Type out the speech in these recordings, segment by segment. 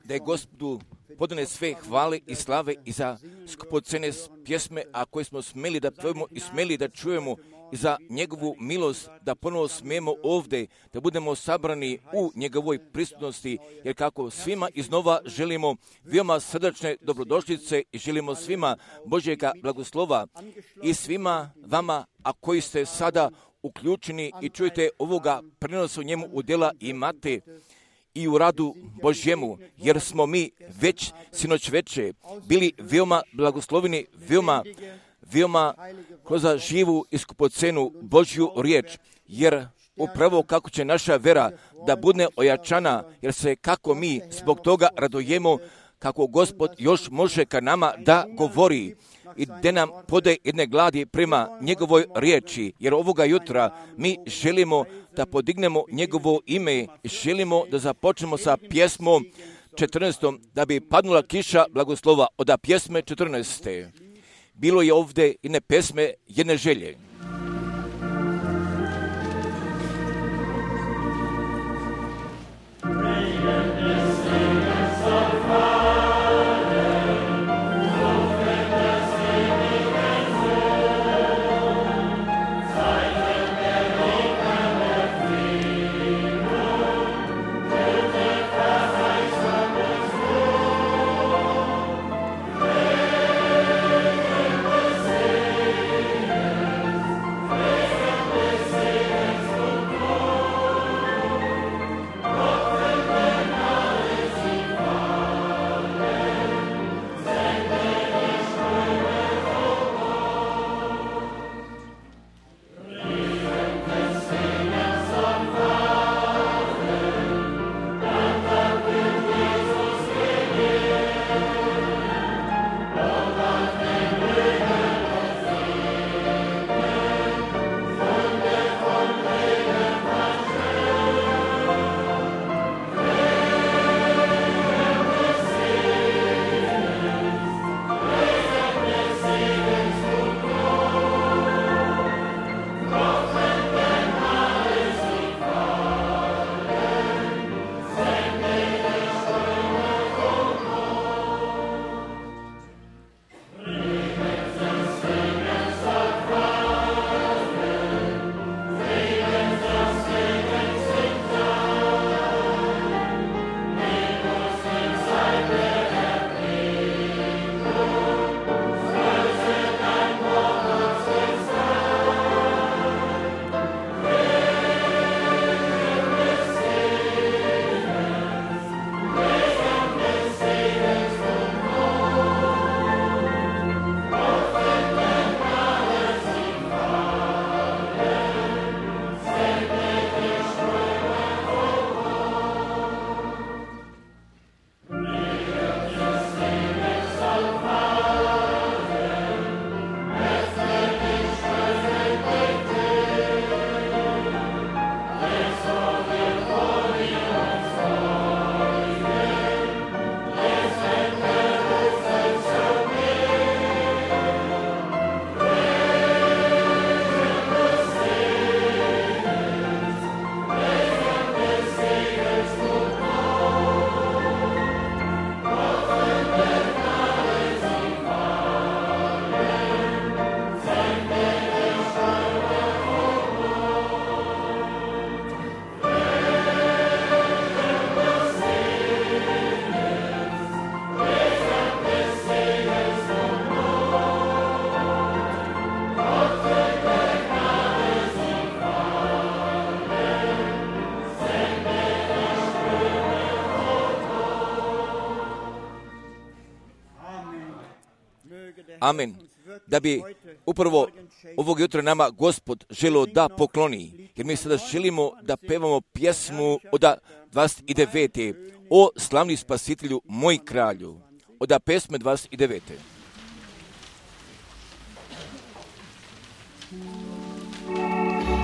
Da je Gospodu podane sve hvale i slave i za skupocene pjesme, a koje smo smeli da pevamo i smeli da čujemo, i za njegovu milost da ponovo smijemo ovdje, da budemo sabrani u njegovoj prisutnosti, jer kako svima iznova želimo veoma srdačne dobrodošlice i želimo svima Božjega blagoslova i svima vama, a koji ste sada uključeni i čujete ovoga prenosa u njemu udjela imate i u radu Božjemu, jer smo mi već sinoć veče bili veoma blagosloveni, veoma kroz živu i skupocenu Božju riječ, jer upravo kako će naša vera da bude ojačana, jer se kako mi zbog toga radujemo, kako Gospod još može ka nama da govori i da nam pode jedne gladi prema njegovoj riječi, jer ovoga jutra mi želimo da podignemo njegovo ime, želimo da započnemo sa pjesmom 14. da bi padnula kiša blagoslova od pjesme 14. Bilo je ovdje jedne pesme, jedne želje. Amen. Da bi upravo ovog jutra nama Gospod želio da pokloni, jer mi sada želimo da pevamo pjesmu od 29. O slavni spasitelju, moj kralju, od pesme 29. Yeah.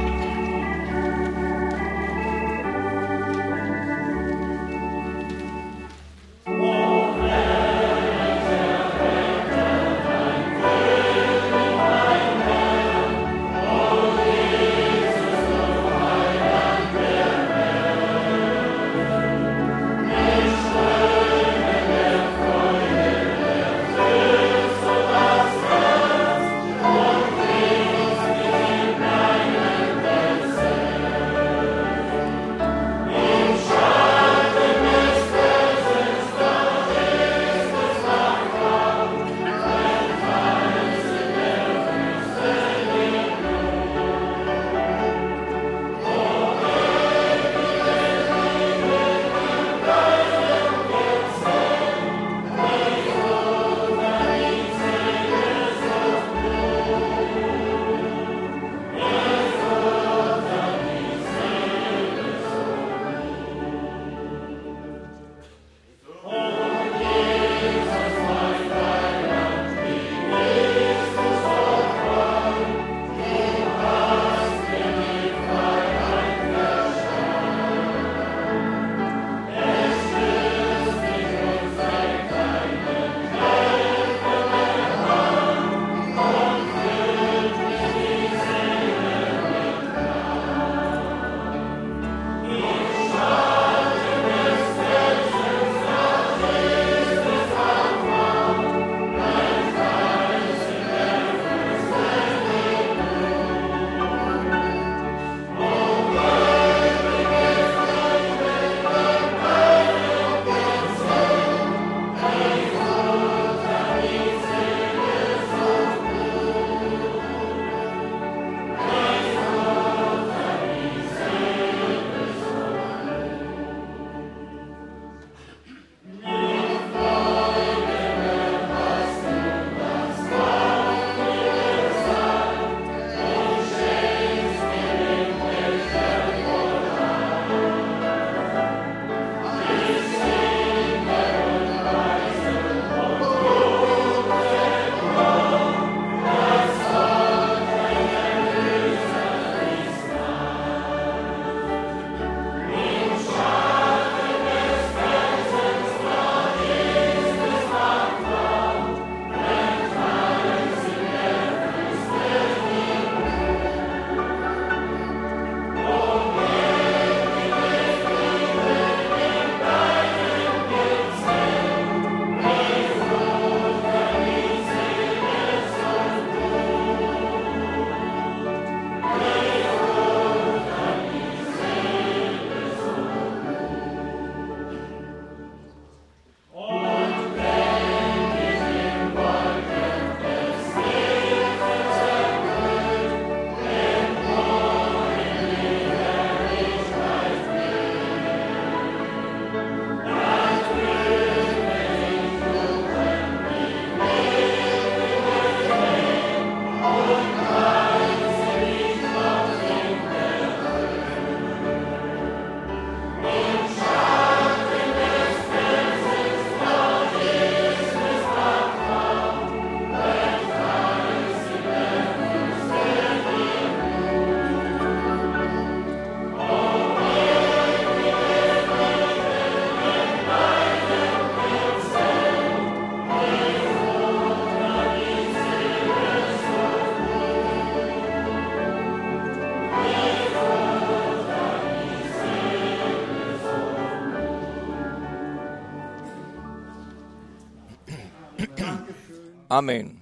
Amen.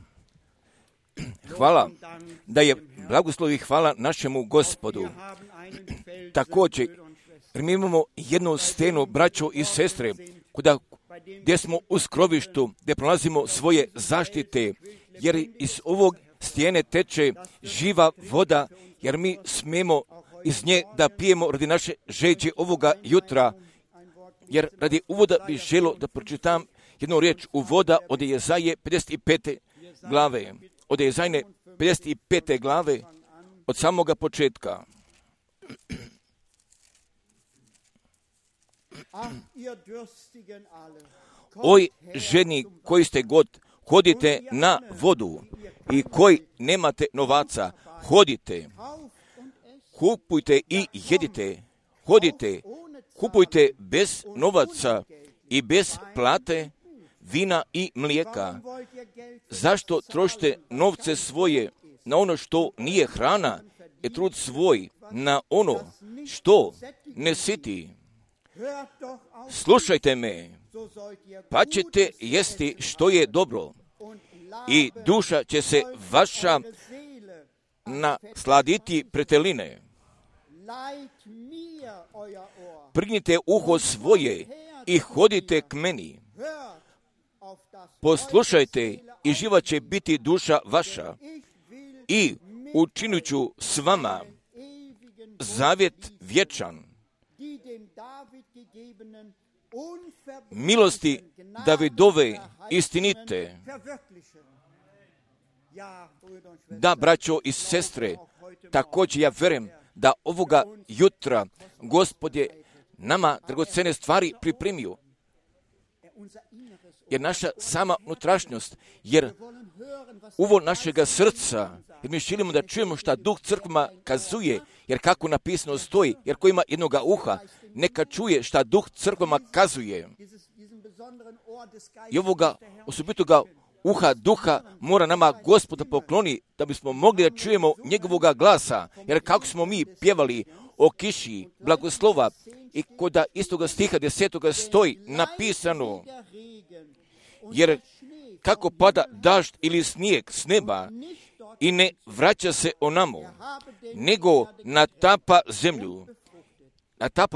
Hvala da je blagoslov i hvala našemu Gospodu. Također, mi imamo jednu stenu, braćo i sestre, gdje smo u skrovištu, gdje pronalazimo svoje zaštite, jer iz ovog stijene teče živa voda, jer mi smijemo iz nje da pijemo radi naše žeđe ovoga jutra. Jer radi uvoda bih želio da pročitam jednu riječ uvoda od Jezaje 55. glave. Od Jezajne 55. glave, od samoga početka. Oj, ženi koji ste god, hodite na vodu i koji nemate novaca, hodite, kupujte i jedite, hodite, kupujte bez novaca i bez plate, vina i mlijeka. Zašto trošite novce svoje na ono što nije hrana i trud svoj na ono što ne siti? Slušajte me, pa ćete jesti što je dobro i duša će se vaša nasladiti preteline. Prignite uho svoje i hodite k meni. Poslušajte i živa će biti duša vaša i učinit ću s vama zavjet vječan. Milosti Davidove istinite. Da, braćo i sestre, također ja vjerujem da ovoga jutra Gospod je nama dragocene stvari pripremio. Jer naša sama unutrašnjost, jer uvo našega srca, jer mi želimo da čujemo šta Duh crkvama kazuje, jer kako napisano stoji, jer ko ima jednoga uha, neka čuje šta Duh crkvama kazuje. I ovoga osobitoga uha duha mora nama Gospoda pokloni da bismo mogli da čujemo njegovoga glasa, jer kako smo mi pjevali o kiši blagoslova i kod istoga stiha 10. stoji napisano, jer kako pada dažd ili snijeg s neba i ne vraća se onamo, nego natapa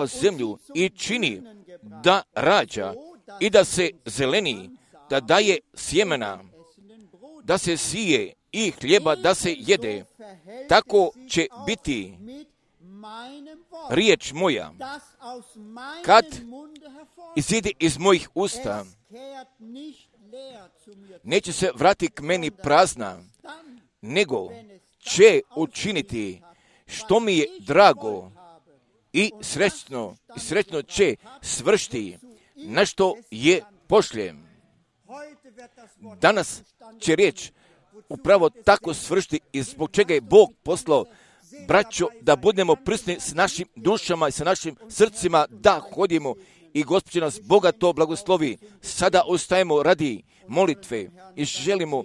zemlju i čini da rađa i da se zeleni, da daje sjemena, da se sije i hljeba da se jede. Tako će biti riječ moja, kad izide iz mojih usta, neće se vrati k meni prazna, nego će učiniti što mi je drago i srećno će svršiti na što je pošljem. Danas će riječ upravo tako svršiti i zbog čega je Bog poslao, braćo, da budemo prisutni s našim dušama i sa našim srcima, da hodimo i Gospod će nas bogato blagoslovi. Sada ostajemo radi molitve i želimo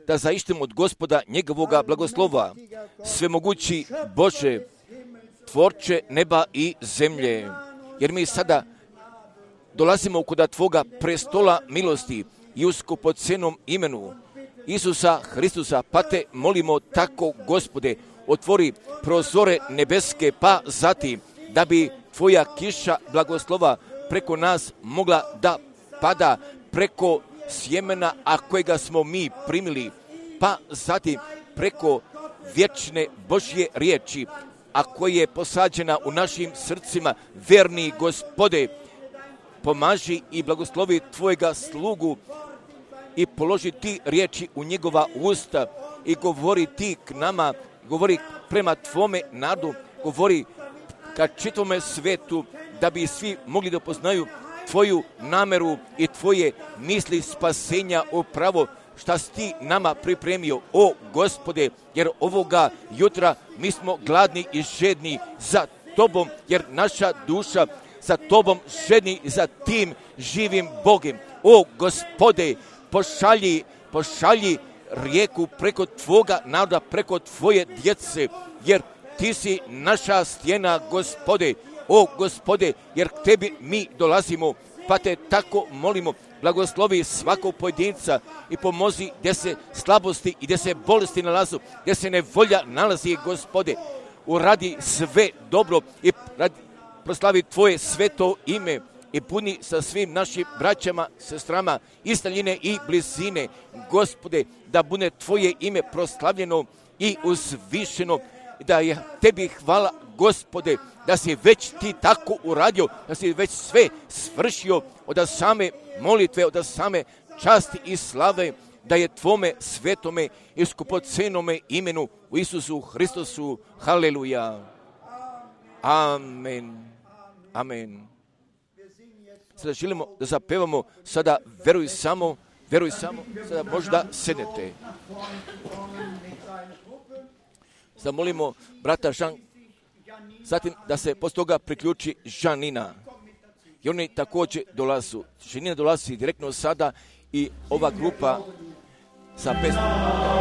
da zaištimo od Gospoda njegovoga blagoslova. Svemogući Bože, tvorče neba i zemlje, jer mi sada dolazimo kod Tvoga prestola milosti i u skupocenom imenu Isusa Hristusa, pa te molimo tako, Gospode, otvori prozore nebeske, pa zatim da bi Tvoja kiša blagoslova preko nas mogla da pada preko sjemena, a kojega smo mi primili, pa zatim preko vječne Božje riječi, a koja je posađena u našim srcima. Verni Gospode, pomaži i blagoslovi Tvojega slugu i položi ti riječi u njegova usta i govori ti k nama, govori prema Tvome narodu, govori ka čitavome svetu, da bi svi mogli da poznaju Tvoju nameru i Tvoje misli spasenja upravo šta si ti nama pripremio, o Gospode, jer ovoga jutra mi smo gladni i žedni za Tobom, jer naša duša za Tobom žedni za tim živim Bogom. O Gospode, pošalji rijeku preko Tvoga naroda, preko Tvoje djece, jer Ti si naša stijena, Gospode, o Gospode, jer k tebi mi dolazimo, pa te tako molimo, blagoslovi svakog pojedinca i pomozi gdje se slabosti i gdje se bolesti nalazu, gdje se nevolja nalazi, Gospode, uradi sve dobro i proslavi tvoje sveto ime i puni sa svim našim braćama, sestrama iz daljine i blizine, Gospode, da bude tvoje ime proslavljeno i uzvišeno, da je tebi hvala, Gospode, da si već ti tako uradio, da si već sve svršio od same molitve, od same časti i slave, da je tvome svetome i skupocenome imenu u Isusu Hristosu. Haleluja. Amen. Amen. Sada želimo da zapevamo, sada veruj samo, sada možda sednete. Sada molimo brata Žan, zatim da se poslije toga priključi Žanina. I oni također dolazu. Žanina dolazi direktno sada i ova grupa sa pesmom.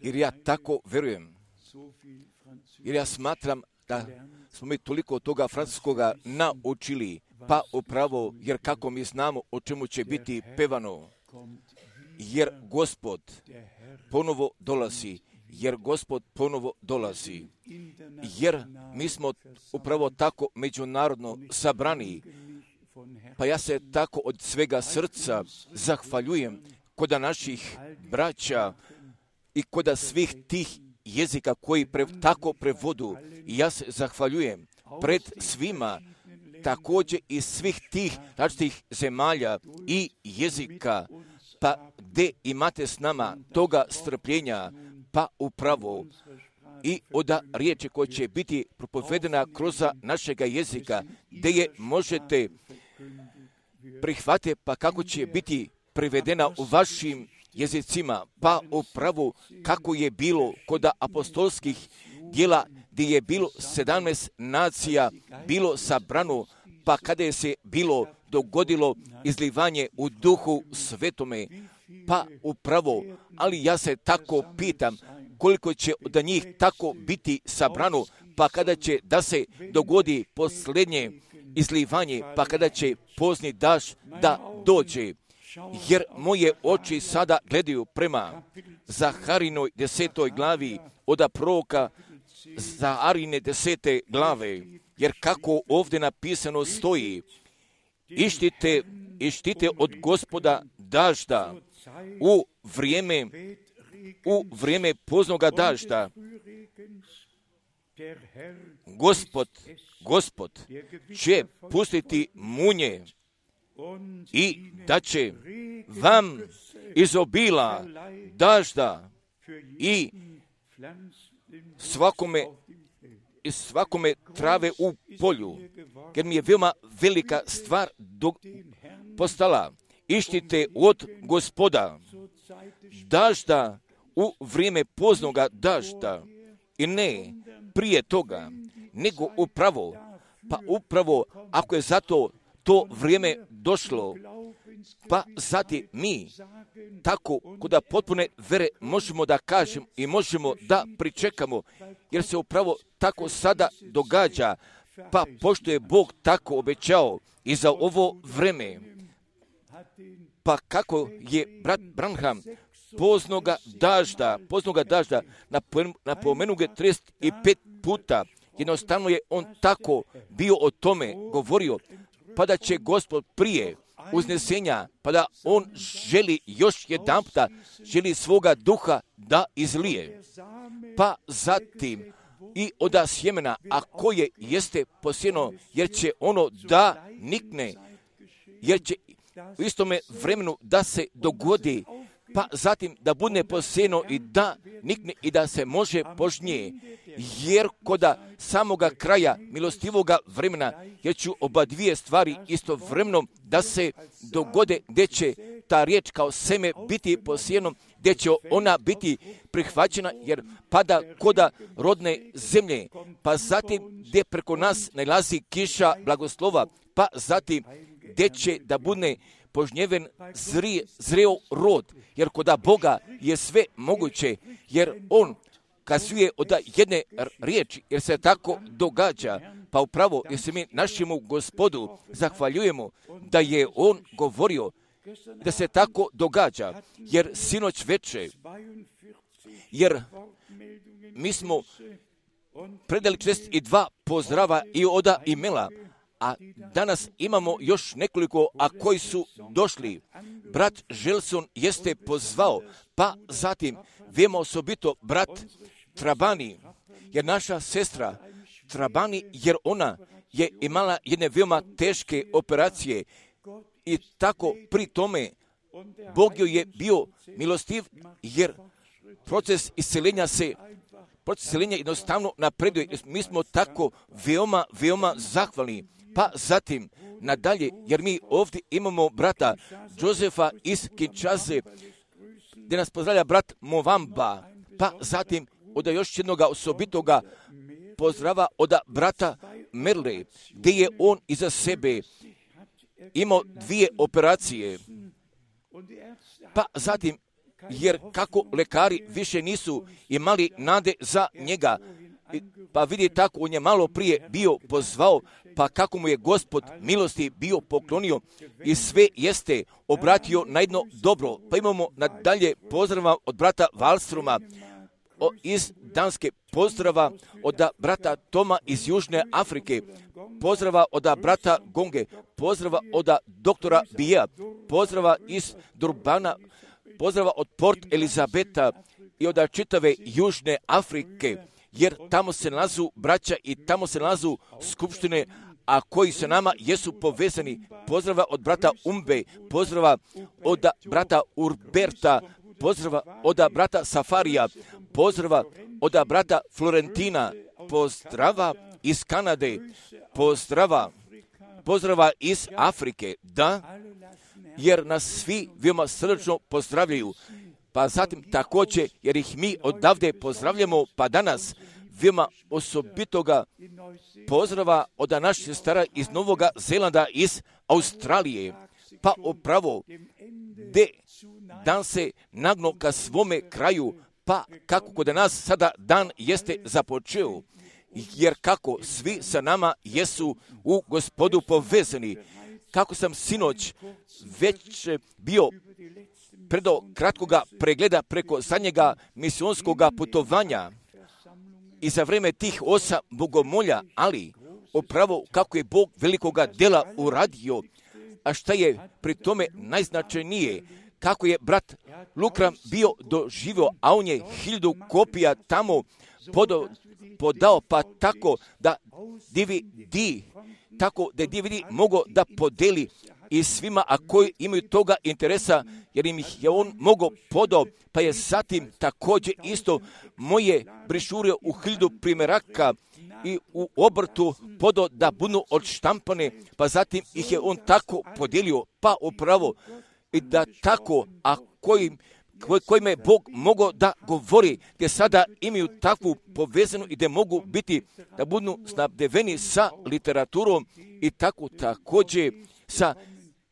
jer ja tako verujem. Jer ja smatram da smo mi toliko toga francuskoga naučili, pa upravo, jer kako mi znamo o čemu će biti pevano, jer Gospod ponovo dolazi, jer mi smo upravo tako međunarodno sabrani, pa ja se tako od svega srca zahvaljujem koda naših braća i koda svih tih jezika koji tako prevodu. I ja se zahvaljujem pred svima, također iz svih tih različitih zemalja i jezika, pa gdje imate s nama toga strpljenja, pa upravo i od riječi koja će biti propovedena kroz našega jezika, gdje je možete prihvatiti, pa kako će biti prevedena u vašim jezicima, pa upravo kako je bilo kod apostolskih djela, gdje je bilo 17 nacija, bilo sabrano, pa kada je se bilo dogodilo izlivanje u Duhu Svetome, pa upravo, ali ja se tako pitam, koliko će od njih tako biti sabrano, pa kada će da se dogodi posljednje izlivanje, pa kada će pozni daž da dođe. Jer moje oči sada gledaju prema Zaharinoj 10. glavi od proroka Zaharine 10. glave, jer kako ovdje napisano stoji, ištite od Gospoda dažda u vrijeme poznoga dažda. Gospod će pustiti munje i da će vam izobila dažda i svakome trave u polju, jer mi je veoma velika stvar postala. Ištite od Gospoda dažda u vrijeme poznoga dažda i ne prije toga, nego upravo ako je zato to vrijeme došlo, pa zatim mi tako kod potpune vere možemo da kažemo i možemo da pričekamo, jer se upravo tako sada događa, pa pošto je Bog tako obećao i za ovo vreme, pa kako je brat Branham poznoga dažda napomenu ga 35 puta, jednostavno je on tako bio o tome govorio, pa da će Gospod prije uznesenja, pa da on želi još jedanputa, želi svoga duha da izlije. Pa zatim i od sjemena, a koje jeste posijeno, jer će ono da nikne, jer će u istome vremenu da se dogodi, pa zatim da bude posijeno i da nikne i da se može požnje, jer koda samoga kraja milostivoga vremena, jer ću oba dvije stvari istovremeno da se dogode, gdje će ta riječ kao seme biti posijeno, gdje će ona biti prihvaćena, jer pada koda rodne zemlje, pa zatim gdje preko nas nalazi kiša blagoslova, pa zatim gdje će da bude požnjeven zreo rod, jer koda Boga je sve moguće, jer on kazuje od jedne riječi, jer se tako događa, pa upravo jer se mi našemu Gospodu zahvaljujemo da je on govorio da se tako događa, jer sinoć veče, jer mi smo predali 42 pozdrava i oda imela, a danas imamo još nekoliko, a koji su došli. Brat Želson jeste pozvao, pa zatim veoma osobito brat Trabani, jer naša sestra Trabani, jer ona je imala jedne veoma teške operacije i tako pri tome Bog joj je bio milostiv, jer proces isceljenja jednostavno napreduje. Mi smo tako veoma zahvalni. Pa zatim nadalje, jer mi ovdje imamo brata Josefa iz Kinshase, gdje nas pozdravlja brat Movamba, pa zatim od još jednoga osobitoga pozdrava od brata Merle, gdje je on iza sebe imao 2 operacije, pa zatim jer kako lekari više nisu imali nade za njega, pa vidi tako, on je malo prije bio pozvao, pa kako mu je Gospod milosti bio poklonio i sve jeste obratio na jedno dobro. Pa imamo nadalje pozdrava od brata Wallstroma iz Danske, pozdrava od brata Toma iz Južne Afrike, pozdrava od brata Gonge, pozdrava od doktora Bija, pozdrava iz Durbana, pozdrava od Port Elizabeta i od čitave Južne Afrike, jer tamo se nalazu braća i tamo se nalazu skupštine, a koji se nama jesu povezani. Pozdrava od brata Umbe, pozdrava od brata Urberta, pozdrava od brata Safarija, pozdrava od brata Florentina, pozdrava iz Kanade, pozdrava iz Afrike, da, jer nas svi veoma srdačno pozdravljaju. Pa zatim također, jer ih mi odavde pozdravljamo, pa danas veoma osobitoga pozdrava od naših sestara iz Novoga Zelanda, iz Australije, pa upravo gdje dan se nagno ka svome kraju, pa kako kod nas sada dan jeste započeo, jer kako svi sa nama jesu u Gospodu povezani. Kako sam sinoć već bio predo kratkoga pregleda preko zadnjega misionskoga putovanja i za vreme tih 8 bogomolja, ali upravo kako je Bog velikoga dela uradio, a šta je pri tome najznačajnije, kako je brat Lukram bio doživio, a on je 1000 kopija tamo podao, pa tako da DVD mogao da podeli i svima, a koji imaju toga interesa, jer im ih je on mogao podao, pa je zatim također isto moje brišure u 1000 primjeraka i u obrtu podao da budu odštampane, pa zatim ih je on tako podijelio, pa upravo i da tako, a kojima je Bog mogao da govori, gdje sada imaju takvu povezanu i gdje mogu biti, da budu snabdeveni sa literaturom i tako također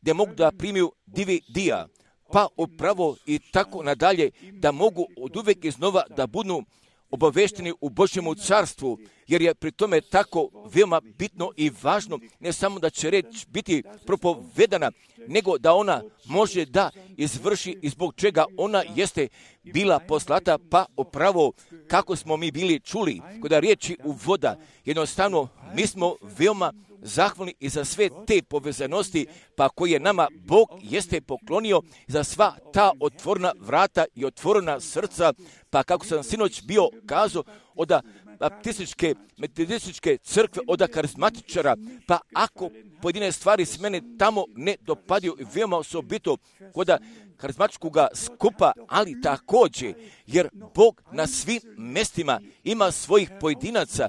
gdje mogu da primiju DVD-a, pa upravo i tako nadalje, da mogu od uvijek iznova da budu obavešteni u Božjemu carstvu, jer je pri tome tako veoma bitno i važno, ne samo da će reč biti propovedana, nego da ona može da izvrši i zbog čega ona jeste bila poslata, pa upravo kako smo mi bili čuli kod riječi uvoda. Jednostavno, mi smo veoma zahvalni i za sve te povezanosti, pa koje nama Bog jeste poklonio za sva ta otvorena vrata i otvorena srca, pa kako sam sinoć bio kazao od baptističke, metodističke crkve, od karizmatičara, pa ako pojedine stvari s mene tamo ne dopadaju i veoma osobito kod karizmatičkog skupa, ali također, jer Bog na svim mestima ima svojih pojedinaca,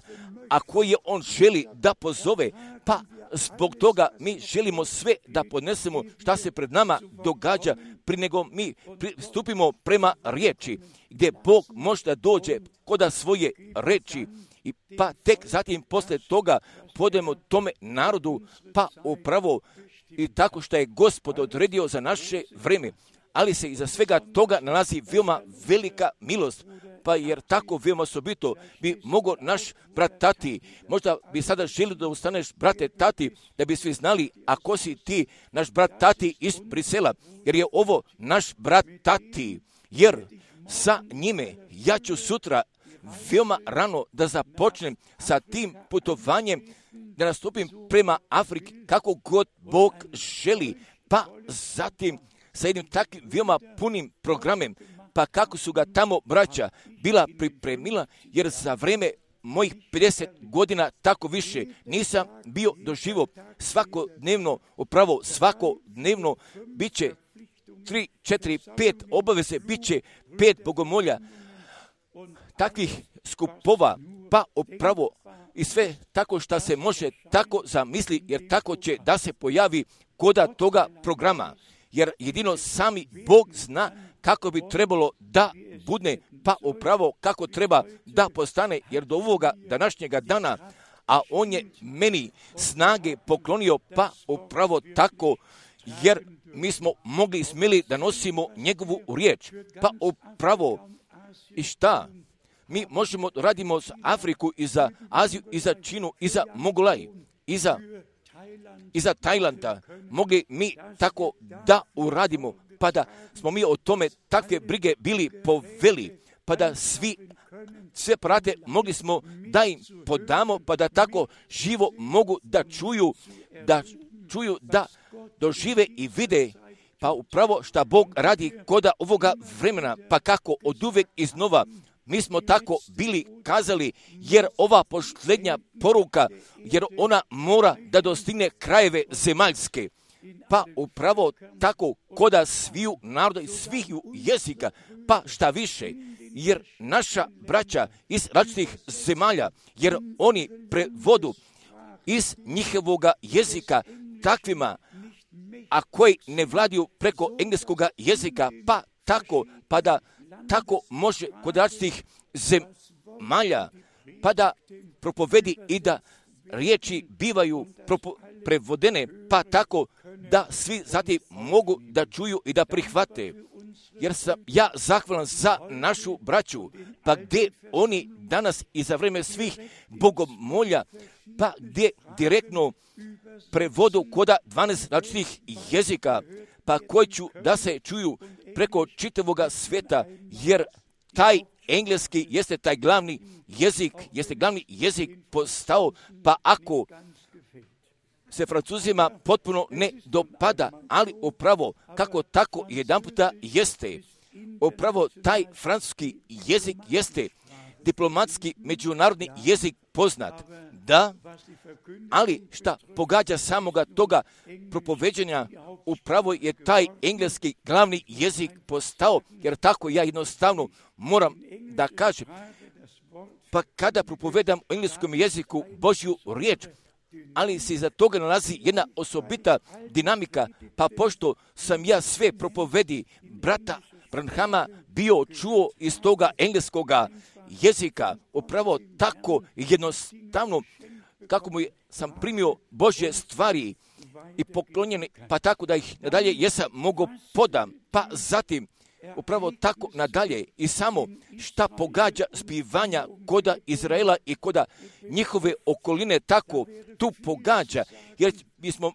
a koje on želi da pozove, pa zbog toga mi želimo sve da podnesemo šta se pred nama događa, prije nego mi stupimo prema riječi, gdje Bog može da dođe kod svoje reči, i pa tek zatim posle toga podemo tome narodu, pa upravo i tako što je Gospod odredio za naše vreme. Ali se iza svega toga nalazi veoma velika milost, pa jer tako veoma osobito bi mogao naš brat Tati, možda bi sada želio da ustaneš, brate Tati, da bi svi znali ako si ti naš brat Tati iz Brisela, jer je ovo naš brat Tati, jer sa njime ja ću sutra veoma rano da započnem sa tim putovanjem, da nastupim prema Afriki kako god Bog želi, pa zatim sa jednim takvim veoma punim programem, pa kako su ga tamo braća bila pripremila, jer za vreme mojih 50 godina tako više nisam bio doživio svakodnevno, upravo svakodnevno bit će 3, 4, 5 obaveze, bit će 5 bogomolja, takvih skupova, pa upravo i sve tako što se može tako zamisli, jer tako će da se pojavi koda toga programa, jer jedino sami Bog zna kako bi trebalo da bude, pa upravo kako treba da postane, jer do ovoga današnjega dana, a on je meni snage poklonio, pa upravo tako, jer mi smo mogli i smjeli da nosimo njegovu riječ. Pa upravo, i šta? Mi možemo radimo za Afriku i za Aziju i za Činu i za Mongolaj i za Tajlanda. Mogli mi tako da uradimo, pa da smo mi o tome takve brige bili poveli, pa da sve prate mogli smo da im podamo, pa da tako živo mogu da čuju, da dožive i vide, pa upravo šta Bog radi koda ovoga vremena, pa kako od uvek iznova. Mi smo tako bili kazali, jer ova posljednja poruka, jer ona mora da dostigne krajeve zemaljske. Pa upravo tako koda sviju naroda i sviju jezika, pa šta više, jer naša braća iz različitih zemalja, jer oni prevodu iz njihovoga jezika takvima, a koji ne vladiju preko engleskoga jezika, pa tako, pa da tako može kod različitih zemalja, pa da propovedi i da riječi bivaju prevodene, pa tako da svi zatim mogu da čuju i da prihvate. Jer sam ja zahvalan za našu braću, pa gdje oni danas i za vreme svih bogomolja, pa gdje direktno prevodu koda 12 različitih jezika, pa koji ću da se čuju preko čitavoga svijeta, jer taj engleski jeste taj glavni jezik postao, pa ako se Francuzima potpuno ne dopada, ali upravo kako tako jedanputa jeste, upravo taj francuski jezik jeste diplomatski međunarodni jezik poznat, da, ali šta pogađa samoga toga propoveđenja, upravo je taj engleski glavni jezik postao, jer tako ja jednostavno moram da kažem, pa kada propovedam u engleskom jeziku Božju riječ, ali se iza toga nalazi jedna osobita dinamika, pa pošto sam ja sve propovedi brata Branhama bio čuo iz toga engleskoga jezika, upravo tako jednostavno kako sam primio Božje stvari i poklonjene, pa tako da ih nadalje jesam mogo podam, pa zatim upravo tako nadalje i samo šta pogađa zbivanja koda Izraela i koda njihove okoline tako tu pogađa, jer bismo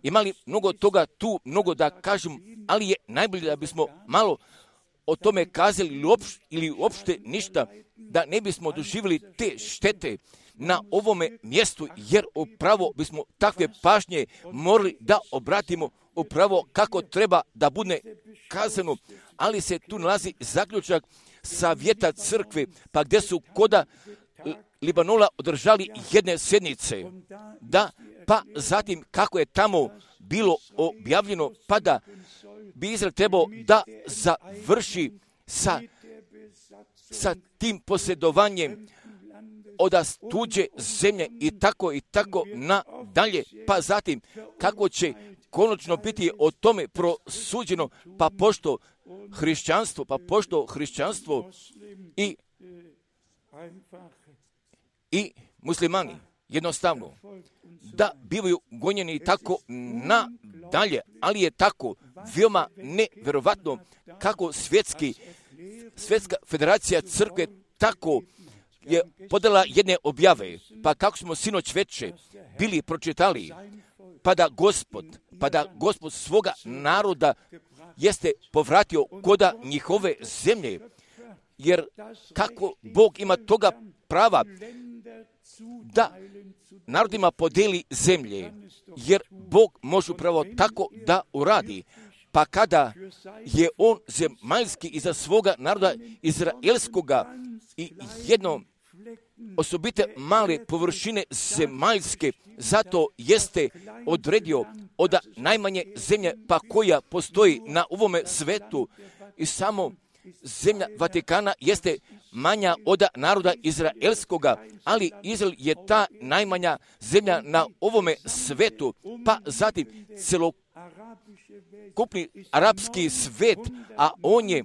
imali mnogo toga tu, mnogo da kažem, ali je najbolje da bismo malo o tome kazali ili uopšte ništa, da ne bismo doživjeli te štete na ovome mjestu, jer upravo bismo takve pažnje morali da obratimo upravo kako treba da bude kazano, ali se tu nalazi zaključak savjeta crkve, pa gdje su koda Libanola održali jedne sjednice, da, pa zatim kako je tamo bilo objavljeno, pa da bi Izrael trebao da završi sa tim posjedovanjem od tuđe zemlje i tako nadalje, pa zatim kako će konačno biti o tome prosuđeno, pa pošto hrišćanstvo i muslimani jednostavno da bivaju gonjeni tako nadalje, ali je tako veoma nevjerovatno kako svjetska federacija crkve tako je podala jedne objave, pa kako smo sinoć veče bili pročitali, pa da Gospod svoga naroda jeste povratio koda njihove zemlje, jer kako Bog ima toga prava da narodima podeli zemlje, jer Bog može upravo tako da uradi, pa kada je on zemaljski iza svoga naroda izraelskoga i jedno osobite male površine zemaljske, zato jeste odredio od najmanje zemlje pa koja postoji na ovome svetu i samo zemlja Vatikana jeste manja od naroda izraelskoga, ali Izrael je ta najmanja zemlja na ovome svetu, pa zatim celokupni arapski svet, a on je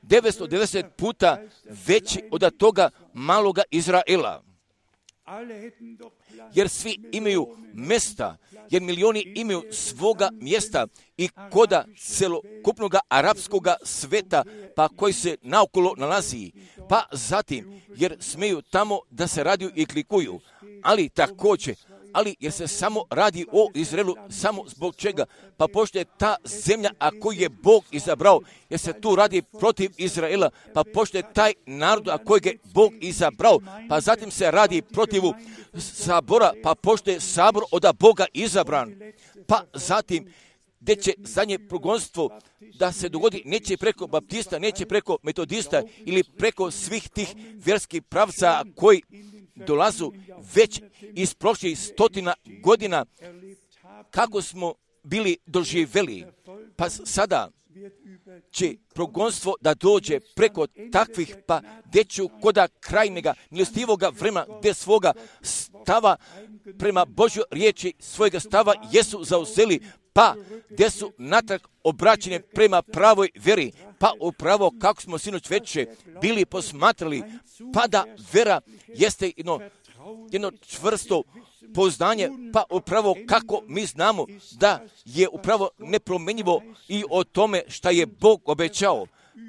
990 puta veći od toga maloga Izraela. jer svi imaju mjesta, jer milioni imaju svoga mjesta i koda celokupnog arapskoga sveta, pa koji se naokolo nalazi, pa zatim, jer smeju tamo da se radiju i klikuju, ali također, jer se samo radi o Izraelu, samo zbog čega? Pa pošto je ta zemlja, a koju je Bog izabrao, jer se tu radi protiv Izraela, pa pošto je taj narod, a kojeg je Bog izabrao, pa zatim se radi protiv sabora, pa pošto je sabor od Boga izabran, pa zatim, gdje će zadnje progonstvo da se dogodi, neće preko baptista, neće preko metodista ili preko svih tih vjerskih pravca koji dolazu već iz prošlih 100 godina, kako smo bili doživjeli. Pa sada će progonstvo da dođe preko takvih, pa gdje ću koda krajnjega milostivoga vremena, gdje svoga stava prema Božjoj riječi, svojega stava jesu zauzeli, pa gdje su natrag obraćene prema pravoj vjeri, pa upravo kako smo sinoć veče bili posmatrali, pa da vera jeste jedno čvrsto poznanje, pa upravo kako mi znamo da je upravo nepromjenjivo i o tome šta je Bog obećao,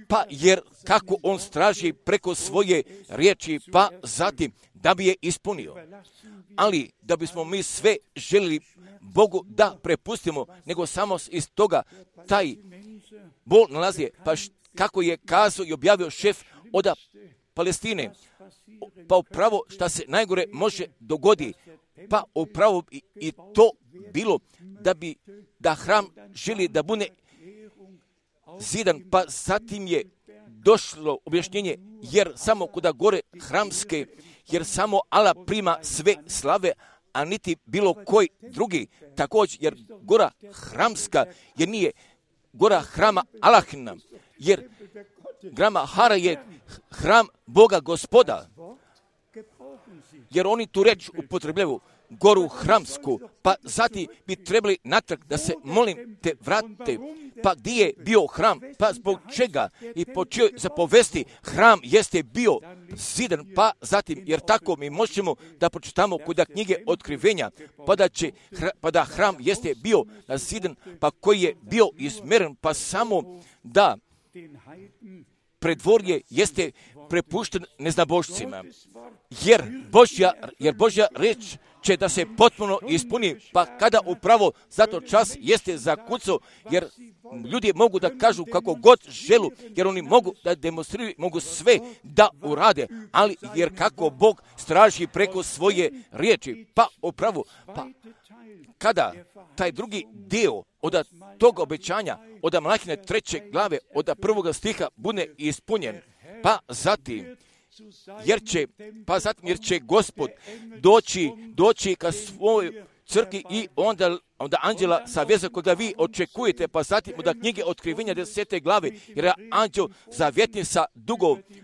pa jer kako on straži preko svoje riječi, pa zatim da bi je ispunio. Ali da bismo mi sve željeli Bogu da prepustimo, nego samo iz toga taj bol nalazi, pa kako je kazao i objavio šef od Palestine, pa upravo šta se najgore može dogodi, pa upravo i to bilo da hram želi da bude zidan, pa zatim je došlo objašnjenje, jer samo kuda gore hramske, jer samo Allah prima sve slave, a niti bilo koji drugi. Također, jer gora hramska, jer nije gora hrama Allahina, jer grama Hara je hram Boga Gospoda, jer oni tu reč upotrebljaju goru hramsku, pa zatim bi trebali natrag da se molim te vrate, pa gdje je bio hram, pa zbog čega i po čijoj zapovesti hram jeste bio zidan, pa zatim, jer tako mi možemo da pročitamo kod knjige Otkrivenja, pa da hram jeste bio zidan, pa koji je bio izmjeren, pa samo da predvorje jeste prepušten neznabošcima, jer Božja reč će da se potpuno ispuni, pa kada upravo zato čas jeste zakucao, jer ljudi mogu da kažu kako god želu, jer oni mogu da demonstriraju, mogu sve da urade, ali jer kako Bog straži preko svoje riječi, pa upravo, pa kada taj drugi dio od tog obećanja, od Malahine 3. glave, od 1. stiha bude ispunjen, pa zatim, jer će Gospod doći ka svojoj crkvi i onda anđela sa veze koga vi očekujete, pa zatim od knjige Otkrivenja 10. glave, jer je anđel zavjetni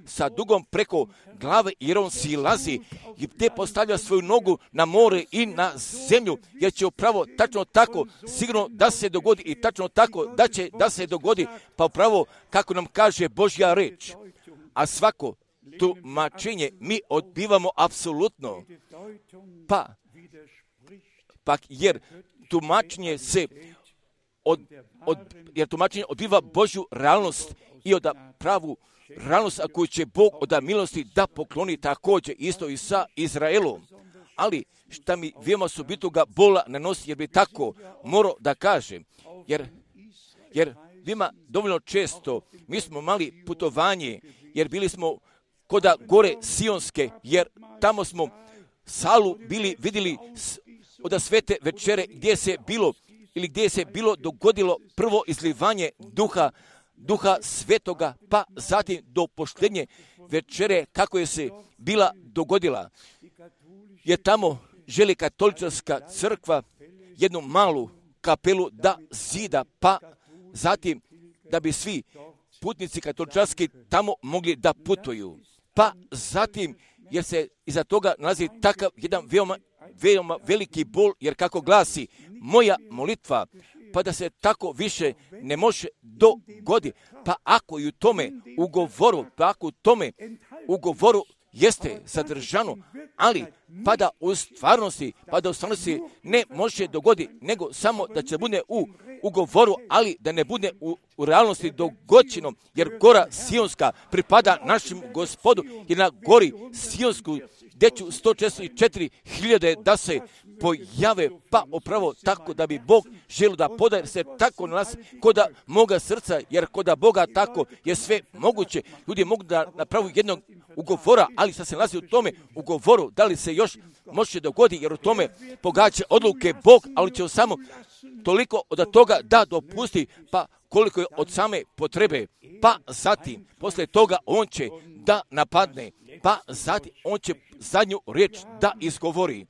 sa dugom preko glave, jer on silazi i te postavlja svoju nogu na more i na zemlju, jer će upravo tačno tako sigurno da se dogodi i tačno tako da će da se dogodi, pa upravo kako nam kaže Božja reč, a svako tumačenje mi odbivamo apsolutno, pa jer tumačenje odbiva Božju realnost i od pravu realnost, a koju će Bog od milosti da pokloni također isto i sa Izraelom. Ali šta mi veoma subitoga bola nanosi, jer bi tako morao da kažem, jer veoma dovoljno često mi smo mali putovanje, jer bili smo koda gore Sionske, jer tamo smo salu bili vidjeli od svete večere gdje se bilo dogodilo prvo izlivanje duha svetoga, pa zatim do posljednje večere kako je se bila dogodila. Jer tamo želi katolička crkva jednu malu kapelu da zida, pa zatim da bi svi putnici katolički tamo mogli da putuju. Pa zatim, jer se iza toga nalazi takav jedan veoma veliki bol, jer kako glasi moja molitva, pa da se tako više ne može dogodi, pa ako i u tome ugovoru jeste sadržano, ali pa da u stvarnosti ne može dogoditi, nego samo da će bude u ugovoru, ali da ne bude u realnosti dogođeno, jer gora Sionska pripada našem Gospodu i na gori Sionsku gdje ću 144.000 da se pojave, pa upravo tako da bi Bog želio da podaje se tako na nas koda moga srca, jer koda Boga tako je sve moguće. Ljudi mogu da napravu jednog ugovora, ali sad se nalazi u tome ugovoru, da li se još može dogoditi, jer u tome pogađa odluke Bog, ali će samo toliko od toga da dopusti, pa koliko je od same potrebe, pa zatim, posle toga on će da napadne, pa zatim on će zadnju riječ da izgovori.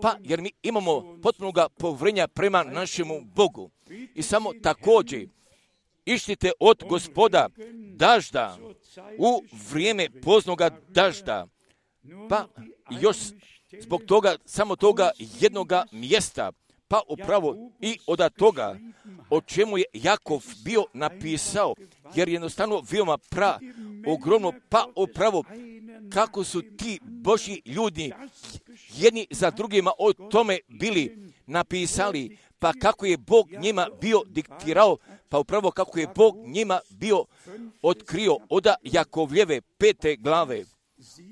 Pa jer mi imamo potpunoga povjerenja prema našemu Bogu. I samo također ištite od Gospoda dažda u vrijeme poznoga dažda. Pa još zbog toga, samo toga jednoga mjesta, pa upravo i od toga o čemu je Jakov bio napisao, jer jednostavno veoma ogromno, pa upravo kako su ti Božji ljudi jedni za drugima o tome bili napisali, pa kako je Bog njima bio diktirao, pa upravo kako je Bog njima bio otkrio od Jakovljeve 5. glave,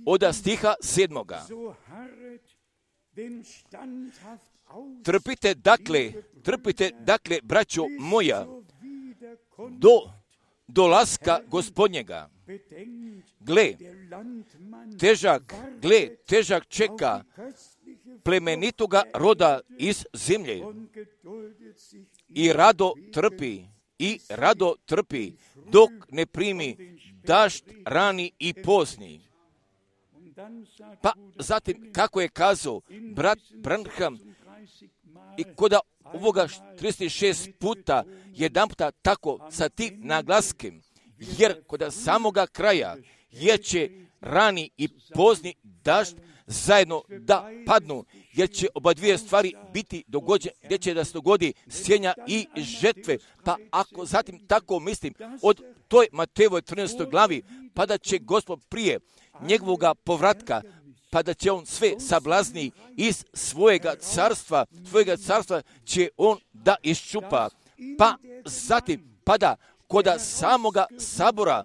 od stiha 7. Trpite dakle, braćo moja, do dolaska Gospodnjega. Gle, težak čeka plemenitoga roda iz zemlje i rado trpi dok ne primi dažd rani i pozni. Pa zatim, kako je kazao brat Branham, i koda ovoga 36 puta, jedan puta tako sa tim naglaskem, jer koda samoga kraja jer će rani i pozni dažd zajedno da padnu, jer će oba dvije stvari biti dogođene, gdje će da se dogodi sjenja i žetve. Pa ako zatim tako mislim, od toj Matejevoj 13. glavi, pa da će Gospod prije njegovoga povratka, pa da će on sve sablazni iz svojega carstva će on da iščupa. Pa zatim, pa da koda samoga sabora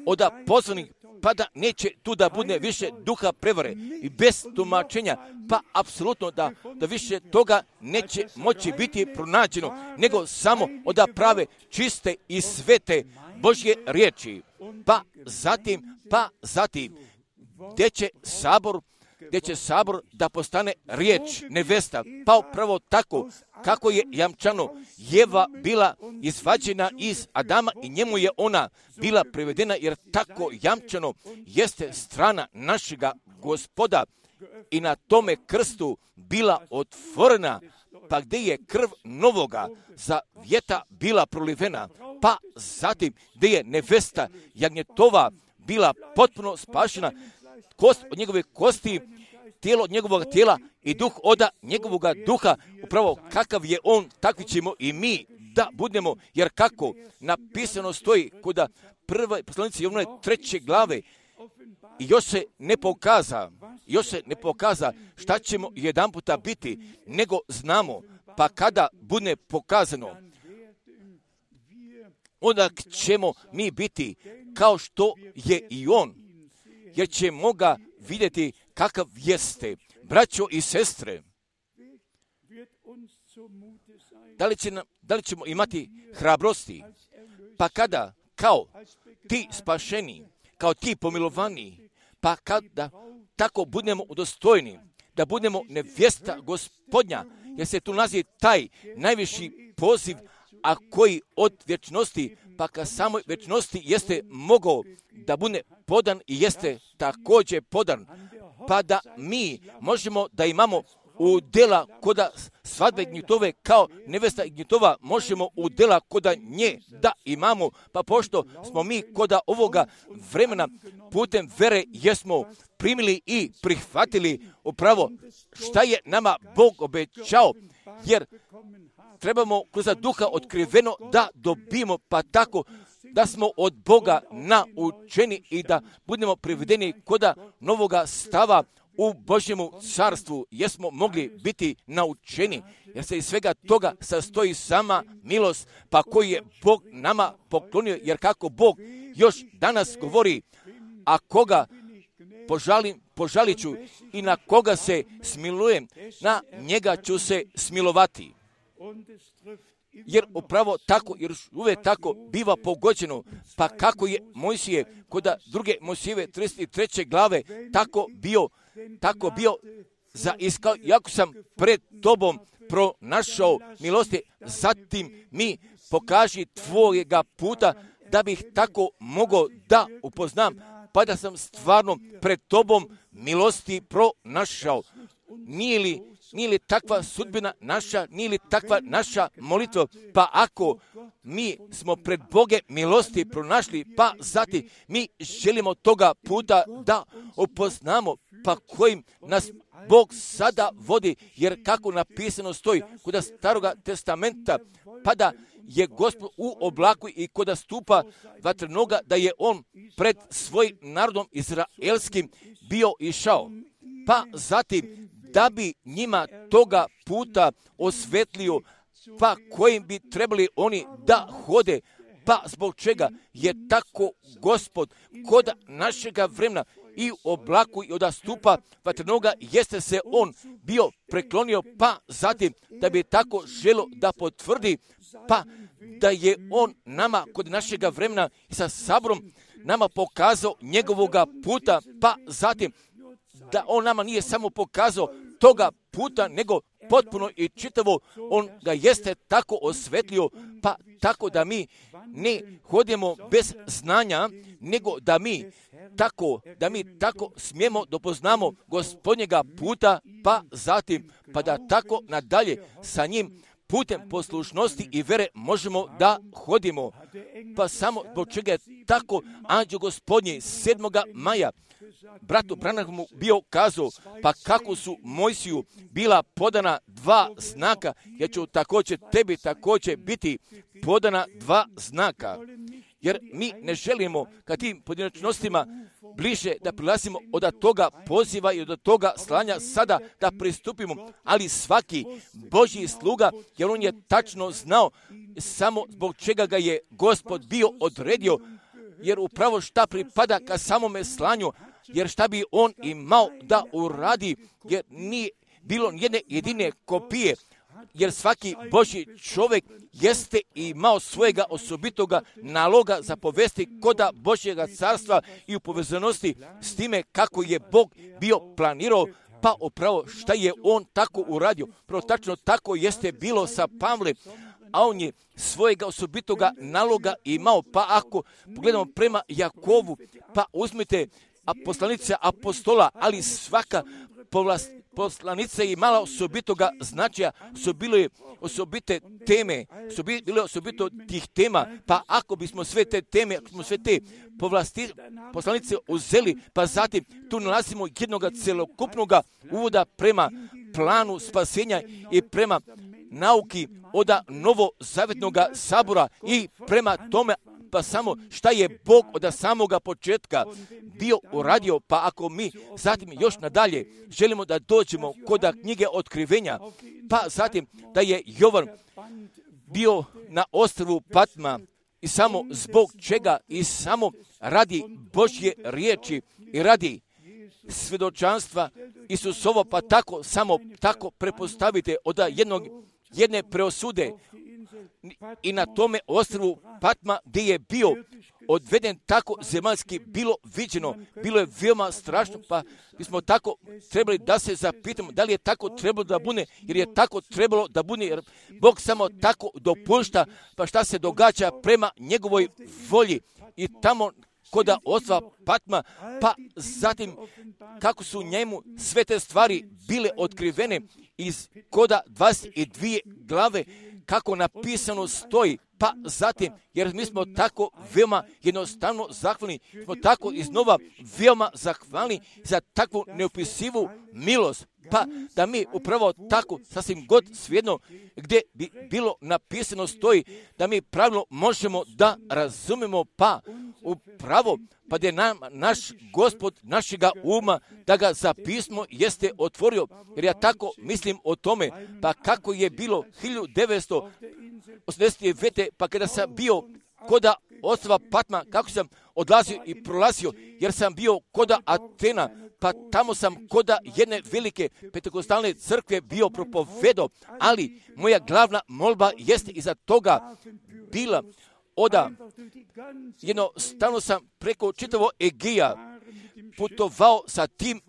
od pozvanih, pa da neće tu da bude više duha prevare i bez tumačenja, pa apsolutno da više toga neće moći biti pronađeno, nego samo od prave, čiste i svete Božje riječi. Pa zatim, gdje će sabor da postane riječ nevesta, pa upravo tako kako je jamčano Jeva bila izvađena iz Adama i njemu je ona bila privedena, jer tako jamčano jeste strana našega Gospoda i na tome krstu bila otvorena, pa gdje je krv novoga zavjeta bila prolivena, pa zatim gdje je nevesta jagnjetova bila potpuno spašena, kost od njegove kosti, tijelo od njegovog tijela i duh od njegovog duha, upravo kakav je on, takvi ćemo i mi da budemo, jer kako napisano stoji kod prve poslanice Jovnove 3. glave, i još se ne pokaza šta ćemo jedan puta biti, nego znamo, pa kada bude pokazano, onda ćemo mi biti kao što je i on, jer ćemo ga vidjeti kakav jeste. Braćo i sestre, da li ćemo imati hrabrosti, pa kada kao ti spašeni, kao ti pomilovani, pa kada tako budemo udostojni, da budemo nevjesta Gospodnja, jer se tu nalazi taj najviši poziv, a koji od vječnosti, pa ka samoj vječnosti jeste mogao da bude podan i jeste također podan, pa da mi možemo da imamo udjela koda svadbe gnjitove kao nevesta gnjitova, možemo udjela koda nje da imamo, pa pošto smo mi koda ovoga vremena putem vere jesmo primili i prihvatili upravo šta je nama Bog obećao, jer trebamo kroz duha otkriveno da dobijemo, pa tako da smo od Boga naučeni i da budemo privedeni koda novoga stava u Božjemu carstvu, jer smo mogli biti naučeni, jer se iz svega toga sastoji sama milost, pa koji je Bog nama poklonio, jer kako Bog još danas govori, a koga požalit ću i na koga se smilujem, na njega ću se smilovati. Jer upravo tako, jer uvijek tako biva pogođeno, pa kako je Mojsije kod druge Mojsijeve 33. glave tako bio zaiskao, jako sam pred tobom pronašao milosti, zatim mi pokaži tvojega puta, da bih tako mogao da upoznam, pa da sam stvarno pred tobom milosti pronašao. Nije li takva sudbina naša, nije li takva naša molitva, pa ako mi smo pred Boge milosti pronašli, pa zatim mi želimo toga puta da upoznamo, pa kojim nas Bog sada vodi, jer kako napisano stoji kod Staroga testamenta, pa da je Gospod u oblaku i koda stupa vatrenoga, da je on pred svojim narodom izraelskim bio išao. Pa zatim, da bi njima toga puta osvetlio, pa kojim bi trebali oni da hode, pa zbog čega je tako Gospod kod našega vremena i u oblaku i od stupa vatrenoga, jeste se on bio preklonio, pa zatim da bi tako želo da potvrdi, pa da je on nama kod našega vremena i sa saborom nama pokazao njegovoga puta, pa zatim da on nama nije samo pokazao toga puta, nego potpuno i čitavo on ga jeste tako osvetlio, pa tako da mi ne hodimo bez znanja, nego da mi tako smijemo dopoznamo Gospodnjega puta, pa zatim pa da tako nadalje sa njim putem poslušnosti i vere možemo da hodimo. Pa samo zbog čega je tako anđeo Gospodnji 7. maja bratu Branhamu bio kazao, pa kako su Mojsiju bila podana 2 znaka, ja ću tebi također biti podana 2 znaka. Jer mi ne želimo ka tim pojedinačnostima bliže da prilazimo od toga poziva i od toga slanja sada da pristupimo, ali svaki Božji sluga, jer on je tačno znao samo zbog čega ga je Gospod bio odredio, jer upravo šta pripada ka samome slanju, jer šta bi on imao da uradi, jer nije bilo jedne jedine kopije, jer svaki Božji čovjek jeste imao svojega osobitoga naloga za povesti koda Božjega carstva i u povezanosti s time kako je Bog bio planirao, pa upravo šta je on tako uradio. Prvo tačno tako jeste bilo sa Pavlem, a on je svojega osobitoga naloga imao, pa ako pogledamo prema Jakovu, pa uzmite poslanice apostola, ali svaka poslanica je imala osobitoga značaja, su bile osobite teme, su bile osobito tih tema, pa ako bismo sve te teme, ako smo sve te poslanice uzeli, pa zatim tu nalazimo jednog celokupnog uvoda prema planu spasenja i prema nauki od novozavjetnog sabora i prema tome, pa samo šta je Bog od samoga početka bio uradio, pa ako mi zatim još nadalje želimo da dođemo kod knjige Otkrivenja, pa zatim da je Jovan bio na ostrvu Patma i samo zbog čega i samo radi Božje riječi i radi svjedočanstva Isusovo, pa tako samo tako prepostavite od jedne preosude i na tome ostrvu Patma gdje je bio odveden tako zemaljski bilo viđeno, bilo je veoma strašno, pa bismo tako trebali da se zapitamo da li je tako trebalo da bude, jer je tako trebalo da bude, jer Bog samo tako dopušta, pa šta se događa prema njegovoj volji i tamo kod ostrva Patma, pa zatim kako su njemu sve te stvari bile otkrivene iz koda 22 glave, kako napisano stoji, pa zatim, jer mi smo tako veoma jednostavno zahvalni, smo tako iznova veoma zahvalni za takvu neopisivu milost, pa da mi upravo tako, sasvim god svejedno, gdje bi bilo napisano stoji, da mi pravilno možemo da razumemo, pa upravo, pa gdje nam naš Gospod našega uma, da ga za pismo jeste otvorio, jer ja tako mislim o tome, pa kako je bilo 1989. pa kada sam bio koda ostrva Patma, kako sam odlazio i prolazio, jer sam bio koda Atena, pa tamo sam koda jedne velike pentekostalne crkve bio propovedao, ali moja glavna molba jeste iza toga bila oda, jednostavno sam preko čitavog Egija putovao sa tim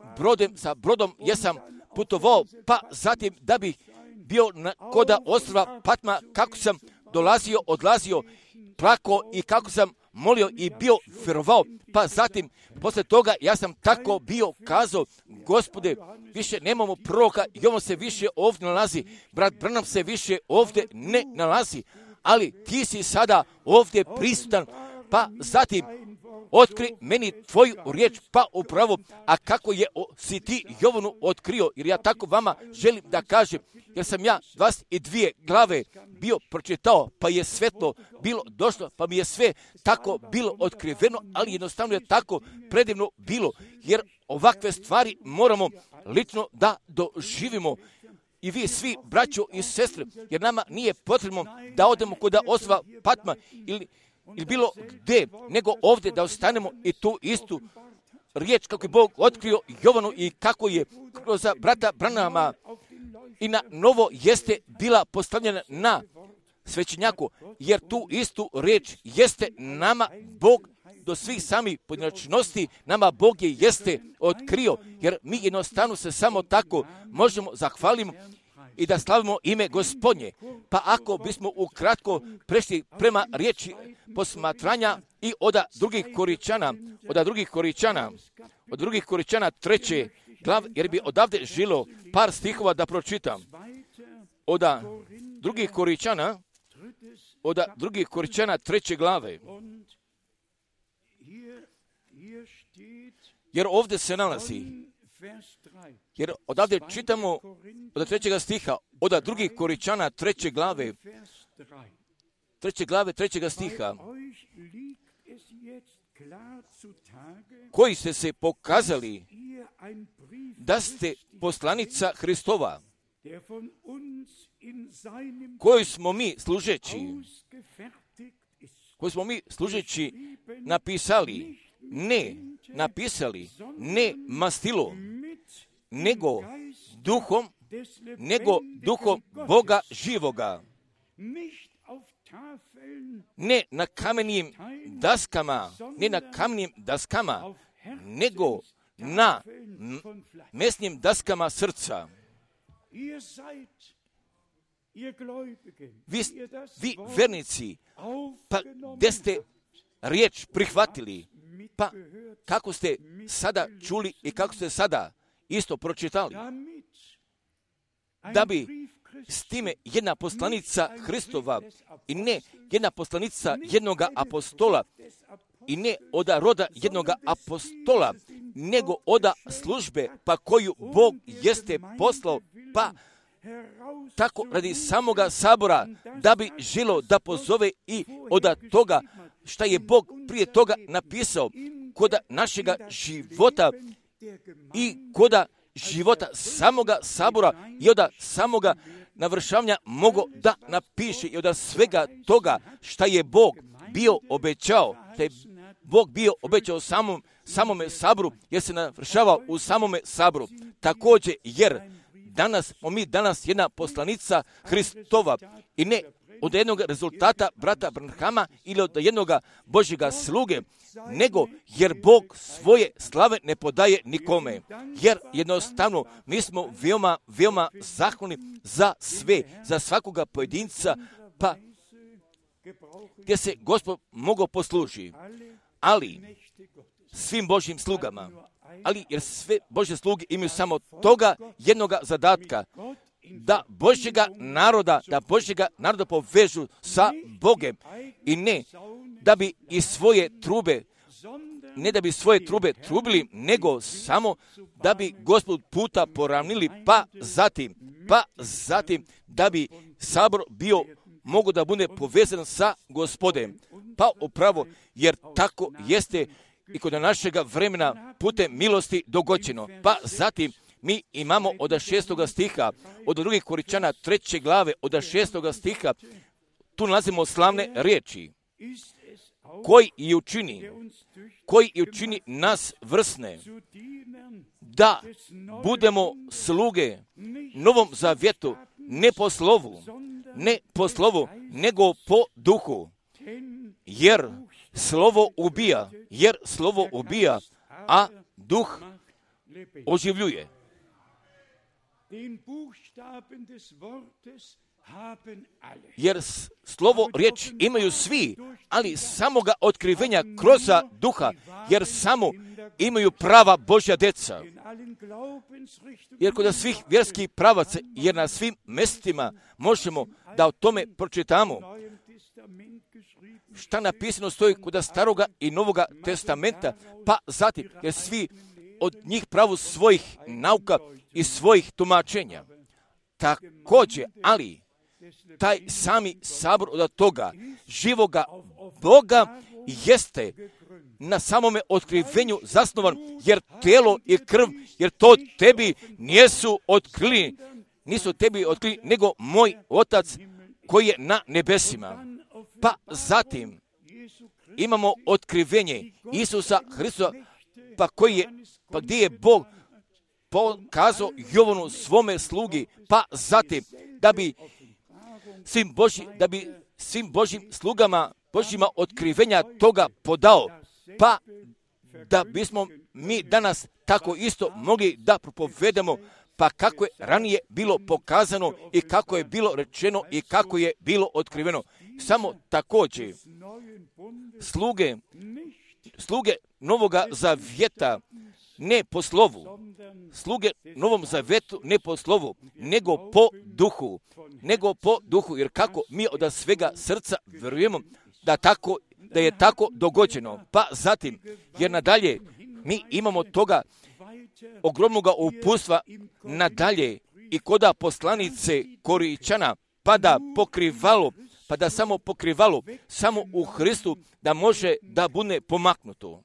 brodom, jesam putovao, pa zatim da bih bio koda ostrva Patma, kako sam dolazio, odlazio, plako i kako sam molio i bio vjerovao, pa zatim posle toga ja sam tako bio kazao, Gospode, više nemamo proroka i on se više ovdje nalazi, brat Branham se više ovdje ne nalazi, ali ti si sada ovdje prisutan, pa zatim otkri meni tvoju riječ, pa upravo, a kako je si ti Jovanu otkrio, jer ja tako vama želim da kažem, jer sam ja 22 glave bio pročitao, pa je svetlo bilo došlo, pa mi je sve tako bilo otkriveno, ali jednostavno je tako predivno bilo, jer ovakve stvari moramo lično da doživimo. I vi svi, braćo i sestre, jer nama nije potrebno da odemo kod ostrva Patma ili bilo gdje, nego ovdje da ostanemo i tu istu riječ kako je Bog otkrio Jovanu i kako je kroz brata Branhama i na novo jeste bila postavljena na svećenjaku, jer tu istu riječ jeste nama Bog do svih samih pojedinačnosti, nama Bog je jeste otkrio, jer mi jednostavno se samo tako možemo zahvaliti i da slavimo ime Gospodnje. Pa ako bismo ukratko prešli prema riječi posmatranja i od drugih Koričana 3. glav, jer bi odavde žilo par stihova da pročitam. Od drugih Koričana 3. glave. Jer ovdje se nalazi, jer odavde čitamo od 3. stiha, od 2. Koričana 3. glave, 3. stiha, koji ste se pokazali da ste poslanica Hristova, koju smo mi služeći napisali, ne mastilom, nego duhom Boga živoga, ne na kamenim daskama, nego na mesnim daskama srca. Vi vernici, pa gdje ste riječ prihvatili, pa kako ste sada čuli i kako ste sada isto pročitali, da bi s time jedna poslanica Hristova i ne jedna poslanica jednoga apostola i ne od roda jednoga apostola, nego od službe pa koju Bog jeste poslao, pa tako radi samoga sabora, da bi želo da pozove i od toga šta je Bog prije toga napisao kod našega života i kod života samoga sabora i od samoga navršavanja mogo da napiše i od svega toga šta je Bog bio obećao, šta je Bog bio obećao samome saboru, jer se navršava u samome saboru. Također, jer mi danas jedna poslanica Hristova i ne od jednog rezultata brata Branhama ili od jednog Božjega sluge, nego jer Bog svoje slave ne podaje nikome. Jer jednostavno mi smo veoma, veoma zahvalni za sve, za svakoga pojedinca, pa gdje se Gospod mogao posluži. Ali svim Božjim slugama, ali jer sve Božje sluge imaju samo toga jednoga zadatka, da Božjega naroda povežu sa Bogem i ne da bi iz svoje trube ne da bi svoje trube trubili, nego samo da bi Gospod puta poravnili, pa zatim da bi sabor bio mogu da bude povezan sa Gospodem. Pa upravo, jer tako jeste i kod našega vremena putem milosti dogođeno. Pa zatim mi imamo od 6. stiha, od 2. Korinćana 3. glave, od 6. stiha, tu nalazimo slavne riječi. Koji i učini nas vrsne, da budemo sluge Novom zavjetu, ne po slovu, nego po duhu. Jer slovo ubija, a duh oživljuje. Jer slovo riječ imaju svi, ali samoga otkrivenja kroz duha, jer samo imaju prava Božja deca. Jer kod svih vjerskih pravaca, jer na svim mjestima možemo da o tome pročitamo. Šta napisano stoji kod Staroga i Novoga testamenta, pa zatim, jer svi od njih pravu svojih nauka i svojih tumačenja. Također, ali taj sami sabor od toga živoga Boga jeste na samome otkrivenju zasnovan, jer telo i krv, jer to tebi nisu tebi otkrili, nego moj Otac koji je na nebesima. Pa zatim imamo otkrivenje Isusa Hristusa, pa gdje je Bog pokazao Jovanu svome slugi, pa zatim da bi svim Božjim slugama, Božjima otkrivenja toga podao, pa da bismo mi danas tako isto mogli da propovedamo, pa kako je ranije bilo pokazano i kako je bilo rečeno i kako je bilo otkriveno. Samo također sluge Novoga zavjeta ne po slovu, sluge Novom zavjetu ne po slovu, nego po duhu, jer kako mi od svega srca vjerujemo da je tako dogođeno. Pa zatim, jer nadalje mi imamo toga ogromnoga uputstva nadalje i koda poslanice Korinćana, pa da samo pokrivalo, samo u Hristu da može da bude pomaknuto.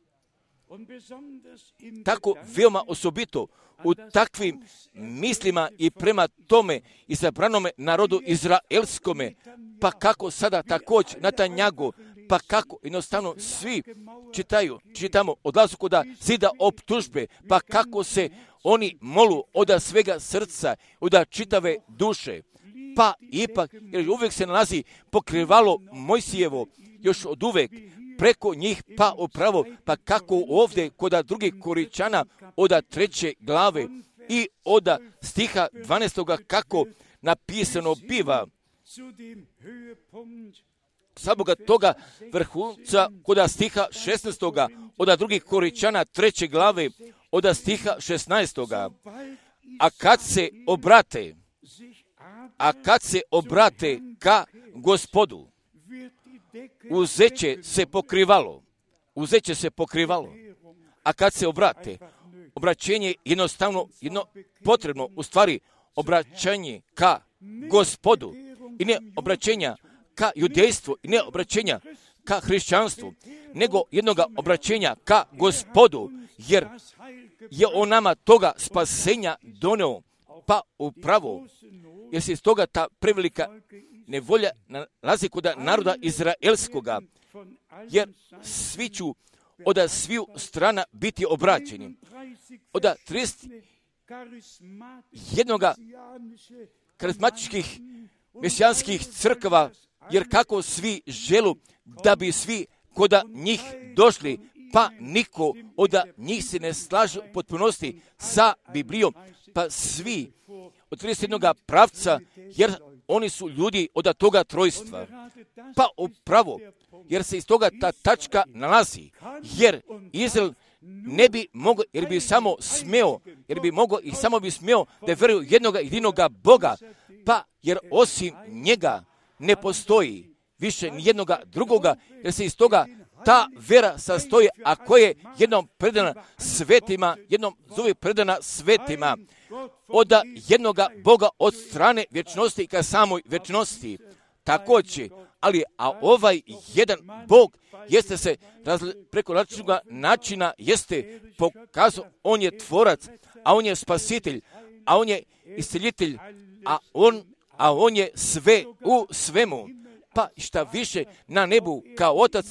Tako veoma osobito u takvim mislima i prema tome izabranome narodu izraelskome, pa kako sada također na Tanjagu, pa kako jednostavno svi čitamo, odlazu kod zida optužbe, pa kako se oni molu od svega srca, od čitave duše. Pa ipak, jer uvijek se nalazi pokrivalo Mojsijevo, još od uvijek, preko njih, pa upravo, pa kako ovdje kod 2. Korinćana od 3. glave i od stiha 12. kako napisano biva, samoga toga vrhunca kod stiha 16. od 2. Korinćana 3. glave od stiha 16. A kad se obrate ka Gospodu, uzeće se pokrivalo. A kad se obraćenje je jednostavno potrebno, u stvari obraćanje ka Gospodu i ne obraćenja ka judejstvu i ne obraćenja ka hrišćanstvu, nego jednoga obraćenja ka Gospodu, jer je on nama toga spasenja doneo, pa upravo, jer se iz toga ta prevelika nevolja nalazi kod naroda izraelskoga, jer svi ću od sviju strana biti obraćeni. Od 31 karizmatičkih mesijanskih crkava, jer kako svi želu da bi svi kod njih došli, pa niko od njih se ne slaže u potpunosti sa Biblijom, pa svi od 31 pravca, jer oni su ljudi od toga trojstva. Pa upravo, jer se iz toga ta tačka nalazi, jer Izrael ne bi mogao, jer bi samo smeo da vjeruju jednoga jedinoga Boga, pa jer osim njega ne postoji više nijednoga drugoga, jer se iz toga ta vera sastoji, a koja je jednom predana svetima, jednom zove predana svetima, od jednoga Boga od strane vječnosti ka samoj vječnosti. Također, a ovaj jedan Bog jeste se preko različitog načina jeste pokazao, on je tvorac, a on je spasitelj, a on je isceljitelj, a on je sve u svemu. Pa šta više na nebu kao otac,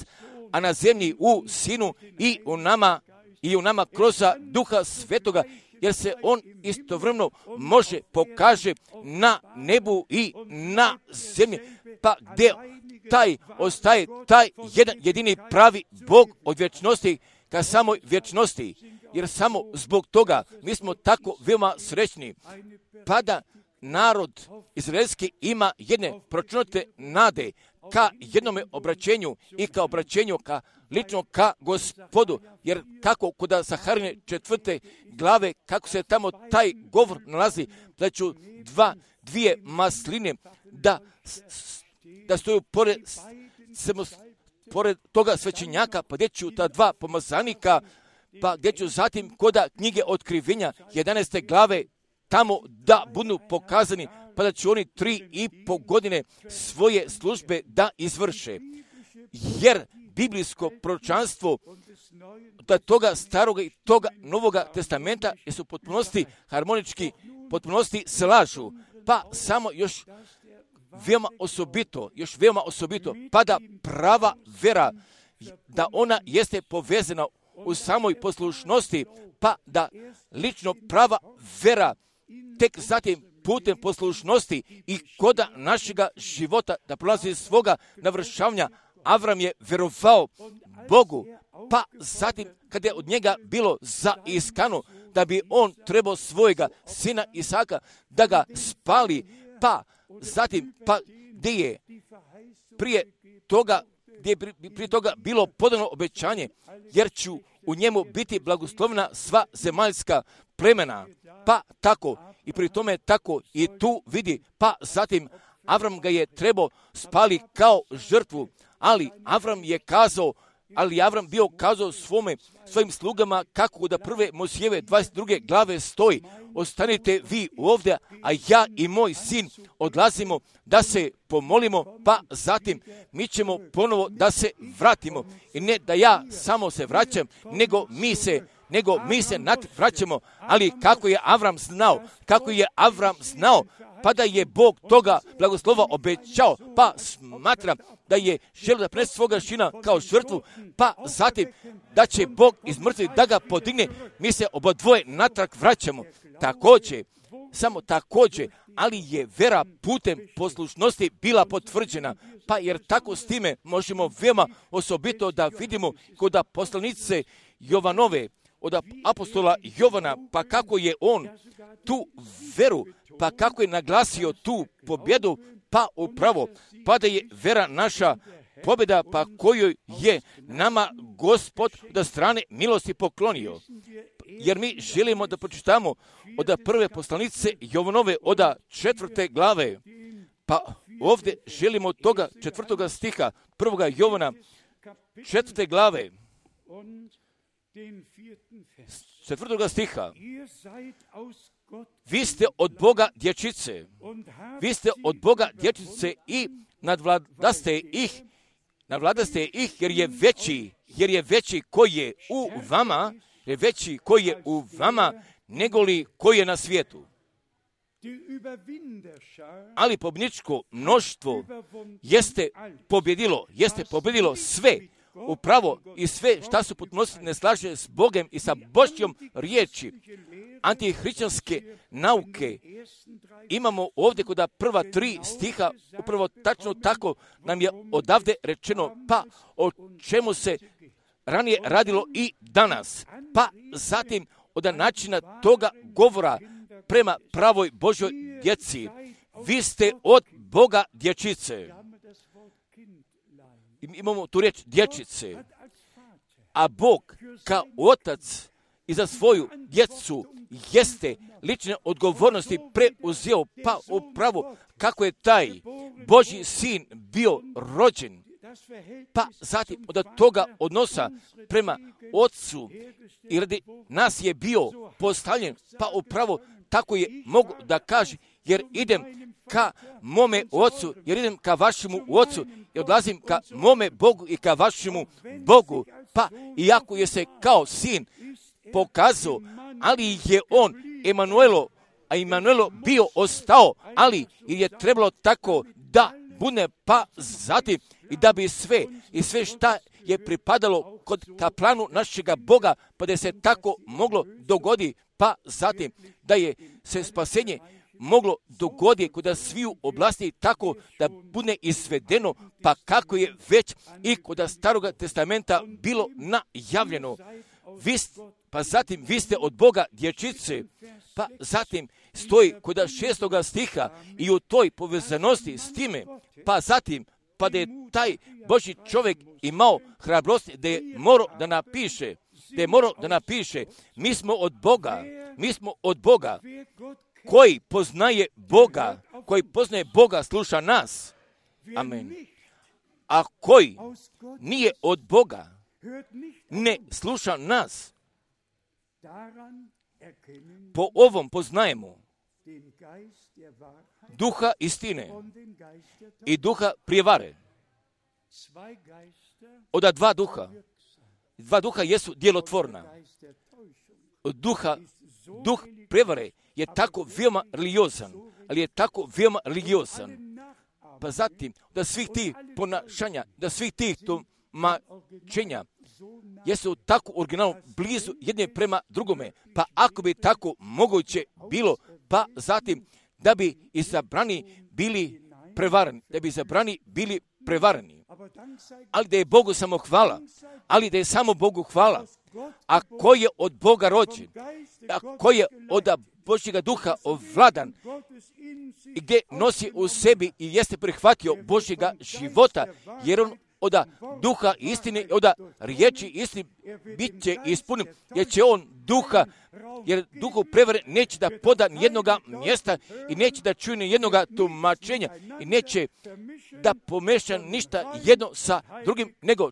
a na zemlji u sinu i u nama kroz duha svetoga, jer se on istovremeno može pokaže na nebu i na zemlji. Pa gdje ostaje taj jedan jedini pravi Bog od vječnosti ka samoj vječnosti. Jer samo zbog toga mi smo tako veoma srećni. Pa da narod izraelski ima jedne pročunute nade ka jednome obraćenju i ka obraćenju lično ka Gospodu. Jer kako kod Zaharine 4. glave, kako se tamo taj govor nalazi, da ću dvije masline da stoju pored toga svećenjaka, pa gdje ću ta dva pomazanika, pa gdje ću zatim koda knjige Otkrivenja 11. glave tamo da budu pokazani, pa da će oni 3,5 godine svoje službe da izvrše. Jer biblijsko proročanstvo da toga staroga i toga novoga testamenta je su potpunosti harmonički, potpunosti slažu. Pa samo još veoma osobito, pa da prava vera, da ona jeste povezana u samoj poslušnosti, pa da lično prava vera tek zatim putem poslušnosti i koda našega života da prolazi svoga navršavanja. Avram je verovao Bogu, pa zatim kada je od njega bilo zaiskano da bi on trebao svojega sina Isaka da ga spali, pa zatim gdje je prije toga bilo podano obećanje, jer ću u njemu biti blagoslovna sva zemaljska plemena. Pa tako, i pri tome tako i tu vidi, pa zatim Avram ga je trebao spali kao žrtvu, ali Avram bio kazao svojim slugama kako da prve Mojsijeve 22. glave stoji: ostanite vi ovdje, a ja i moj sin odlazimo da se pomolimo, pa zatim mi ćemo ponovo da se vratimo. I ne da ja samo se vraćam, nego mi se vraćamo. Ali kako je Avram znao, pa da je Bog toga blagoslova obećao, pa smatram da je želio da prinese svoga sina kao žrtvu, pa zatim da će Bog iz mrtvih da ga podigne, mi se obadvoje natrag vraćamo. Također, ali je vera putem poslušnosti bila potvrđena, pa jer tako s time možemo veoma osobito da vidimo kod poslanice Jovanove, od apostola Jovana, pa kako je on tu veru, pa kako je naglasio tu pobjedu, pa upravo, pa da je vera naša pobjeda, pa kojoj je nama Gospod od strane milosti poklonio. Jer mi želimo da pročitamo od prve poslanice Jovanove, od 4. glave, pa ovdje želimo od toga 4. stiha 1. Jovana 4. glave, 4. stiha: vi ste od Boga dječice, i nadvladaste ih, jer je veći koji je u vama, negoli koji je na svijetu. Ali pobjedničko mnoštvo jeste pobjedilo sve, upravo i sve šta su potpunosti ne slaže s Bogom i sa Božjom riječi. Antihrišćanske nauke imamo ovdje kod prva 3 stiha, upravo tačno tako nam je odavde rečeno, pa o čemu se ranije radilo i danas. Pa zatim od načina toga govora prema pravoj Božjoj djeci. Vi ste od Boga dječice. Imamo tu riječ dječice. A Bog kao otac i za svoju djecu jeste lične odgovornosti preuzeo, pa upravo kako je taj Božji sin bio rođen, pa zatim od toga odnosa prema Otcu i radi nas je bio postavljen, pa upravo tako je mogu da kaže, jer idem ka mome Otcu, jer idem ka vašemu Otcu i odlazim ka mome Bogu i ka vašemu Bogu, pa iako je se kao sin pokazao, ali je on Emanuelo bio ostao, ali je trebalo tako da bude, pa zatim i da bi sve šta je pripadalo kod kaplanu našega Boga, pa da se tako moglo dogodi, pa zatim da je se spasenje moglo dogodi kod sviju oblasti tako da bude izvedeno, pa kako je već i kod Staroga testamenta bilo najavljeno. Pa zatim vi ste od Boga dječice, pa zatim stoji kod 6. stiha i u toj povezanosti s time, pa zatim pa da je taj Božji čovjek imao hrabrosti da je morao da napiše, mi smo od Boga, koji poznaje Boga sluša nas. Amen. A koji nije od Boga, ne sluša nas. Po ovom poznajemo duha istine i duha prijevare. Oda dva duha jesu djelotvorna. Duh prijevare je tako veoma religiozan, pa zatim da svih tih ponašanja, da svih tih tumačenja jesu tako originalno blizu jedne prema drugome, pa ako bi tako moguće bilo, pa zatim da bi izabrani bili prevareni, ali da je Bogu samo hvala, a ko je od Boga rođen, a ko je od Božjega duha ovladan i gdje nosi u sebi i jeste prihvatio Božjega života, jer on od duha istine, od riječi istine bit će ispunjen, jer duhu prevare neće da poda nijednoga mjesta i neće da čuje nijednoga tumačenja i neće da pomeša ništa jedno sa drugim, nego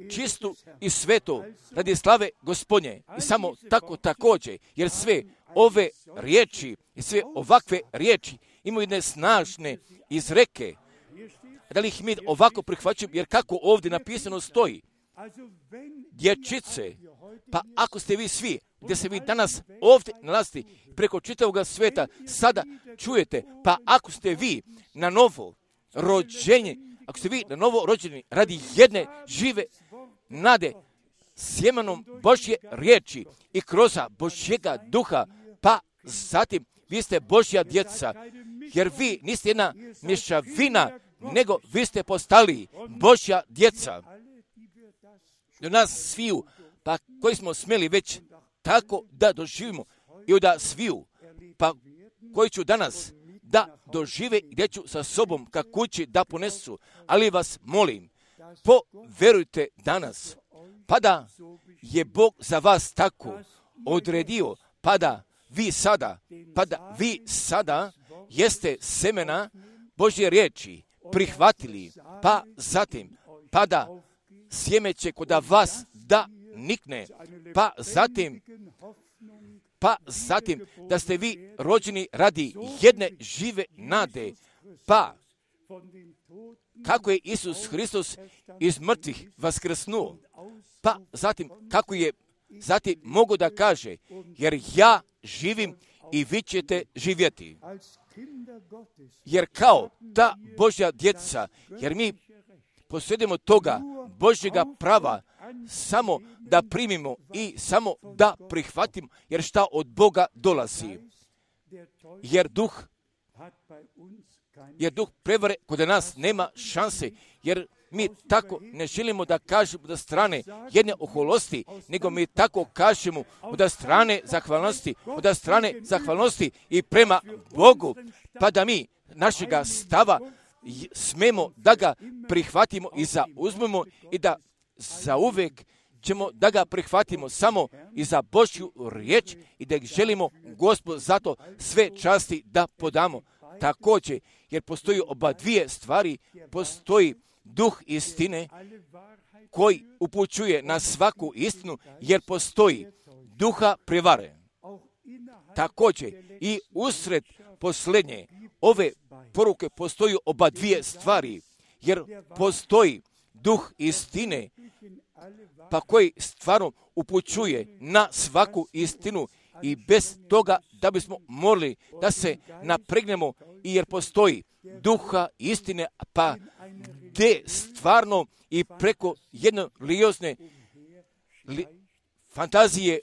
čistu i sveto radi slave Gospodnje. I samo tako također, jer sve ove riječi i sve ovakve riječi imaju jedne snažne izreke. Da li ih mi ovako prihvaćamo, jer kako ovdje napisano stoji, dječice, pa ako ste vi svi, gdje se vi danas ovdje nalazite preko čitavog sveta, sada čujete, pa ako ste vi na novo rođeni radi jedne žive nade, sjemenom Božje riječi i kroz Božjega duha, pa zatim vi ste Božja djeca, jer vi niste jedna mješavina, nego vi ste postali Božja djeca. Do nas sviju, pa koji smo smjeli već tako da doživimo i da sviju, pa koji ću danas da dožive i gdje ću sa sobom ka kući da ponesu, ali vas molim, poverujte danas, pa da je Bog za vas tako odredio, pa da vi sada jeste semena Božje riječi prihvatili, pa zatim, pa da sjeme će kod vas da nikne, pa zatim da ste vi rođeni radi jedne žive nade, pa kako je Isus Hristos iz mrtvih vaskrsnuo, pa zatim kako je zatim mogu da kaže, jer ja živim i vi ćete živjeti. Jer kao ta Božja djeca, jer mi posjedimo toga Božjega prava samo da primimo i samo da prihvatimo, jer šta od Boga dolazi. Jer duh prevare kod nas nema šanse, jer mi tako ne želimo da kažemo da strane jedne oholosti, nego mi tako kažemo od strane zahvalnosti i prema Bogu, pa da mi našega stava smemo da ga prihvatimo i zauzmemo i da zauvek ćemo da ga prihvatimo samo i za Božju riječ i da želimo Gospod zato sve časti da podamo. Također, jer postoji oba dvije stvari, postoji duh istine koji upućuje na svaku istinu, jer postoji duha prevare. Također i usred posljednje ove poruke postoji oba dvije stvari, jer postoji duh istine, pa koji stvarno upućuje na svaku istinu i bez toga da bismo morali da se napregnemo, i jer postoji duha istine, pa gdje stvarno i preko jednoliozne fantazije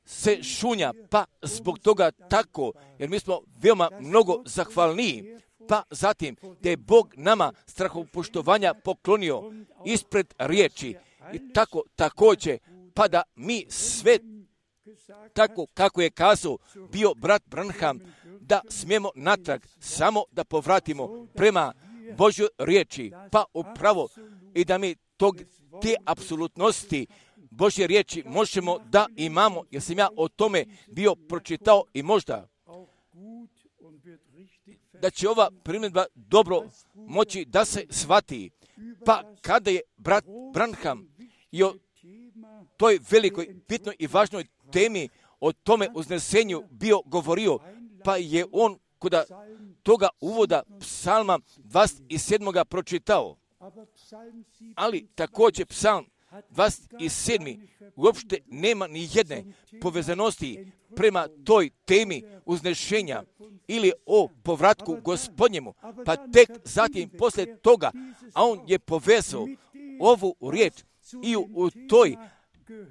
se šunja, pa zbog toga tako, jer mi smo veoma mnogo zahvalniji, pa zatim da je Bog nama strahopoštovanja poklonio ispred riječi i tako također, pa da mi sve tako kako je kazao bio brat Branham, da smijemo natrag samo da povratimo prema Božjoj riječi, pa upravo i da mi te apsolutnosti Božje riječi možemo da imamo, jer sam ja o tome bio pročitao i možda da će ova primjedba dobro moći da se shvati. Pa kada je brat Branham i o toj velikoj, bitnoj i važnoj temi, o tome uznesenju bio govorio, pa je on kod toga uvoda psalma 27. pročitao. Ali također psalm 27. uopšte nema ni jedne povezanosti prema toj temi uznešenja ili o povratku Gospodnjemu, pa tek zatim poslije toga, a on je povezao ovu riječ i u toj,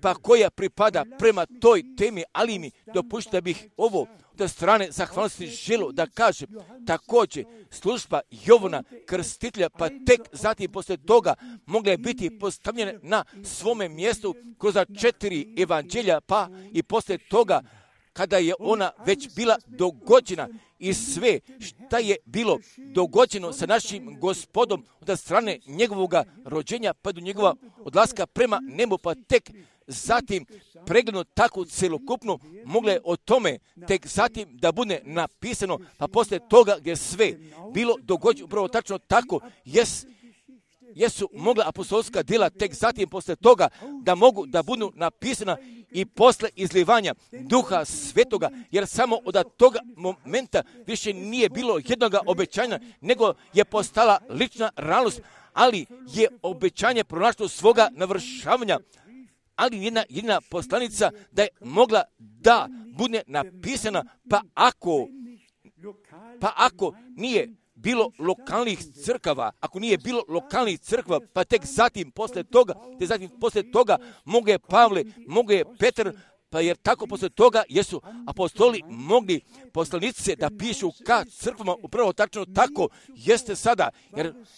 pa koja pripada prema toj temi, ali mi dopušta da bih ovo od strane zahvalnosti želio da kažem, također služba Jovana Krstitelja, pa tek zatim poslije toga mogla je biti postavljena na svome mjestu kroz 4 evanđelja, pa i poslije toga kada je ona već bila dogođena i sve šta je bilo dogođeno sa našim Gospodom od strane njegovog rođenja pa do njegova odlaska prema nebu, pa tek zatim pregledno tako celokupno mogla je o tome tek zatim da bude napisano, pa poslije toga gdje sve bilo dogođeno upravo tačno tako, jesu mogla apostolska djela tek zatim poslije toga da mogu da budu napisana i posle izlivanja Duha Svetoga, jer samo od toga momenta više nije bilo jednog obećanja, nego je postala lična realnost, ali je obećanje pronašlo svoga navršavanja, ali jedna poslanica da je mogla da bude napisana, pa ako nije bilo lokalnih crkava, pa tek zatim poslije toga mogu je Pavle, mogu je Petar, pa jer tako poslije toga jesu apostoli mogli poslanice da pišu ka crkvama, upravo tačno tako jeste sada,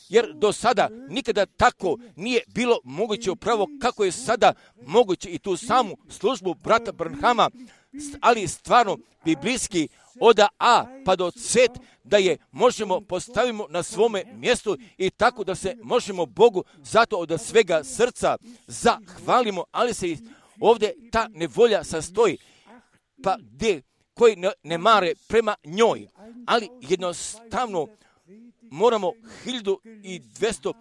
jer do sada nikada tako nije bilo moguće upravo kako je sada moguće i tu samu službu brata Branhama, ali stvarno biblijski od A pa do Z da je možemo postavimo na svome mjestu i tako da se možemo Bogu zato od svega srca zahvalimo, ali se ovdje ta nevolja sastoji, pa gdje koji ne mare prema njoj, ali jednostavno moramo 1200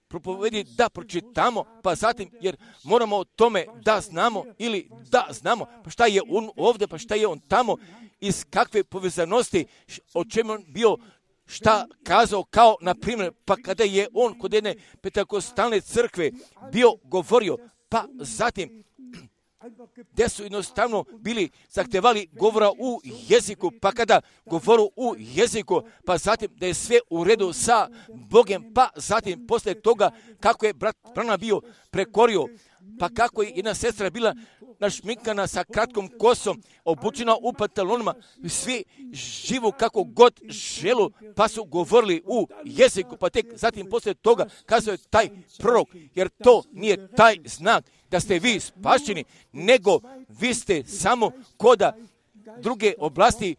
propovedi da pročitamo, pa zatim, jer moramo o tome da znamo ili da znamo, pa šta je on ovdje, pa šta je on tamo, iz kakve povezanosti, o čemu on bio, šta kazao, kao na primjer, pa kada je on kod jedne pentekostalne crkve bio govorio, pa zatim gdje su jednostavno bili zahtevali govora u jeziku, pa kada govoru u jeziku, pa zatim da je sve u redu sa Bogem, pa zatim poslije toga kako je brat Branham bio prekorio, pa kako je jedna sestra bila našminkana sa kratkom kosom, obučena u pantalonima, svi živu kako god želu, pa su govorili u jeziku, pa tek zatim poslije toga kazao je taj prorok, jer to nije taj znak da ste vi spašeni, nego vi ste samo koda druge oblasti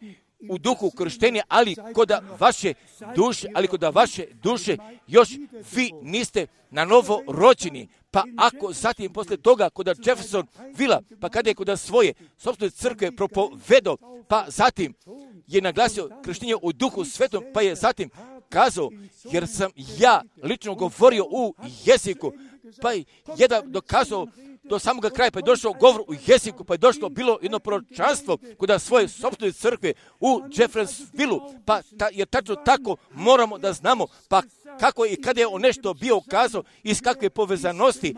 u duhu krštenja, ali koda vaše duše još vi niste na novo rođeni. Pa ako zatim poslije toga koda Jefferson Villa, pa kada je koda svoje sopstvene crkve propovedo, pa zatim je naglasio krštenje u duhu svetom, pa je zatim kazao, jer sam ja lično govorio u jeziku, pa je jedan dokazao do samoga kraja, pa je došao govor u jeziku, pa je došlo bilo jedno proročanstvo kod svoje sopstvene crkve u Jeffersonville, pa je tačno tako moramo da znamo, pa kako i kada je on nešto bio kazao, iz kakve povezanosti,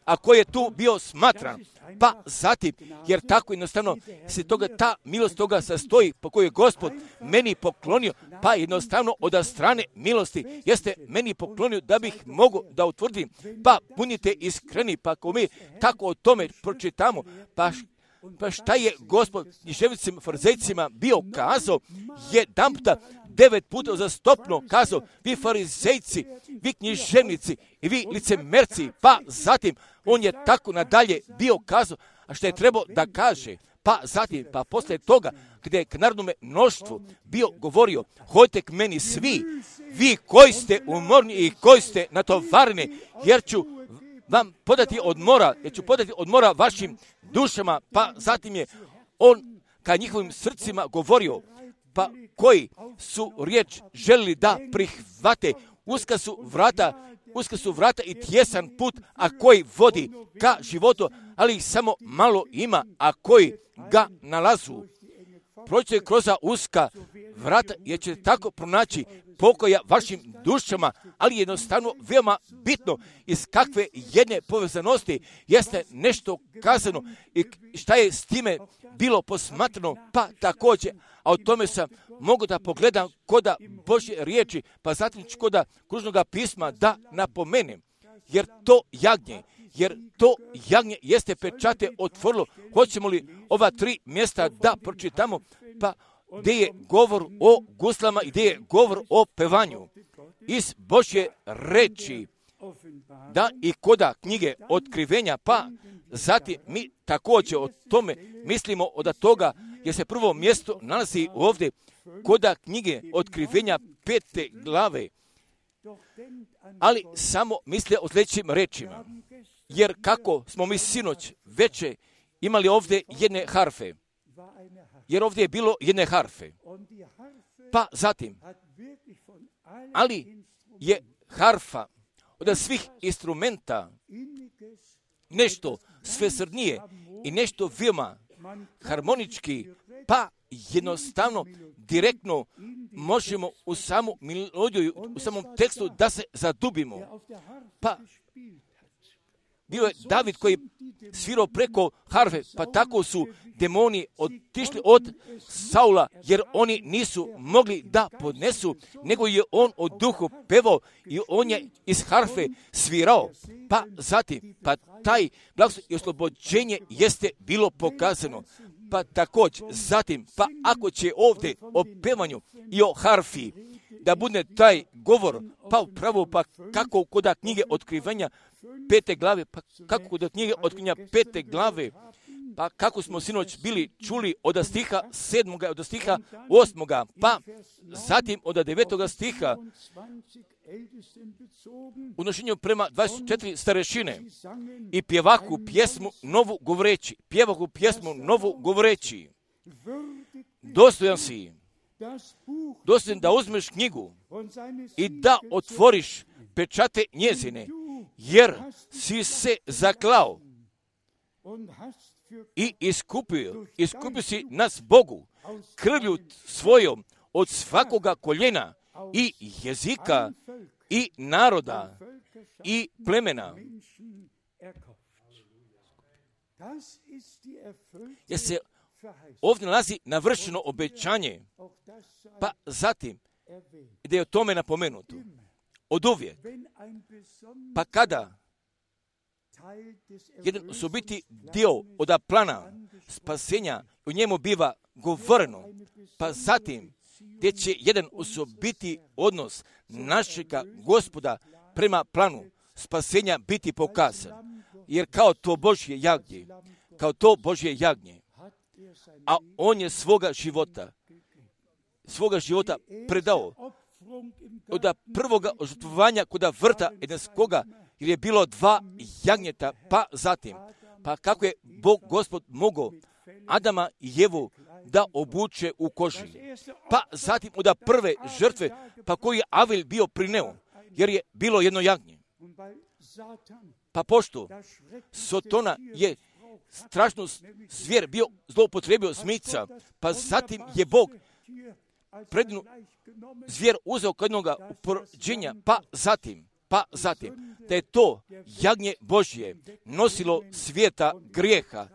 a ko je tu bio smatran. Pa zatim, jer tako jednostavno se ta milost toga sastoji, po kojoj je Gospod meni poklonio, pa jednostavno od strane milosti jeste meni poklonio da bih mogao da utvrdim, pa budite iskreni, pa ako mi tako o tome pročitamo, pa šta je Gospod književnicima, farizejcima bio kazao, jedanputa 9 puta uzastopno kazao, vi farizejci, vi književnici i vi licemerci, pa zatim on je tako nadalje bio kazao, a što je trebao da kaže, pa zatim, pa posle toga, gdje je k narodnome mnoštvu bio govorio, hodite k meni svi, vi koji ste umorni i koji ste natovareni, jer ću vam podati odmora vašim dušama, pa zatim je on ka njihovim srcima govorio, pa koji su riječ želili da prihvate, uska su vrata i tjesan put, a koji vodi ka životu, ali ih samo malo ima, a koji ga nalazu. Prođite kroz uska vrata, jer ćete tako pronaći pokoja vašim dušama, ali jednostavno veoma bitno iz kakve jedne povezanosti jeste nešto kazano i šta je s time bilo posmatrano, pa također, a o tome sam mogu da pogledam koda Božje riječi, pa zatim koda kružnog pisma da napomenem, jer to jagnje jeste pečate otvorilo. Hoćemo li ova 3 mjesta da pročitamo, pa gdje je govor o guslama i gdje je govor o pevanju iz Božje reči, da i koda knjige otkrivenja, pa zatim mi također o tome mislimo od toga, jer se prvo mjesto nalazi ovdje koda knjige otkrivenja 5. glave, ali samo misle o sljedećim rečima, jer kako smo mi sinoć veče imali ovdje jedne harfe, jer ovdje je bilo jedne harfe, pa zatim, ali je harfa od svih instrumenta nešto svesrdnije i nešto veoma harmonički, pa jednostavno, direktno možemo u samu melodiju, u samom tekstu da se zadubimo. Pa bio je David koji svirao preko harfe, pa tako su demoni otišli od Saula, jer oni nisu mogli da podnesu, nego je on od duhu pevao i on je iz harfe svirao. Pa zatim, pa taj blagoslov i oslobođenje jeste bilo pokazano. Pa također, zatim, pa ako će ovdje o pevanju i o harfi da bude taj govor, pa upravo, pa kako kod knjige otkrivenja 5. glave, pa kako kod knjige otkrivenja 5. glave, pa kako smo sinoć bili čuli od stiha 7. od stiha 8. pa zatim od 9. stiha u nošenju prema 24 starešine i pjevahu pjesmu novu govoreći, dostojan si, dostojan da uzmeš knjigu i da otvoriš pečate njezine, jer si se zaklao i iskupio si nas Bogu krvlju svojom od svakoga koljena i jezika i naroda i plemena. Jer se ovdje nalazi navršeno obećanje, pa zatim da je o tome napomenuto od uvijek. Pa kada jedan osobiti dio od plana spasenja u njemu biva govoreno, pa zatim gdje će jedan osobiti odnos našega Gospoda prema planu spasenja biti pokazan. Jer kao to Božje jagnje, a on je svoga života predao od prvoga žrtvovanja kod vrta Edenskoga, jer je bilo 2 jagnjeta, pa zatim, pa kako je Bog Gospod mogao Adama i Jevu da obuče u koži. Pa zatim od prve žrtve, pa koju je Avel bio prineo, jer je bilo jedno jagnje. Pa pošto Sotona je strašnu zvijer bio zloupotrebio smica, pa zatim je Bog predinu zvijer uzeo kod jednoga uporođenja, pa zatim, da je to jagnje Božje nosilo svijeta grijeha,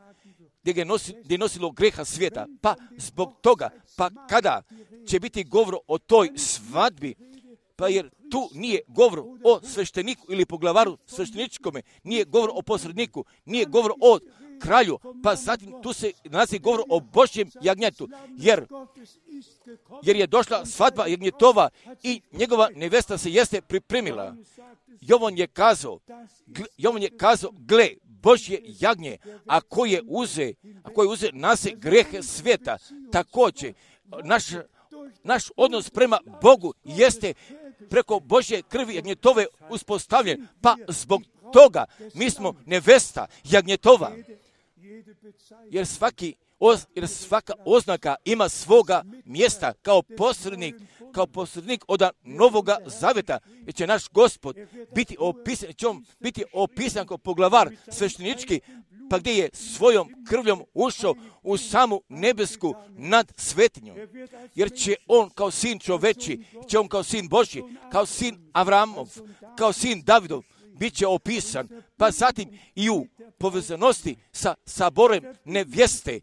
gdje je nosilo grijeha svijeta, pa zbog toga, pa kada će biti govor o toj svadbi, pa jer tu nije govor o svešteniku ili poglavaru svešteničkome, nije govor o posredniku, nije govor o kralju, pa zatim tu se nalazi govor o Božjem jagnjetu, jer je došla svadba jagnjetova i njegova nevesta se jeste pripremila. Jovan je kazao, gle, Božje jagnje, a koje je uze nase grehe svijeta. Također, naš odnos prema Bogu jeste preko Božje krvi jagnjetove uspostavljen, pa zbog toga mi smo nevesta jagnjetova. Jer svaka oznaka ima svoga mjesta kao posrednik od Novoga Zaveta, jer će naš Gospod biti opisan kao poglavar sveštenički, pa gdje je svojom krvljom ušao u samu nebesku nad svetinjom. Jer će on kao sin čoveči, će on kao sin Božji, kao sin Avramov, kao sin Davidov, bit će opisan, pa zatim i u povezanosti sa saborem nevjeste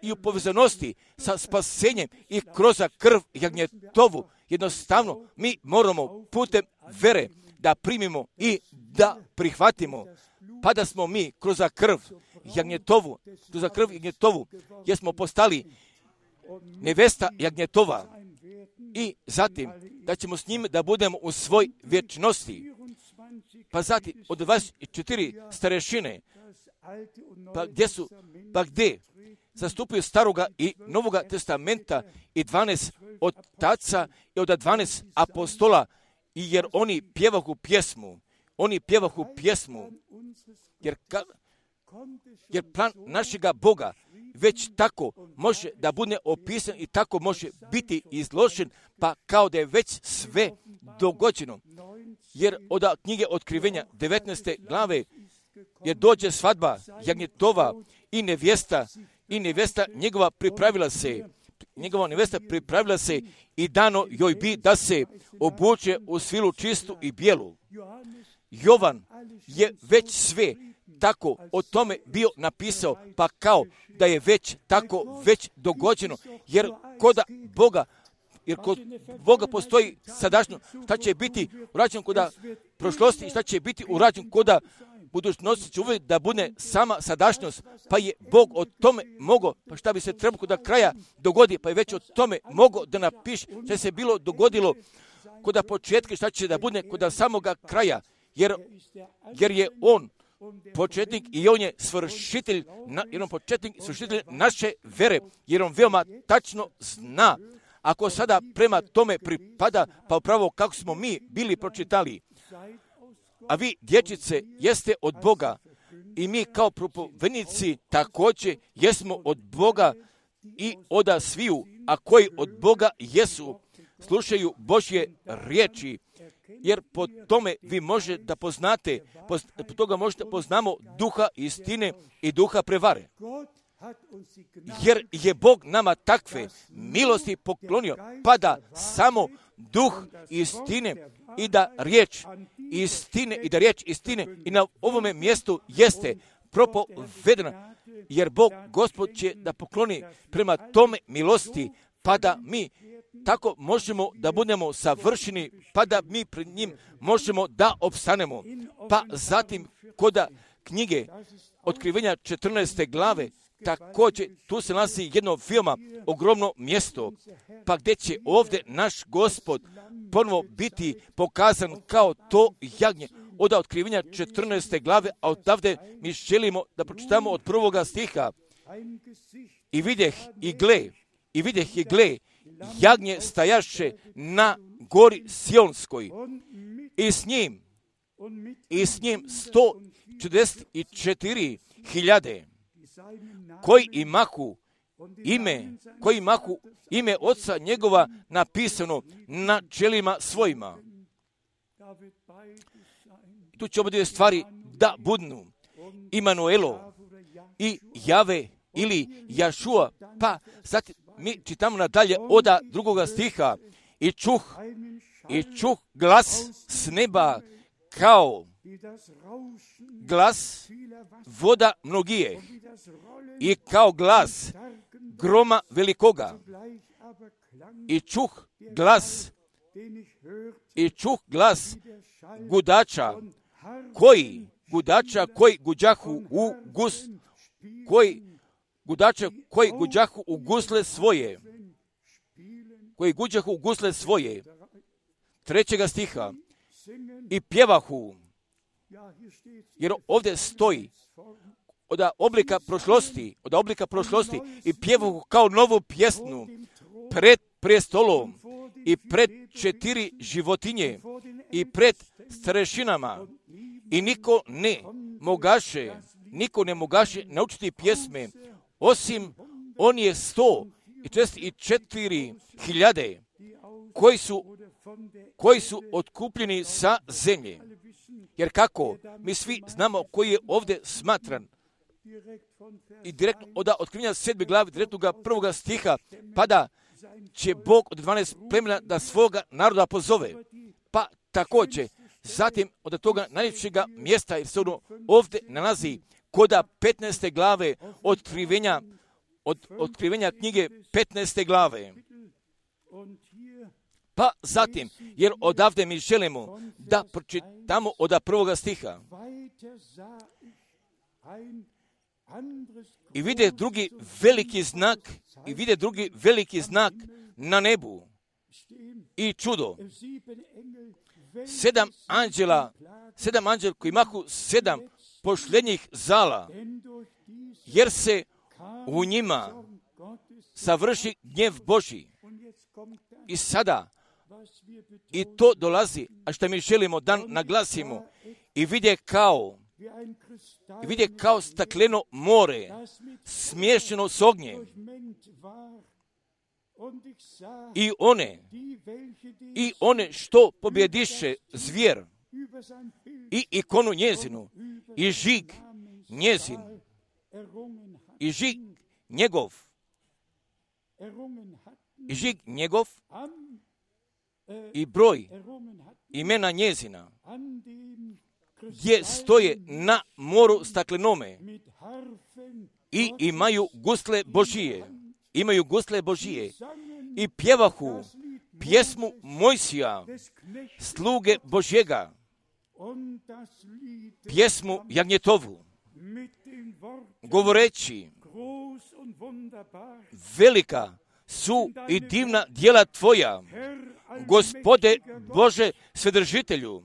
i u povezanosti sa spasenjem i kroz krv jagnjetovu. Jednostavno, mi moramo putem vere da primimo i da prihvatimo, pa da smo mi kroz krv jagnjetovu, jer smo postali nevesta jagnjetova i zatim da ćemo s njim da budemo u svoj vječnosti. Pa zatim od 24 starešine, pa gdje zastupaju Staroga i Novoga testamenta i 12 otaca i od 12 apostola, i jer oni pjevahu pjesmu, jer plan našega Boga već tako može da bude opisan i tako može biti izložen, pa kao da je već sve dogođeno. Jer od knjige Otkrivenja 19. glave, jer dođe svadba jagnjetova i nevjesta njegova pripravila se i dano joj bi da se obuče u svilu čistu i bijelu. Jovan je već sve tako o tome bio napisao, pa kao da je već tako već dogođeno, jer kod Boga postoji sadašnjo, šta će biti urađeno kod prošlosti i šta će biti urađeno kod budućnosti, će uvijek da bude sama sadašnjost, pa je Bog o tome mogao, pa šta bi se trebalo kod kraja dogodi, pa je već o tome mogao da napiše šta se bilo dogodilo kod početka, šta će da bude kod samoga kraja, jer je on početnik i on je svršitelj naše vere, jer on veoma tačno zna. Ako sada prema tome pripada, pa upravo kako smo mi bili pročitali, a vi, dječice, jeste od Boga i mi kao propovednici također jesmo od Boga i od sviju, a koji od Boga jesu, slušaju Božje riječi, jer po tome vi možete da poznate, po toga možete poznamo duha istine i duha prevare. Jer je Bog nama takve milosti poklonio, pa da samo duh istine i da riječ istine i na ovome mjestu jeste propovedena, jer Bog Gospod će da pokloni prema tome milosti, pa da mi tako možemo da budemo savršeni, pa da mi pred njim možemo da opstanemo. Pa zatim kod knjige Otkrivenja 14. glave, također tu se nalazi jedno veoma ogromno mjesto, pa gdje će ovdje naš Gospod ponovo biti pokazan kao to jagnje. Od Otkrivenja 14. glave, a odavde mi želimo da pročitamo od 1. stiha. I vidjeh i gle, jagnje stajaše na gori Sionskoj i s njim 144.000 koji imahu ime koji imahu ime oca njegova napisano na čelima svojima. Tu će oba dvije stvari da budnu. Imanuelo i Jave ili Jašua. Pa sad mi čitamo nadalje od 2. stiha. I čuh glas s neba kao glas voda mnogije i kao glas groma velikoga. I čuh glas gudača koji guđahu u gusle svoje. Koji guđahu u gusle svoje. 3. stiha. I pjevahu. Jer ovdje stoji od oblika prošlosti i pjevahu kao novu pjesmu pred prestolom i pred 4 životinje i pred starešinama. I niko ne mogaše naučiti pjesme, osim on je 144.000 koji su otkupljeni sa zemlje. Jer kako? Mi svi znamo koji je ovdje smatran. I direktno od otkrivenja 7. glavi, direktnog 1. stiha, pa da će Bog od 12 plemena da svoga naroda pozove. Pa također, zatim od toga najljepšega mjesta, jer se ono ovdje nalazi kod 15. glave otkrivenja knjige 15. glave. Pa zatim, jer odavde mi želimo da pročitamo od 1. stiha. I vide drugi veliki znak na nebu. I čudo. 7 anđela koji imahu 7 pošljednjih zala, jer se u njima savrši gnjev Božji. I sada, i to dolazi, a što mi želimo da naglasimo, i vide kao stakleno more, smješano s ognjem. I one što pobjediše zvijer i ikonu njezinu i žig njezin i žig njegov i broj imena njezina gdje stoje na moru staklenome i imaju gusle Božije i pjevahu pjesmu Mojsija, sluge Božjega, pjesmu Jagnjetovu, govoreći: velika su i divna djela Tvoja, Gospode Bože Svedržitelju.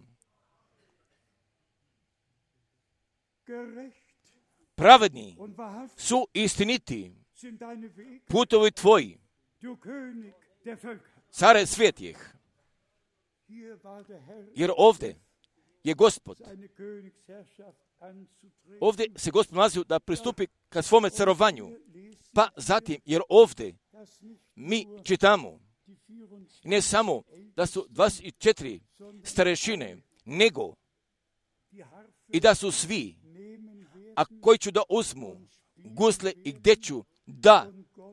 Pravedni su istiniti putovi Tvoji, care svijetih. Jer ovdje je Gospod. Ovdje se Gospod nalazi da pristupi ka svome carovanju. Pa zatim, jer ovdje mi čitamo ne samo da su 24 starešine, nego i da su svi, a koji ću da uzmu gusle i gdje ću da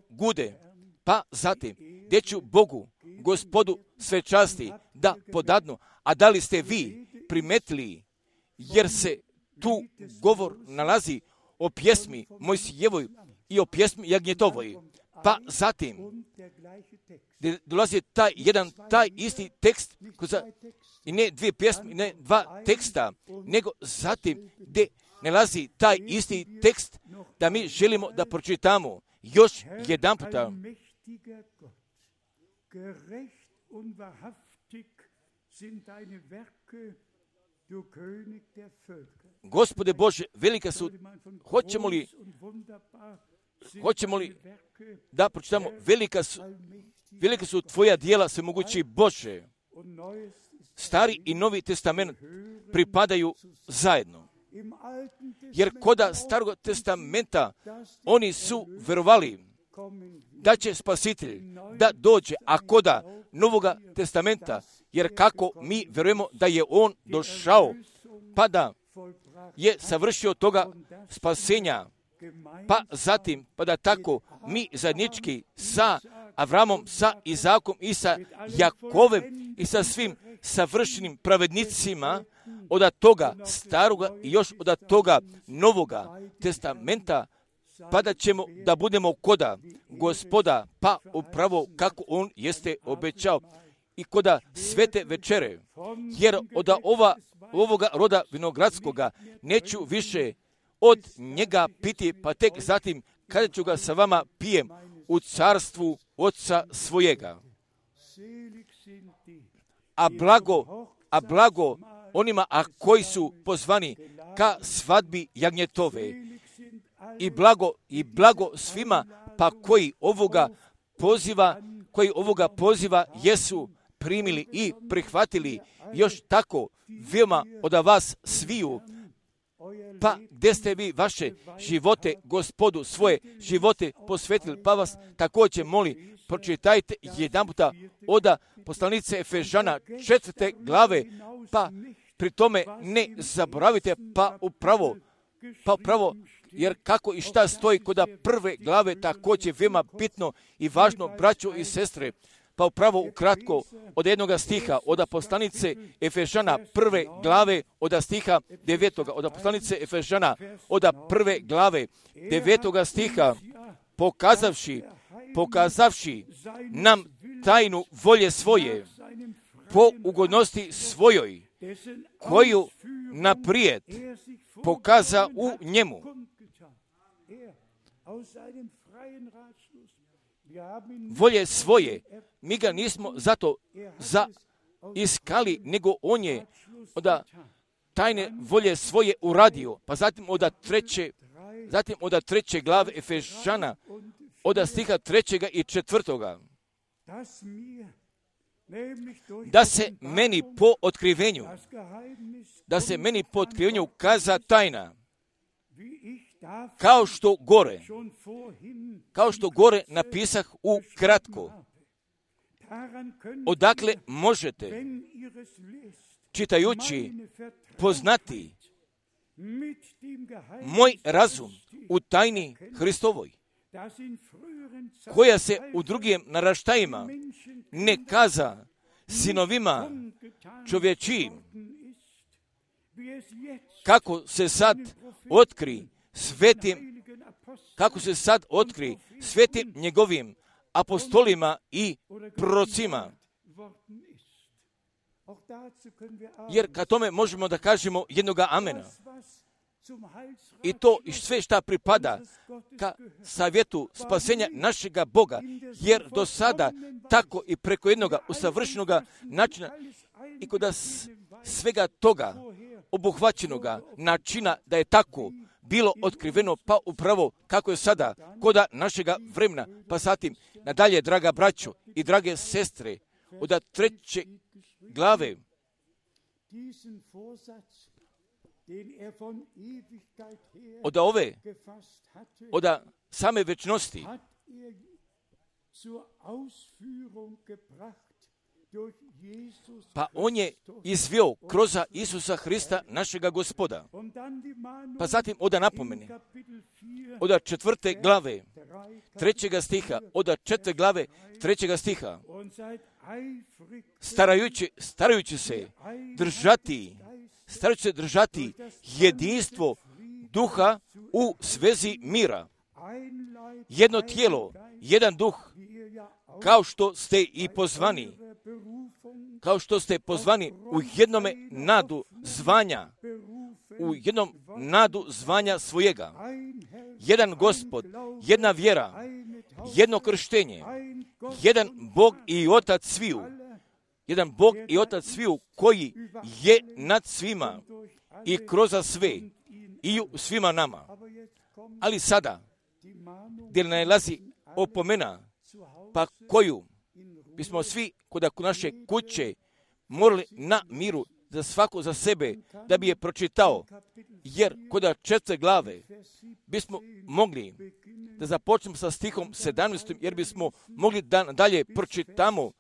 gude, pa zatim gdje ću Bogu, Gospodu sve časti da podadnu. A da li ste vi primetili, jer se tu govor nalazi o pjesmi Mojsijevoj i o pjesmi Jagnjetovoj. Pa zatim dolazi taj isti tekst, i ne 2 pjesme, ne 2 teksta, nego zatim gdje nalazi taj isti tekst da mi želimo da pročitamo još jedan puta. Gospode Bože, velika su, hoćemo li da pročitamo, velika su Tvoja djela, svemogući Bože. Stari i Novi testament pripadaju zajedno. Jer koda Starog testamenta oni su verovali da će Spasitelj da dođe, a koda Novoga testamenta, jer kako mi vjerujemo da je on došao, pa da je savršio toga spasenja, pa zatim, pa da tako mi zajednički sa Avramom, sa Izakom i sa Jakovem i sa svim savršenim pravednicima od toga staroga i još od toga Novoga testamenta, pa da ćemo da budemo koda Gospoda, pa upravo kako on jeste obećao i koda svete večere, jer od ovoga roda vinogradskoga neću više od njega piti, pa tek zatim kada ću ga sa vama pijem u carstvu Oca svojega. A blago onima koji su pozvani ka svadbi jagnjetove. I blago svima pa koji ovoga poziva jesu primili i prihvatili, još tako veoma od vas sviju. Pa gdje ste vi vaše živote, Gospodu, svoje živote posvetili, pa vas također moli, pročitajte jedan puta od poslanice Efežana 4. glave, pa pri tome ne zaboravite, pa upravo, jer kako i šta stoji kod prve glave, također veoma bitno i važno, braćo i sestre, pa upravo ukratko od jednoga stiha, od poslanice Efežana prve glave, od stiha 9. Od poslanice Efežana, od prve glave 9. stiha, pokazavši nam tajnu volje svoje, po ugodnosti svojoj, koju naprijed pokaza u njemu. Volje svoje, mi ga nismo zato iskali, nego on je od tajne volje svoje uradio, pa zatim od treće glave Efežana, od stiha 3. i 4. Da se meni po otkrivenju kaza tajna, kao što gore napisah u kratko, odakle možete, čitajući, poznati moj razum u tajni Hristovoj, koja se u drugim naraštajima ne kaza sinovima čovječijim, kako se sad otkri svetim njegovim apostolima i prorocima. Jer ka tome možemo da kažemo jednoga amena. I to i sve šta pripada ka savjetu spasenja našega Boga, jer do sada tako i preko jednoga usavršenoga načina i kod svega toga obuhvaćenoga načina da je tako bilo otkriveno, pa upravo kako je sada koda našega vremena, pa zatim nadalje, draga braćo i drage sestre, od 3. glave od same večnosti pa on je izveo kroz Isusa Hrista našega Gospoda. Pa zatim od napomene, od 4. glave 3. stiha, od 4. glave 3. stiha, starajući se držati jedinstvo duha u svezi mira. Jedno tijelo, jedan duh, kao što ste i pozvani, u jednome nadu zvanja svojega. Jedan Gospod, jedna vjera, jedno krštenje, jedan Bog i Otac sviju, koji je nad svima i kroz sve i u svima nama. Ali sada, gdje nalazi opomena, pa koju bismo svi kod naše kuće morali na miru za svako za sebe, da bi je pročitao, jer kod 4. glave bismo mogli da započnemo sa stihom 17. jer bismo mogli da dalje pročitamo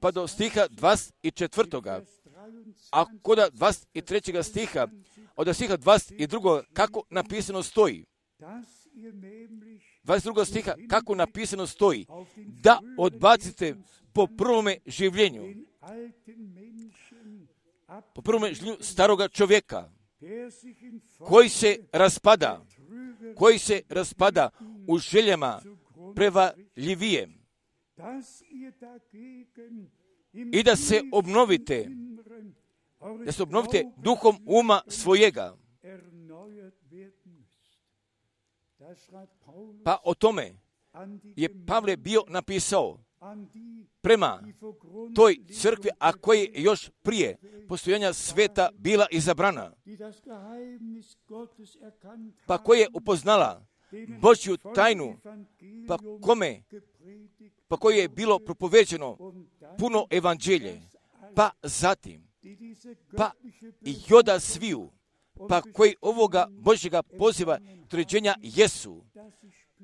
pa do stiha 24. A kod 23. stiha, od stiha 22. kako napisano stoji, 22. stiha kako napisano stoji, da odbacite po prvome življenju, po prvome življenju staroga čovjeka, koji se raspada u željama prevarljivije, i da se obnovite duhom uma svojega. Pa o tome je Pavle bio napisao prema toj crkvi, a koja je još prije postojanja sveta bila izabrana, pa koja je upoznala Božju tajnu, pa koje je bilo propoveđeno puno evanđelje, pa zatim, pa i joda sviju, pa koji ovoga Božjega poziva određenja jesu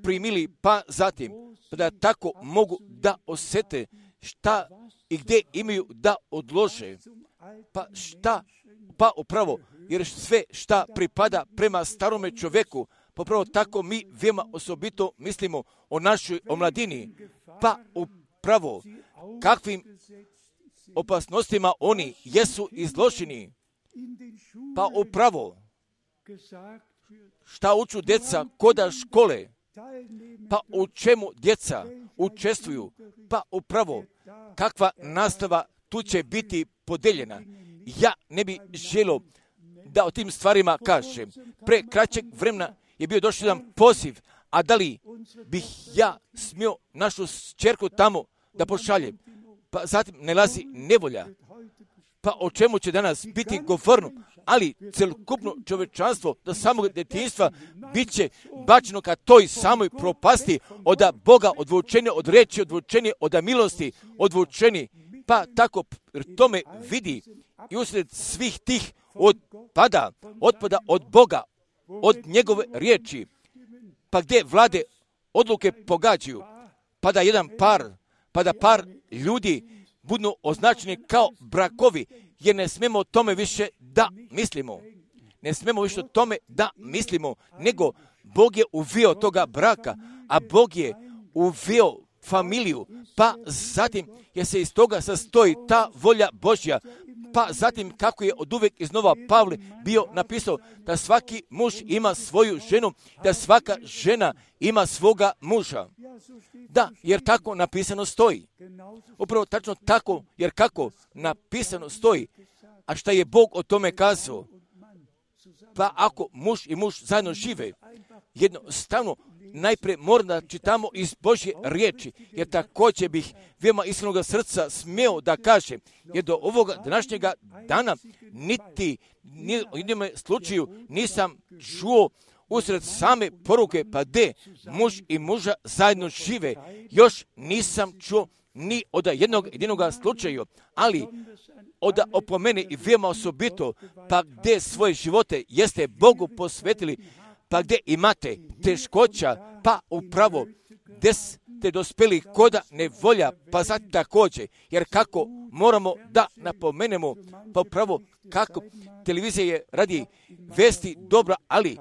primili, pa zatim, pa da tako mogu da osjete šta i gdje imaju da odlože, pa upravo, jer sve šta pripada prema starome čovjeku, pa upravo tako mi veoma osobito mislimo o našoj omladini, pa upravo kakvim opasnostima oni jesu izloženi, pa upravo šta uču djeca koda škole, pa u čemu djeca učestvuju, pa upravo kakva nastava tu će biti podeljena. Ja ne bi želio da o tim stvarima kažem. Pre kraćeg vremena je bio došao jedan poziv, a da li bih ja smio našu ćerku tamo da pošaljem? Pa zatim nalazi nevolja. Pa o čemu će danas biti govorno? Ali celokupno čovečanstvo do samog djetinjstva bit će bačeno ka toj samoj propasti, od Boga odvučeni, od reči odvučeni, od milosti odvučeni. Pa tako tome vidi i usred svih tih otpada od Boga, od njegove riječi, pa gdje vlade odluke pogađaju, pa da par ljudi budu označeni kao brakovi, jer ne smemo o tome više da mislimo. Ne smemo više o tome da mislimo, nego Bog je uveo toga braka, a Bog je uveo familiju, pa zatim je se iz toga sastoji ta volja Božja, pa zatim kako je od uvek iznova Pavle bio napisao da svaki muž ima svoju ženu, da svaka žena ima svoga muža. Da, jer tako napisano stoji. Upravo tačno tako, jer kako napisano stoji. A šta je Bog o tome kazao? Pa ako muž i muž zajedno žive, jednostavno najprije moram da čitamo iz Božje riječi, jer također bih veoma iskrenog srca smio da kažem, jer do ovoga današnjega dana niti u jednom slučaju nisam čuo usred same poruke, pa gdje muž i muža zajedno žive, još nisam čuo ni od jednog slučaju, ali od opomene i veoma osobito, pa gdje svoje živote jeste Bogu posvetili, pa gdje imate teškoća, pa upravo gdje ste dospjeli koda nevolja, pa zatim također, jer kako moramo da napomenemo, pa upravo kako televizija je radi vesti dobra, ali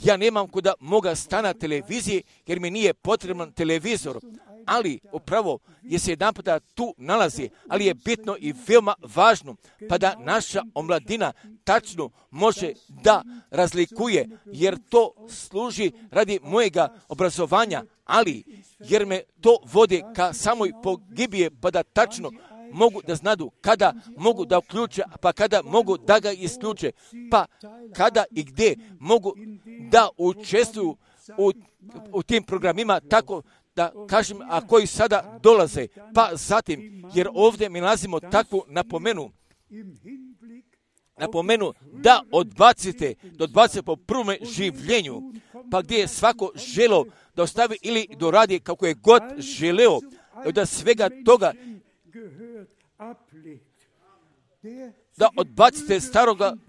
ja nemam kuda moga stana televizije, jer mi nije potreban televizor, ali upravo je se jedan puta tu nalazi, ali je bitno i veoma važno, pa da naša omladina tačno može da razlikuje, jer to služi radi mojega obrazovanja, ali jer me to vodi ka samoj pogibije, pa da tačno mogu da znadu kada mogu da uključe, pa kada mogu da ga isključe, pa kada i gdje mogu da učestvuju u tim programima, tako da kažem, a koji sada dolaze, pa zatim, jer ovdje mi nalazimo takvu napomenu da odbacite po prvome življenju, pa gdje je svako želeo da ostavi ili doradi kako je god želeo, da svega toga da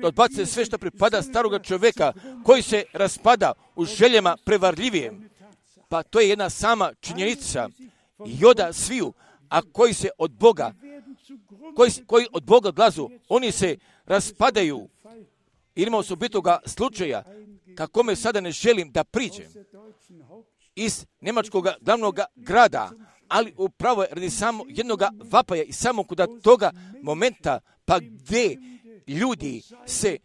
odbacite sve što pripada staroga čovjeka koji se raspada u željama prevarljivijem. Pa to je jedna sama činjenica. I onda sviju, a koji se od Boga, koji od Boga odlazu, oni se raspadaju. Imamo osobitoga slučaja, kakome sada ne želim da priđem, iz njemačkog glavnog grada, ali upravo je radi samo jednog vapaja i samo kod toga momenta, pa gdje ljudi se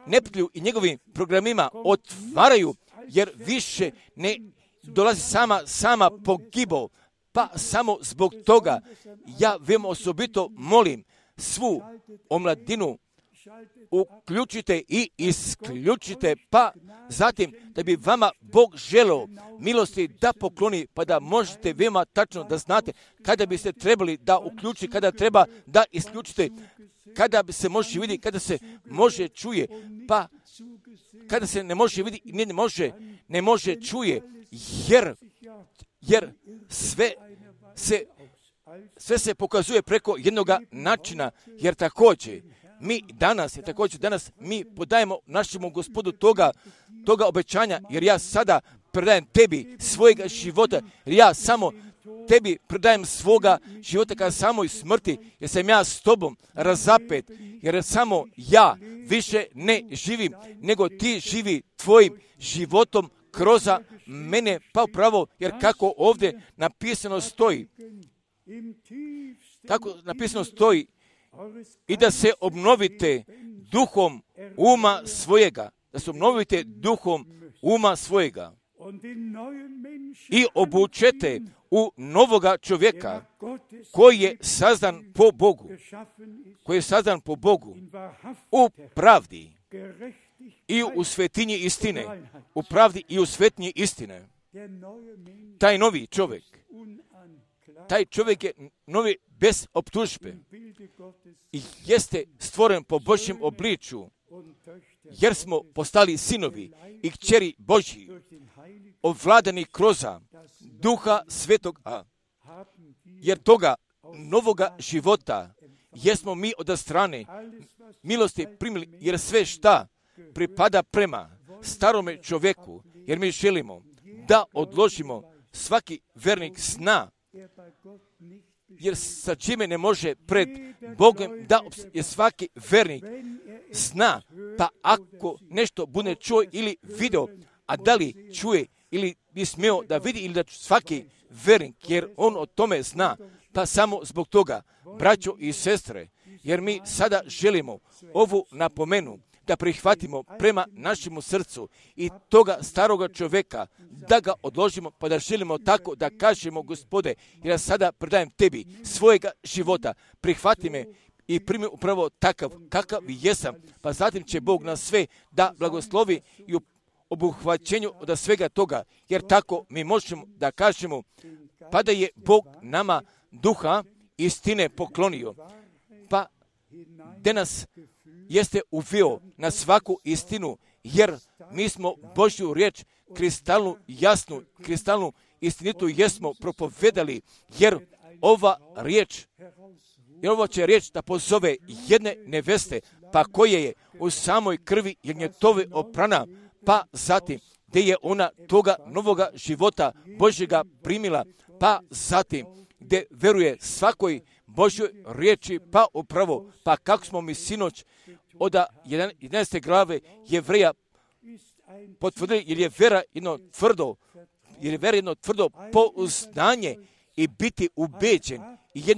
neprijatelju i njegovim programima otvaraju, jer više ne dolazi sama pogibo. Pa samo zbog toga ja veoma osobito molim svu omladinu, uključite i isključite, pa zatim da bi vama Bog želeo milosti da pokloni, pa da možete veoma tačno da znate kada biste trebali da uključite, kada treba da isključite, kada bi se može vidjeti, kada se može čuje, pa kada se ne može vidjeti, ne može čuje, jer sve se pokazuje preko jednog načina, jer također danas mi podajemo našemu Gospodu toga obećanja, jer ja sada predajem tebi svojega života, jer ja samo tebi predajem svoga života ka samoj smrti, jer sam ja s tobom razapet, jer samo ja više ne živim, nego ti živi tvojim životom kroz mene, pa upravo, jer kako ovdje napisano stoji, i da se obnovite duhom uma svojega, i obučete u novoga čovjeka koji je sazdan po Bogu, u pravdi i u svetinji istine, Taj novi čovjek, je novi bez optužbe i jeste stvoren po Božjem obliču, jer smo postali sinovi i kćeri Božji, ovladani kroz Duha Svetoga, jer toga novoga života jesmo mi od strane milosti primili, jer sve šta pripada prema starome čovjeku, jer mi želimo da odložimo svaki vernik zna, jer sa čime ne može pred Bogom da je svaki vernik zna, pa ako nešto bude čuo ili video, a da li čuje ili bi smio da vidi, ili da svaki vernik, jer on o tome zna, pa samo zbog toga, braćo i sestre, jer mi sada želimo ovu napomenu da prihvatimo prema našemu srcu i toga staroga čovjeka, da ga odložimo, pa da želimo tako da kažemo, Gospode, jer ja sada predajem tebi svojega života, prihvati me i primi upravo takav kakav jesam, pa zatim će Bog nas sve da blagoslovi i u obuhvaćenju od svega toga, jer tako mi možemo da kažemo, pa da je Bog nama duha istine poklonio, pa da nas jeste uveo na svaku istinu, jer mi smo Božju riječ kristalnu jasnu, kristalnu istinitu jesmo propovedali, jer ova će riječ da pozove jedne neveste, pa koje je u samoj krvi jagnjetove oprana, pa zatim gdje je ona toga novoga života Božjega primila, pa zatim gdje veruje svakoj Božjoj riječi, pa upravo, pa kako smo mi sinoć od 11. glave Jevreja potvrdili, jer je vera jedno tvrdo pouzdanje i biti ubeđen i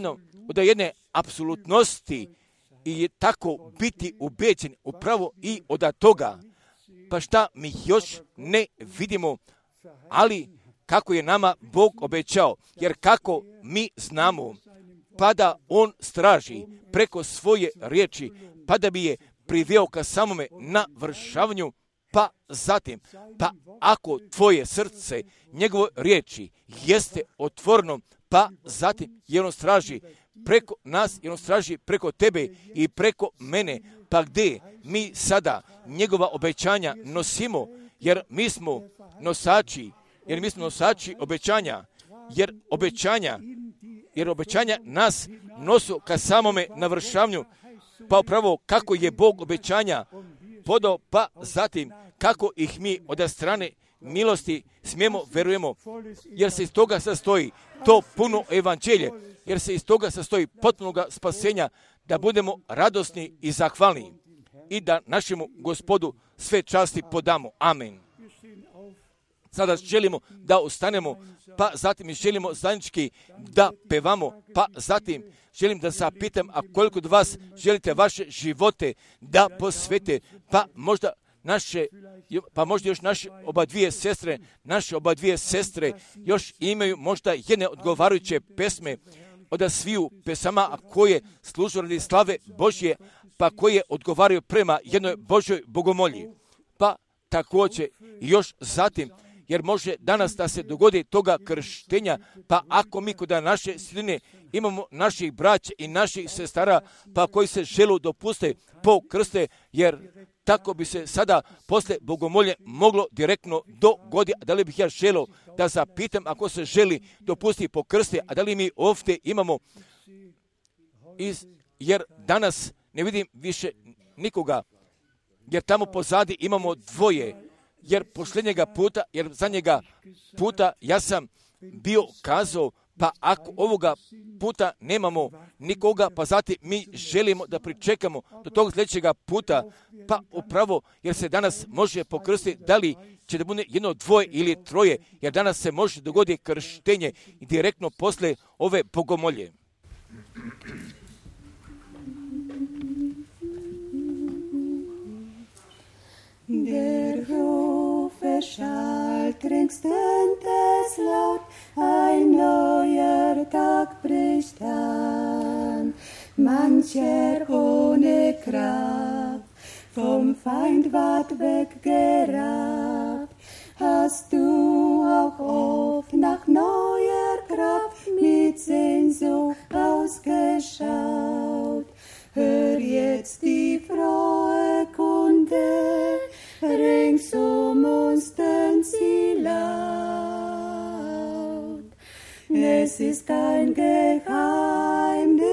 od jedne apsolutnosti i tako biti ubeđen upravo i od toga. Pa šta mi još ne vidimo, ali kako je nama Bog obećao, jer kako mi znamo, pa da on straži preko svoje riječi, pa da bi je priveo ka samome navršavanju, pa zatim, pa ako tvoje srce, njegove riječi jeste otvoreno, pa zatim je on straži preko nas, je on straži preko tebe i preko mene, pa gdje mi sada njegova obećanja nosimo, jer mi smo nosači obećanja, jer obećanja nas nosu ka samome navršavanju, pa upravo kako je Bog obećanja podao, pa zatim kako ih mi od strane milosti smijemo verujemo, jer se iz toga sastoji to puno evanđelje, jer se iz toga sastoji potpunoga spasenja, da budemo radosni i zahvalni i da našemu Gospodu sve časti podamo. Amen. Sada želimo da ustanemo, pa zatim želimo zajednički da pevamo, pa zatim želim da zapitam, a koliko od vas želite vaše živote da posvete, pa možda još naše oba dvije sestre još imaju možda jedne odgovarajuće pesme od sviju pesama, a koje služu radi slave Božje, pa koje odgovaraju prema jednoj Božoj bogomolji. Pa također još zatim, jer može danas da se dogodi toga krštenja, pa ako mi kod naše sredine imamo naših braća i naših sestara, pa koji se žele dopuste po krste, jer tako bi se sada posle bogomolje moglo direktno dogoditi. A da li bih ja želio da zapitam, ako se želi dopustiti po krste, a da li mi ovdje imamo, jer danas ne vidim više nikoga, jer tamo pozadi imamo dvoje, jer posljednjega puta, jer zadnjega puta ja sam bio kazao, pa ako ovoga puta nemamo nikoga, pa zatim mi želimo da pričekamo do tog sljedećega puta, pa upravo jer se danas može pokrstiti, da li će da bude jedno, dvoje ili troje, jer danas se može dogoditi krštenje direktno posle ove bogomolje. Der Rufe schallt ringsum des laut, ein neuer Tag bricht an. Mancher ohne Kraft, vom Feind ward weggerafft. Hast du auch oft nach neuer Kraft mit Sehnsucht ausgeschaut? Hör jetzt die frohe Kunde, rings uns tön sie laut. Es ist kein Geheimnis,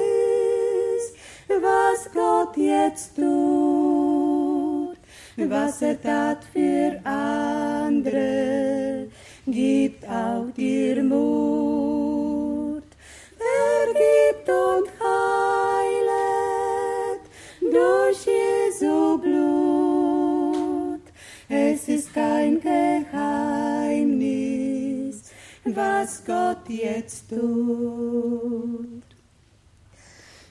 was Gott jetzt tut, was tat für andere, gibt auch dir Mut. Vergibt und heilet durch Jesu Blut. Es ist kein Geheimnis, was Gott jetzt tut.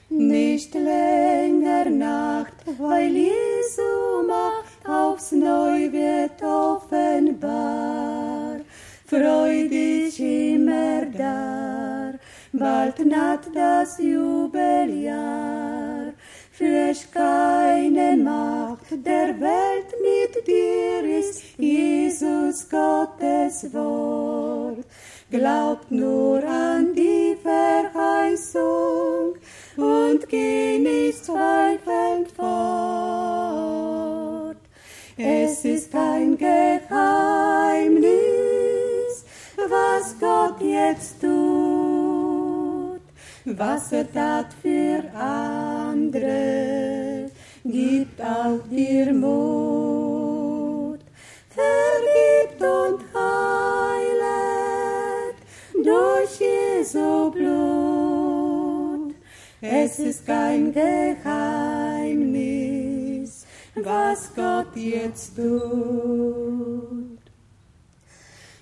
Nicht länger Nacht, weil Jesu Macht aufs Neu wird offenbar. Freu dich immer dar, bald naht das Jubeljahr. Fürcht keine Macht der Welt mit dir ist Jesus Gottes Wort. Glaubt nur an die Verheißung und geh nicht zweifelnd fort. Es ist kein Geheimnis, was Gott jetzt tut, was tat für andere, gibt auch dir Mut. Vergibt und heilet durch Jesu Blut. Es ist kein Geheimnis, was Gott jetzt tut.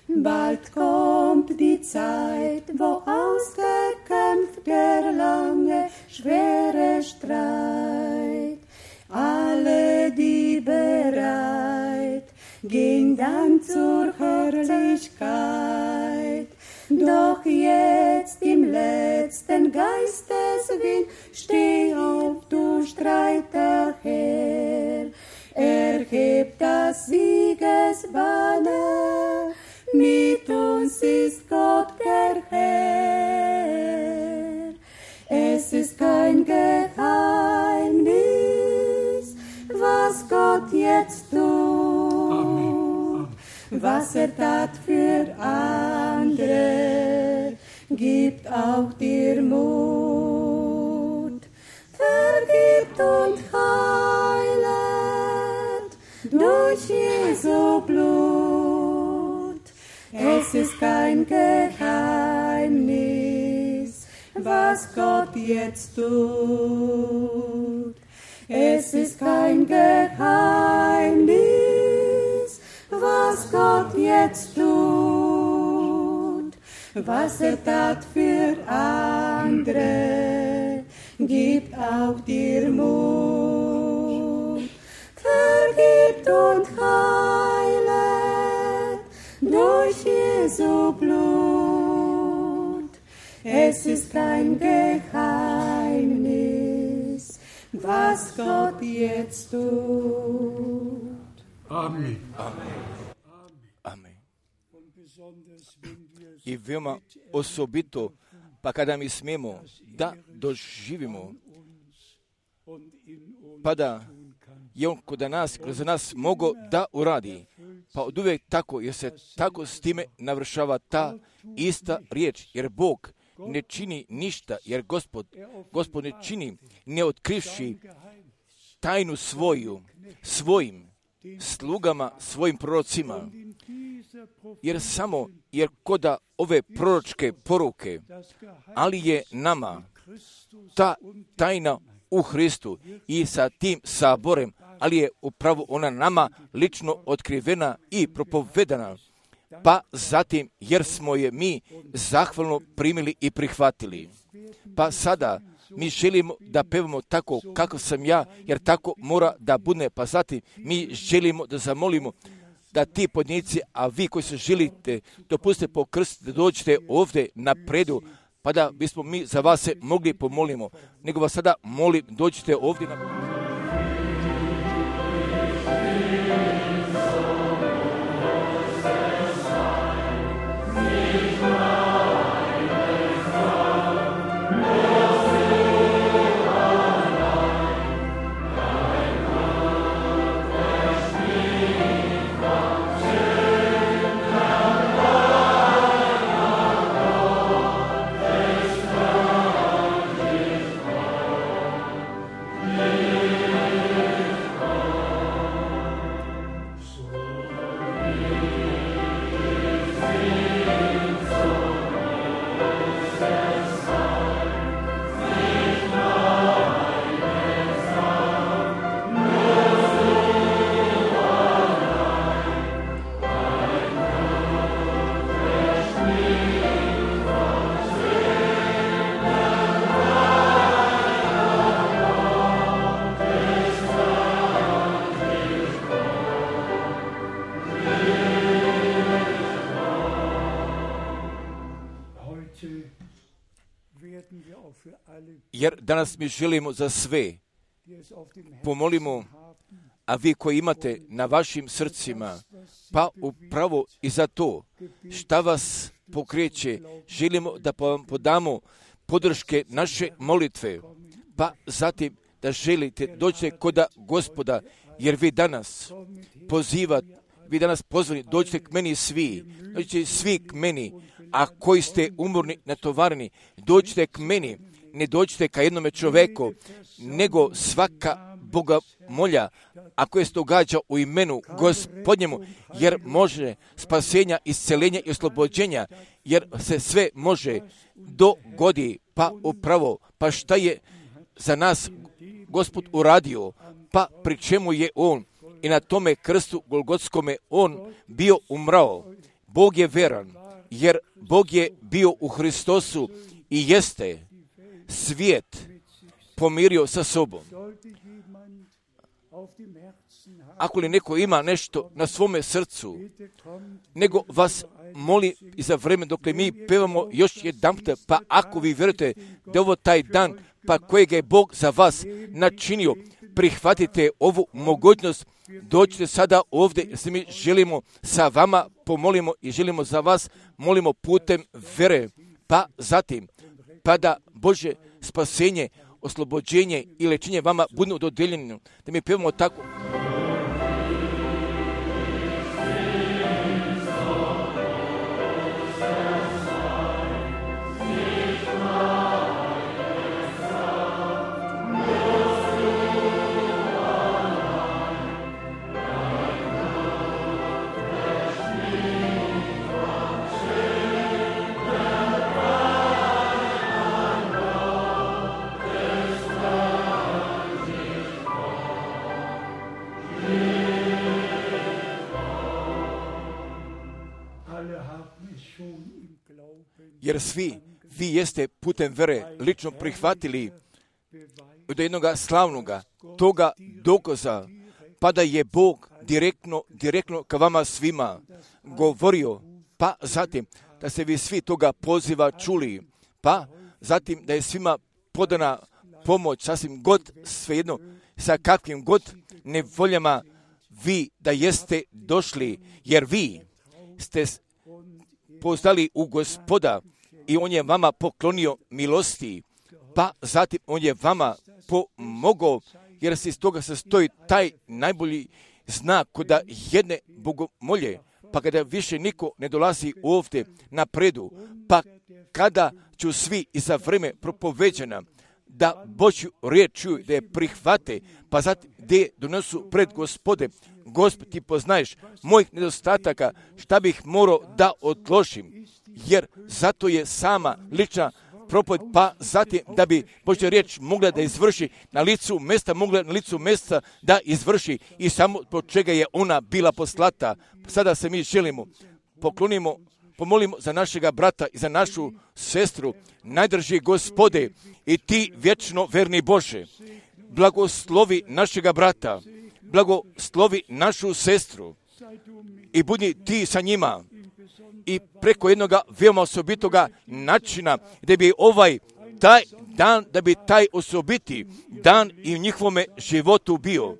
Bald kommt die Zeit, wo ausgekämpft der lange, schwere Streit. Alle, die bereit, gehen dann zur Herrlichkeit. Doch jetzt im letzten Geisteswind, steh auf, du Streiter Herr. Erhebt das Siegesbanner, mit uns ist Gott der Herr. Es ist kein Geheimnis, was Gott jetzt tut, Amen. Was tat für andere, gibt auch dir Mut. Vergibt und durch Jesu Blut. Es ist kein Geheimnis, was Gott jetzt tut. Es ist kein Geheimnis, was Gott jetzt tut. Was tat für andere, gibt auch dir Mut. Vergibt und heilet durch Jesu Blut. Es ist kein Geheimnis, was Gott jetzt tut. Amen. Amen. I veoma osobito, pa kada mi smemo da doživimo, pa da je on kod nas, kroz nas mogo da uradi. Pa od uvijek tako, jer se tako s time navršava ta ista riječ, jer Bog ne čini ništa, jer Gospod ne čini, ne otkrivši tajnu svojim slugama, svojim prorocima, jer koda ove proročke poruke, ali je nama ta tajna u Hristu i sa tim saborem, ali je upravo ona nama lično otkrivena i propovedana, pa zatim jer smo je mi zahvalno primili i prihvatili. Pa sada mi želimo da pevamo tako kako sam ja, jer tako mora da bude. Pa zatim mi želimo da zamolimo da ti podnici, a vi koji se želite dopustite po krst, da dođete ovdje napredu, pa da bismo mi za vas se mogli pomolimo. Nego vas sada molim, dođite ovdje napredu. Jer danas mi želimo za sve pomolimo, a vi koji imate na vašim srcima, pa upravo i za to šta vas pokreće, želimo da vam podamo podrške naše molitve, pa zatim da želite doći koda Gospoda, jer vi danas pozvani, dođite k meni svi, dođite svi k meni, a koji ste umorni, natovareni, dođite k meni, ne dođite ka jednome čoveku, nego svaka Boga molja, a koje se događa u imenu Gospodnjemu, jer može spasenja, isceljenja i oslobođenja, jer se sve može dogodi, pa upravo, pa šta je za nas Gospod uradio, pa pri čemu je On i na tome krstu Golgotskome On bio umrao. Bog je veran, jer Bog je bio u Hristosu i jeste svijet pomirio sa sobom. Ako li neko ima nešto na svome srcu, nego vas moli i za vreme dok mi pevamo još jedanput, pa ako vi vjerujete da je ovo taj dan, pa kojeg je Bog za vas načinio, prihvatite ovu mogućnost, dođite sada ovdje, jer se mi želimo sa vama pomolimo i želimo za vas, molimo putem vere, pa zatim, pa da Bože spasenje, oslobođenje i lečenje vama budu dodeljeno, da mi pevamo tako. jer svi vi jeste putem vere lično prihvatili od jednoga slavnoga toga dokaza, pa da je Bog direktno ka vama svima govorio, pa zatim da se vi svi toga poziva čuli, pa zatim da je svima podana pomoć, sasvim god, svejedno, sa kakvim god nevoljama vi da jeste došli, jer vi ste poznali u Gospoda i On je vama poklonio milosti, pa zatim On je vama pomogao, jer se iz toga sastoji taj najbolji znak kada jedne bogomolje, pa kada više niko ne dolazi ovdje na predu, pa kada ću svi i za vreme propoveđena da Božju riječ čuju, da je prihvate, pa zatim da je donesu pred Gospode. Gospod, ti poznaješ mojih nedostataka, šta bih morao da odložim, jer zato je sama lična propoved, pa zatim da bi Božja riječ mogla da izvrši na licu mjesta da izvrši i samo po čega je ona bila poslata. Sada se mi želimo, pomolimo za našega brata i za našu sestru, najdrži Gospode i ti vječno verni Bože, blagoslovi našega brata, blagoslovi našu sestru i budi ti sa njima i preko jednoga veoma osobitoga načina da bi taj dan, da bi taj osobiti dan i u njihovome životu bio.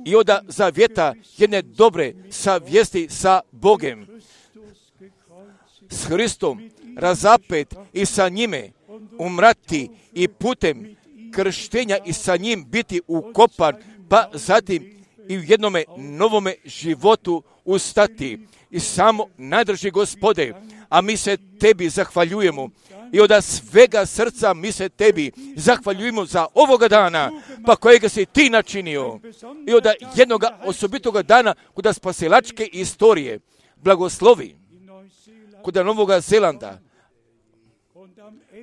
I onda zavjeta jedne dobre savjesti sa Bogem, s Hristom razapet i sa njime umrati i putem krštenja i sa njim biti ukopan, pa zatim i u jednome novome životu ustati. I samo najdrži Gospode, a mi se tebi zahvaljujemo i od svega srca mi se tebi zahvaljujemo za ovoga dana, pa kojega si ti načinio i od jednoga osobitoga dana kuda spasilačke istorije blagoslovi kuda Novoga Zelanda,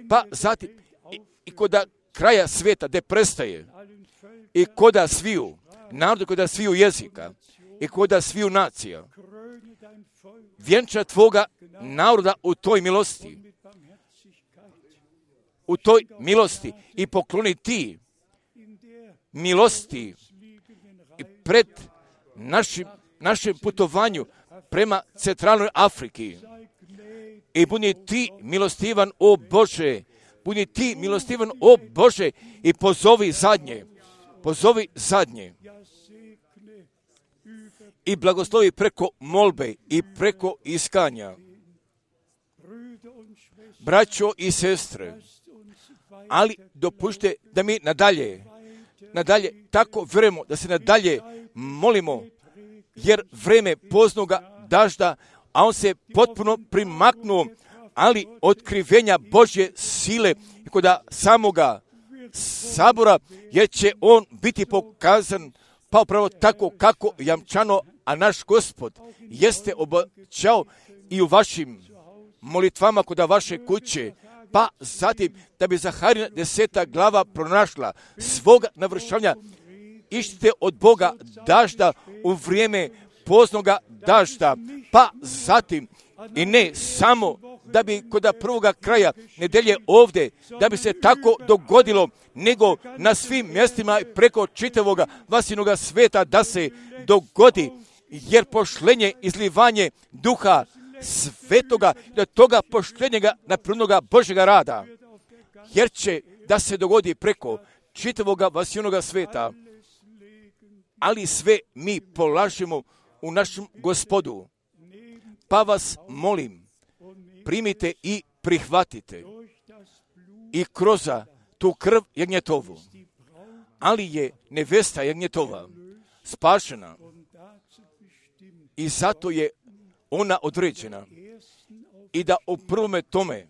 pa zatim i kuda kraja svijeta gdje prestaje i kuda sviju narodu, kuda sviju jezika i kuda sviju nacija. Vjenča tvoga naroda u toj milosti i pokloni ti milosti i pred našem putovanju prema centralnoj Afriki. I budi ti milostivan, o Bože, budi ti milostivan, o Bože, i pozovi zadnje. I blagoslovi preko molbe i preko iskanja. Braćo i sestre, ali dopušte da mi nadalje tako vjerujemo, da se nadalje molimo, jer vreme poznoga dažda, a on se potpuno primaknuo, ali otkrivenja Božje sile i kod samoga sabora, jer će on biti pokazan pa upravo tako kako jamčano, a naš Gospod jeste obećao i u vašim molitvama kod vaše kuće, pa zatim da bi Zaharina 10. glava pronašla svoga navršavanja, ištite od Boga dažda u vrijeme poznoga dažda, pa zatim i ne samo da bi kod prvoga kraja nedelje ovdje, da bi se tako dogodilo, nego na svim mjestima preko čitavoga vasinoga sveta da se dogodi, jer pošlenje, izlivanje duha svetoga, da toga pošljenjega napravnoga Božjega rada, jer će da se dogodi preko čitavoga vasinoga sveta, ali sve mi polažemo u našem Gospodu. Pa vas molim, primite i prihvatite i kroz tu krv jagnjetovu, ali je nevesta jagnjetova spašena i zato je ona određena i da u prvome tome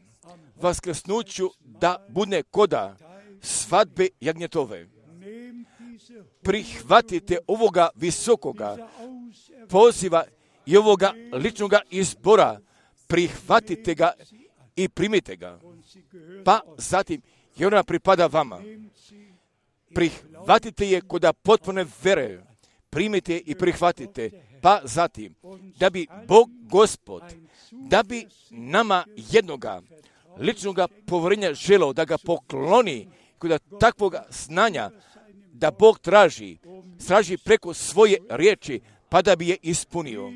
vaskrsnuću da bude koda svadbe jagnjetove. Prihvatite ovoga visokoga poziva i ovoga ličnoga izbora, prihvatite ga i primite ga, pa zatim jer ona pripada vama. Prihvatite je kod potpune vere, primite i prihvatite. Pa zatim, da bi Bog Gospod, da bi nama jednoga ličnoga povjerenja želeo da ga pokloni, kod takvoga znanja da Bog traži preko svoje riječi, pa da bi je ispunio.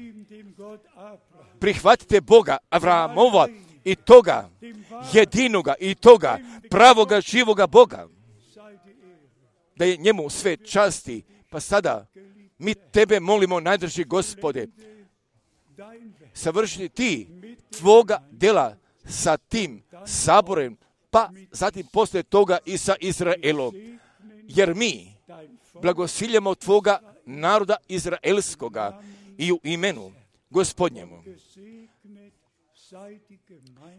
Prihvatite Boga Avraamova i toga jedinoga i toga pravoga živoga Boga, da je njemu sve časti. Pa sada mi tebe molimo, najdraži Gospode, savršiti ti tvoga djela sa tim saborem, pa zatim poslije toga i sa Izraelom. Jer mi blagosiljamo tvoga naroda izraelskoga i u imenu Gospodnjemu.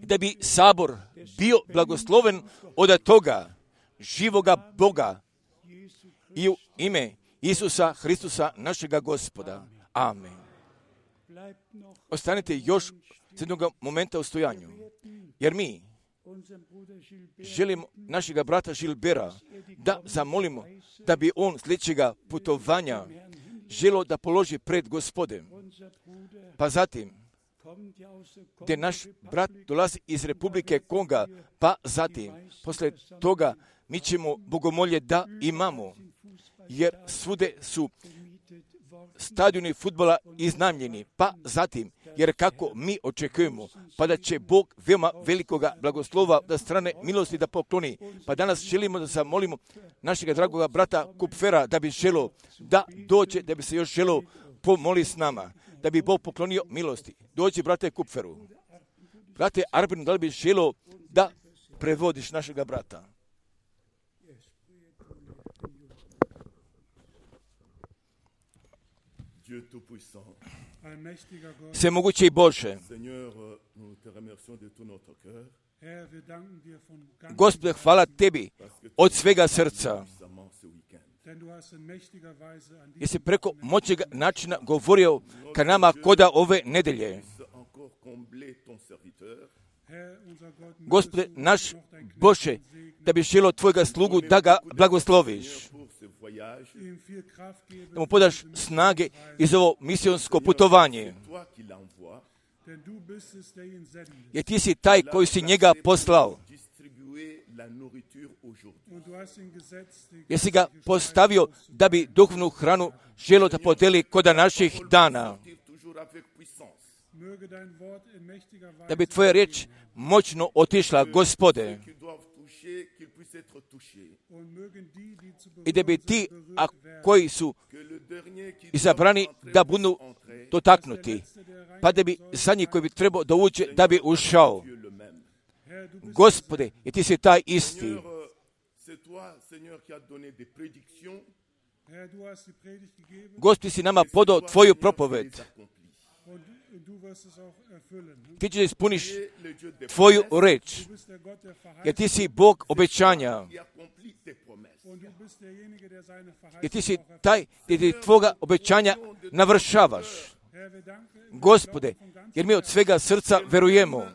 Da bi sabor bio blagosloven od toga živoga Boga i u ime Isusa Hristusa našega Gospoda. Amen. Ostanite još s jednog momenta u stojanju, jer mi želimo našega brata Žilbera da zamolimo da bi on sljedećega putovanja želio da položi pred Gospodem. Pa zatim, gdje naš brat dolazi iz Republike Konga, pa zatim, poslije toga, mi ćemo bogomolje da imamo, jer svude su stadioni fudbala iznajmljeni, pa zatim, jer kako mi očekujemo, pa da će Bog veoma velikoga blagoslova da strane milosti da pokloni. Pa danas želimo da zamolimo našega dragoga brata Kupfera da bi želio da dođe, da bi se još želio pomoli s nama, da bi Bog poklonio milosti. Dođi, brate Kupferu. Brate Arbin, da li bi želio da prevodiš našega brata? Svemogući Bože, Gospode, hvala tebi od svega srca, jer si preko moćega načina govorio ka nama koda ove nedelje. Gospode, naš Bože, da bi želio tvojega slugu da ga blagosloviš, da mu podaš snage iz ovo misionsko putovanje, jer ti si taj koji si njega poslao, jer si ga postavio da bi duhovnu hranu želio da podeli koda naših dana, da bi tvoja riječ moćno otišla, Gospode, i da bi ti, a koji su izabrani, da budu dotaknuti, pa da bi zadnji koji bi trebao da uđe, da bi ušao. Gospode, i ti si taj isti. Gospodi, si nama podao tvoju propoved. Ti ćeš ispuniš tvoju reč, jer ti si Bog obećanja. Jer ti si taj gdje ti tvoga obećanja navršavaš. Gospode, jer mi od svega srca verujemo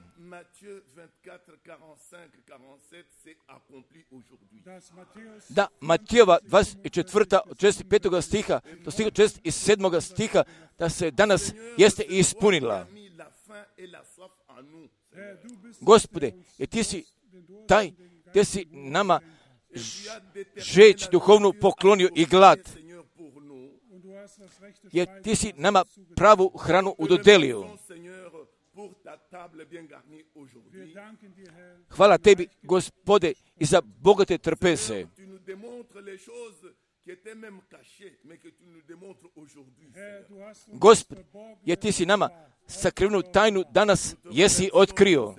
da Matijeva 24. od 65. stiha do stiha 67. stiha da se danas jeste ispunila. Gospode, jer ti si taj gdje si nama žeć duhovnu poklonio i glad, jer ti si nama pravu hranu udodelio. Hvala tebi, Gospode, i za bogate trpeze. Gospod, jer ti si nama sakrivenu tajnu danas jesi otkrio.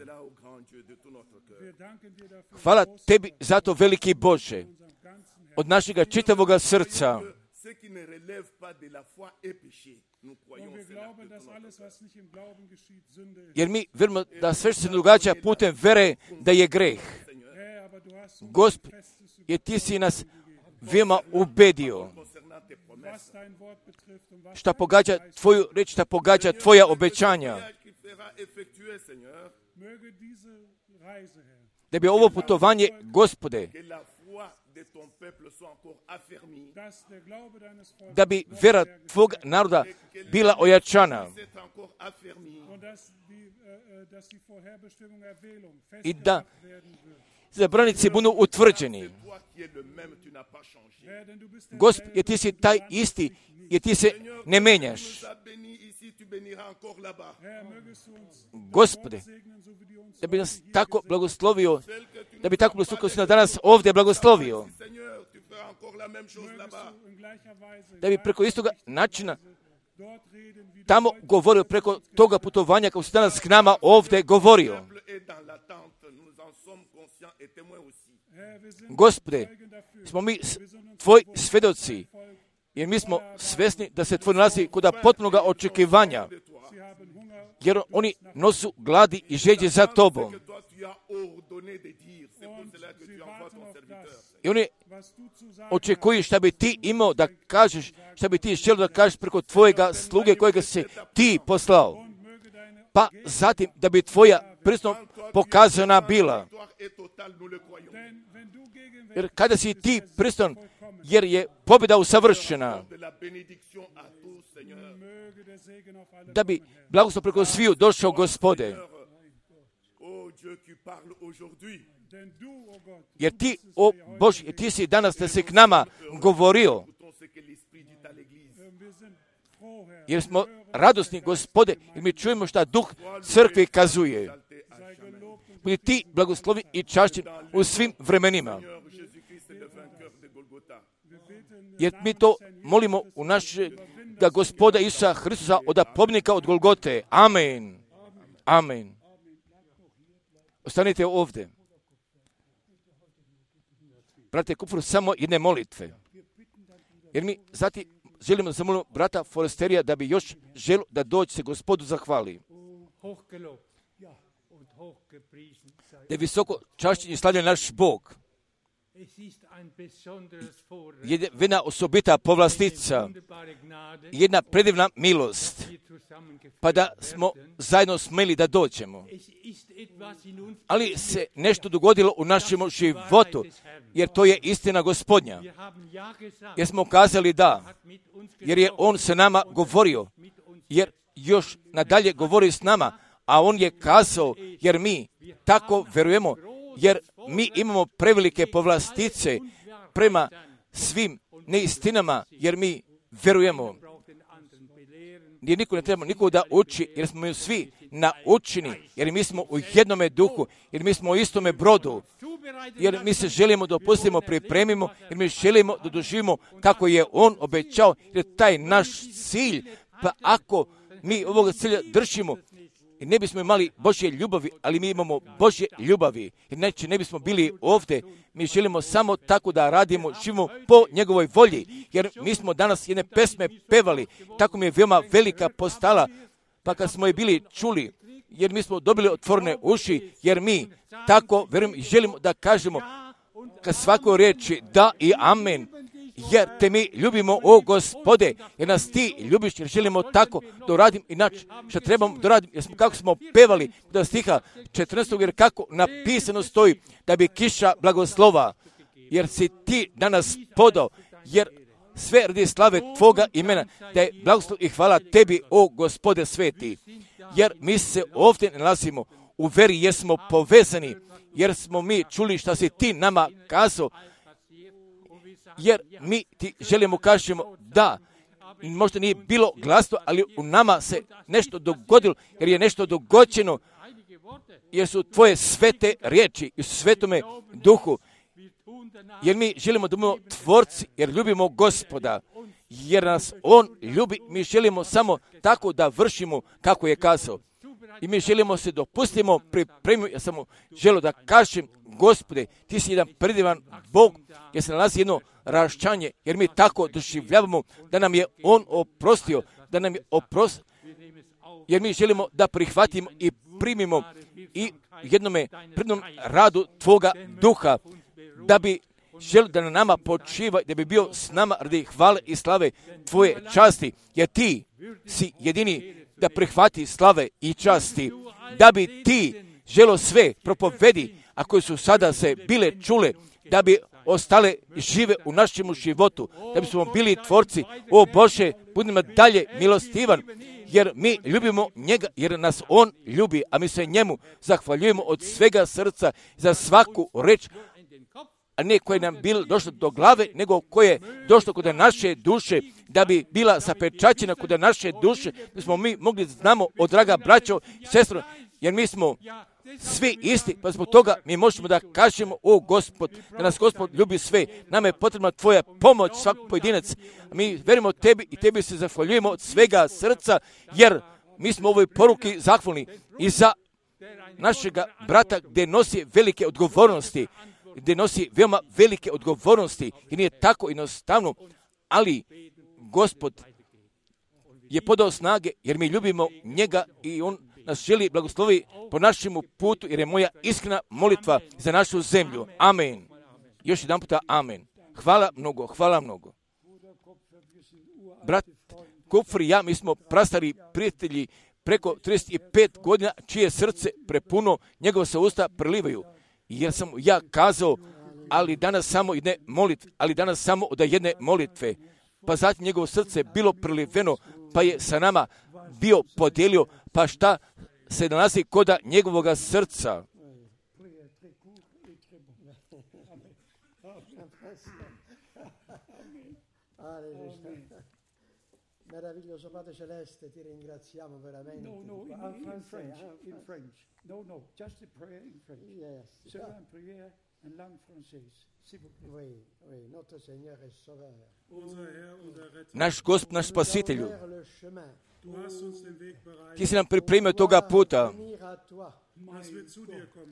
Hvala tebi za to, veliki Bože, od našega čitavoga srca. Jer mi vjerujemo da sve što se događa putem vere da je greh. Gospod, jer ti si nas veoma ubedio. Šta pogađa tvoju reč, šta pogađa tvoja obećanja. Da bi ovo putovanje, Gospode, da bi vera tvog naroda bila ojačana i da zabranici budu utvrđeni. Gospod, jer ti si taj isti, jer ti se ne menjaš. Gospode, da bi nas tako blagoslovio, da bi tako blagoslovio si nas danas ovdje blagoslovio, da bi preko istoga načina tamo govorio, preko toga putovanja kao si danas k nama ovdje govorio. Gospode, smo mi tvoji svjedoci, jer mi smo svjesni da se tvoj nalazi kod potpunog očekivanja, jer oni nosu gladi i žeđe za tobom. I oni očekuju šta bi ti imao da kažeš, šta bi ti želio da kažeš preko tvojega sluge kojega si ti poslao. Pa zatim da bi tvoja prisutnost pokazana bila. Jer kada si ti prisutan, jer je pobjeda usavršena, da bi blagoslov preko sviju došao, Gospode. Jer ti, o Bože, ti si danas da si k nama govorio. Jer smo radosni, Gospode, jer mi čujemo šta Duh crkve kazuje. Budi ti blagoslovi i čašćen u svim vremenima. Jer mi to molimo u naše, da Gospoda Isusa Hristusa od pobjednika od Golgote. Amen. Amen. Ostanite ovdje. Brate Kupfur, samo jedne molitve. Jer mi zatim želimo da zamolimo brata Foresterija da bi još želio da dođe se Gospodu zahvali. Da je visoko čašćen i slavljen naš Bog. Jedna osobita povlastica, jedna predivna milost, pa da smo zajedno smeli da dođemo. Ali se nešto dogodilo u našem životu, jer to je istina Gospodnja. Jer smo kazali da, jer je On sa nama govorio, jer još nadalje govori s nama, a On je kazao, jer mi tako verujemo, jer mi imamo prevelike povlastice prema svim neistinama, jer mi verujemo. Jer niko ne treba niko da uči, jer smo mi svi naučeni, jer mi smo u jednome duhu, jer mi smo u istome brodu, jer mi se želimo da opustimo, pripremimo, jer mi želimo da doživimo kako je On obećao, jer taj naš cilj, pa ako mi ovoga cilja držimo, i ne bismo imali Božje ljubavi, ali mi imamo Božje ljubavi. Inače ne bismo bili ovdje. Mi želimo samo tako da radimo, živimo po njegovoj volji. Jer mi smo danas jedne pesme pevali. Tako mi je veoma velika postala. Pa kad smo je bili čuli, jer mi smo dobili otvorene uši, jer mi tako verujem i želimo da kažemo kad svakoj riječi da i amen. Jer te mi ljubimo, o Gospode, jer nas ti ljubiš, jer želimo tako da uradim inače što trebamo da radim, jer smo, kako smo pevali do stiha 14. jer kako napisano stoji da bi kiša blagoslova, jer si ti danas podao, jer sve radi slave tvoga imena, da je blagoslov i hvala tebi, o Gospode sveti, jer mi se ovdje nalazimo u veri, jer smo povezani, jer smo mi čuli šta si ti nama kazao, jer mi ti želimo kažemo da, možda nije bilo glasno, ali u nama se nešto dogodilo, jer je nešto dogođeno, jer su tvoje svete riječi i svetome duhu, jer mi želimo da budemo tvorci, jer ljubimo Gospoda, jer nas On ljubi, mi želimo samo tako da vršimo kako je kazao. I mi želimo se dopustimo, pripremimo, ja samo želim da kažem, Gospode, ti si jedan predivan Bog, jer se nalazi jedno raščanje, jer mi tako doživljavamo da nam je On oprostio, da nam je oprostio, jer mi želimo da prihvatimo i primimo i jednome prednom radu Tvoga duha, da bi želio da na nama počiva, da bi bio s nama radi hvale i slave Tvoje časti, jer ti si jedini da prihvati slave i časti, da bi ti želo sve propovedi, a koje su sada se bile čule, da bi ostale žive u našem životu, da bismo bili tvorci. O Bože, budi nam dalje milostivan, jer mi ljubimo njega, jer nas on ljubi, a mi se njemu zahvaljujemo od svega srca za svaku reč, a ne koje nam bilo došlo do glave, nego koje je došlo kod naše duše, da bi bila zapečaćena kod naše duše, da smo mi mogli znamo, o draga braćo i sestro, jer mi smo svi isti, pa zbog toga mi možemo da kažemo, o Gospod, da nas Gospod ljubi sve. Nama je potrebna tvoja pomoć, svak pojedinac. Mi verimo tebi i tebi se zahvaljujemo od svega srca, jer mi smo u ovoj poruki zahvalni i za našega brata gdje nosi velike odgovornosti, gdje nosi veoma velike odgovornosti i nije tako jednostavno, ali Gospod je podao snage jer mi ljubimo njega i on nas želi blagoslovi po našemu putu, jer je moja iskrena molitva za našu zemlju. Amen. Još jedan puta amen. Hvala mnogo, hvala mnogo. Brat Kupfer i ja, mi smo prastari prijatelji preko 35 godina, čije srce prepuno, njegove se usta prelivaju. Jer sam ja kazao, ali danas samo od jedne molitve. Pa zatim njegovo srce bilo preliveno, pa je sa nama bio podijelio, pa šta se nalazi koda njegovoga srca. Meraviglioso Padre Celeste, ti ringraziamo veramente. In French. No, just a prayer in French. Yes. Seule une prière en langue française. S'il vous plaît. Oui, notre Seigneur et Sauveur. Naš Gospod, naš Spasitelju, Le chemin. ti si nam pripremio toga puta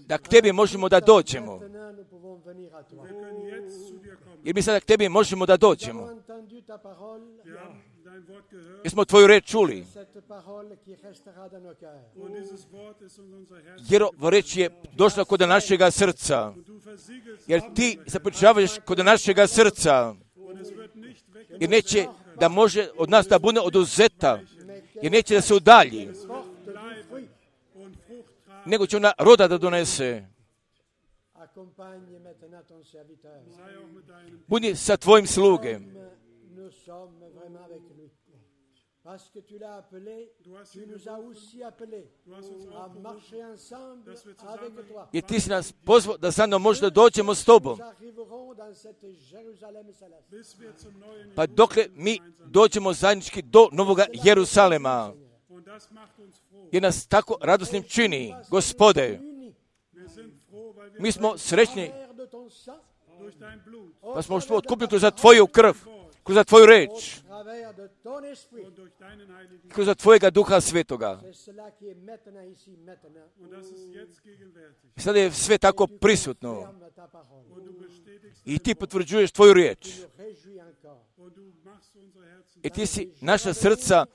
da k tebi možemo da dođemo. Maintenant, nous pouvons venir à toi. Jer mi sada k tebi možemo da Nous avons dođemo. entendu ta parole, Jer smo tvoju reč čuli. cette parole qui restera dans nos cœurs. Jer ova reč je došla kod našega srca. Jer ti započavaš kod našega srca. Jer neće da može od nas da bude oduzeta. Jer neće da se udalji. Nego će ona roda da donese. Accompagne maintenant ton serviteur. Budi sa tvojim slugem. Nous sommes vraiment avec lui. Parce que tu l'as appelé, tu nous as aussi appelés à marcher ensemble avec toi. Jer ti si nas pozvao da zajedno možda dođemo s tobom. Nous arriverons dans cette Jérusalem céleste. Pa dokle mi dođemo zajednički do Novoga Jerusalema. Jer nas tako radosnim čini, Gospode. Mi smo srećni, Frère de ton sang, pa smo što otkupili kroz tvoju krv, kroz tvoju reč, travers de ton esprit. kroz tvojega Duha Svetoga. C'est cela qui est maintenant ici, maintenant. I sada je sve tako prisutno. Ferme ta parole. I ti potvrđuješ tvoju riječ. Nous réjouis encore. I ti si naša srca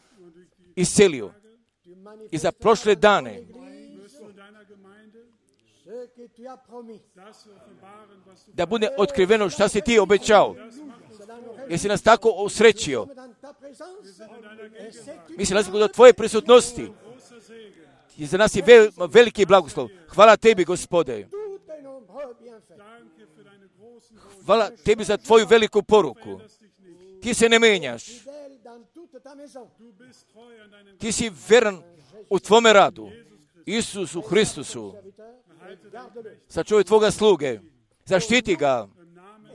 iscelio. Tu I manifestes za prošle dane ce que tu as promis. da bude otkriveno šta si ti obećao. Cela nous réjouit. Jer si nas tako usrećio. Dans ta présence. Et c'est une Mi se nalazimo do tvoje prisutnosti. I za nas je veliki blagoslov. Hvala tebi, Gospode. tout un nombreux bienfaits. Hvala tebi za tvoju veliku poruku. Ti se ne menjaš. Fidèle dans toute ta maison. Ti si veran u tvome radu. Isusu Hristusu. Serviteur, et garde-le. Sačuvaj tvoga sluge. Zaštiti ga.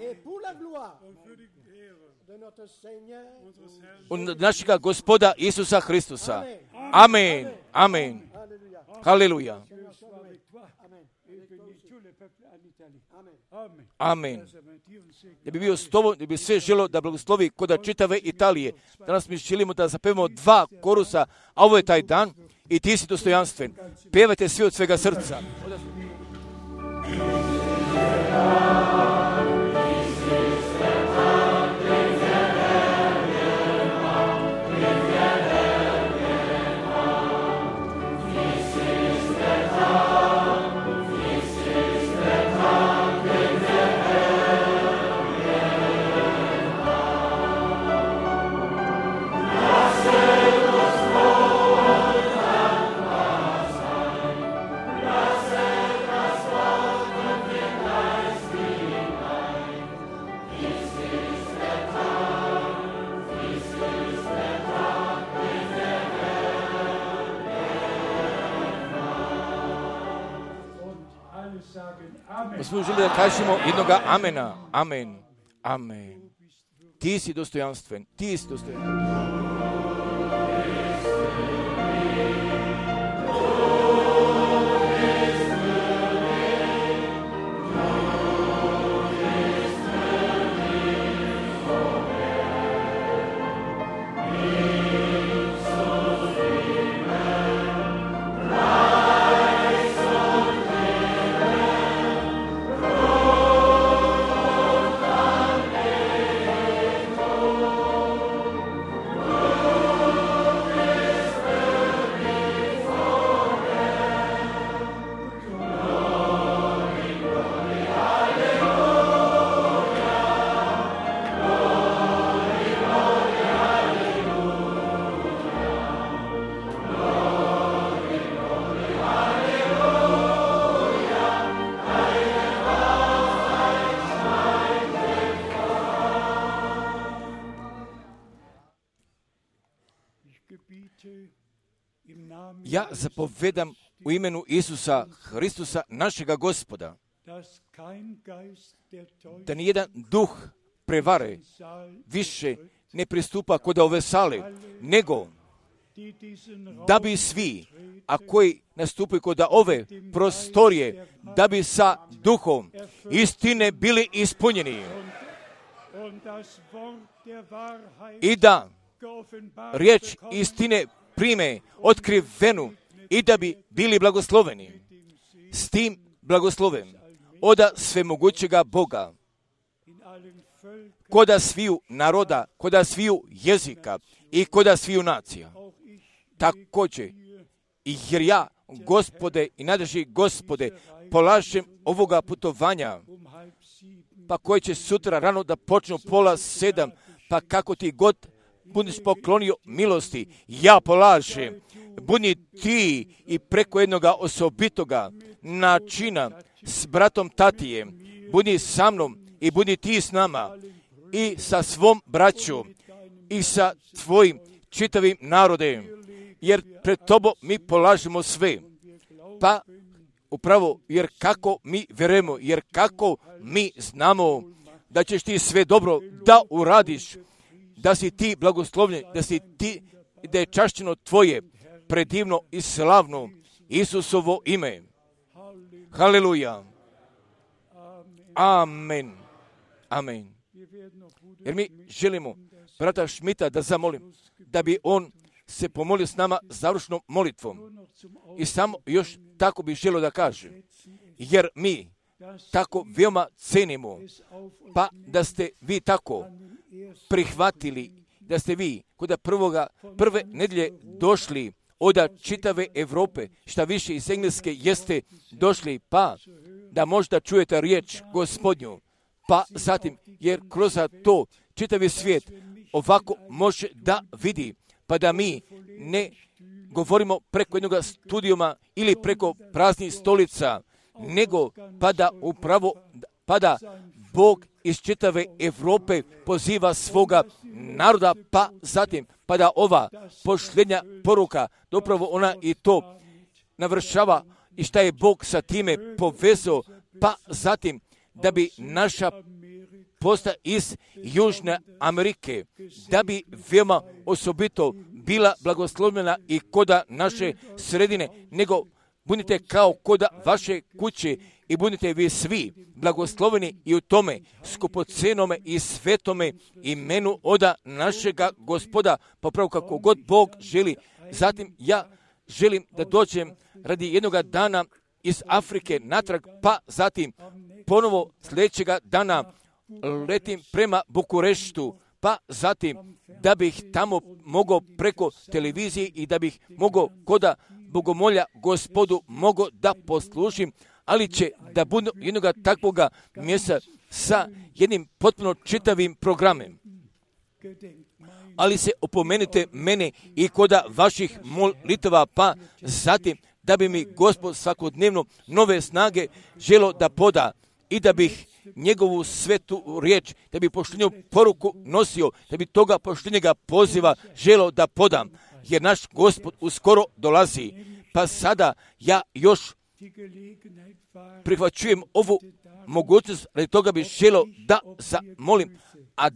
Et pour la gloire de notre Seigneur, U našega Gospoda Isusa Hristusa. Amen. Amen. Alléluia. Haleluja. Dieu soit avec toi. Amen. Et bénis tout le peuple en Italie. Amen. Amen. Amen. Ça veut dire un siècle. Da bi bio s tobom, da bi sve želo da blagoslovi kod čitave Italije. Danas mi želimo da zapevamo 2 korusa, a ovo je taj dan i ti si dostojanstven. Pevajte svi od svega srca. Blessed smo želi da kažemo jednoga amena. Amen. Amen. Ti si dostojanstven. Ti si dostojanstven. Ja zapovedam u imenu Isusa Hristusa, našega Gospoda, da nijedan duh prevare više ne pristupa kod ove sale, nego da bi svi, a koji nastupaju kod ove prostorije, da bi sa duhom istine bili ispunjeni i da riječ istine prime otkrivenu i da bi bili blagosloveni s tim blagoslovem oda svemogućega Boga, koda sviju naroda, koda sviju jezika i koda sviju nacija. Također, jer ja, Gospode i nadrži Gospode, polažem ovoga putovanja, pa koje će sutra rano da počnu 6:30, pa kako ti god budeš poklonio milosti, ja polažem, budi ti i preko jednoga osobitoga načina s bratom Tatijem, budi sa mnom i budi ti s nama i sa svom braćom i sa tvojim čitavim narodem, jer pred tobom mi polažemo sve. Pa upravo, jer kako mi vjerujemo, jer kako mi znamo da ćeš ti sve dobro da uradiš, da si ti blagoslovljen, da je čašćeno tvoje predivno i slavno Isusovo ime. Haleluja. Amen. Amen. Jer mi želimo brata Šmita da zamolim, da bi on se pomolio s nama završnom molitvom. I samo još tako bih želio da kažem, jer mi tako veoma cenimo, pa da ste vi tako prihvatili, da ste vi kod prve nedjelje došli od čitave Europe, šta više iz Engleske jeste došli, pa da možda čujete riječ Gospodnju, pa zatim, jer kroz to čitavi svijet ovako može da vidi, pa da mi ne govorimo preko jednog studijuma ili preko praznih stolica, nego pa da Bog iz čitave Europe poziva svoga naroda, pa zatim, pa da ova posljednja poruka, upravo ona i to navršava i šta je Bog sa time povezao, pa zatim, da bi naša posta iz Južne Amerike, da bi veoma osobito bila blagoslovljena i koda naše sredine, nego budite kao koda vaše kuće i budite vi svi blagosloveni i u tome skupocenome i svetome imenu oda našega Gospoda, popravo kako god Bog želi. Zatim ja želim da dođem radi jednoga dana iz Afrike natrag, pa zatim ponovo sljedećega dana letim prema Bukureštu, pa zatim da bih tamo mogao preko televizije i da bih mogao koda bogomolja Gospodu mogao da poslužim, ali će da budu jednoga takvoga mjesta sa jednim potpuno čitavim programem. Ali se opomenite mene i koda vaših molitava, pa zatim da bi mi Gospod svakodnevno nove snage želo da poda i da bih njegovu svetu riječ, da bi poštenju poruku nosio, da bi toga poštenjega poziva želo da podam, jer naš Gospod uskoro dolazi. Pa sada ja još prihvaćujem ovu mogućnost, radi toga bih želio da zamolim, a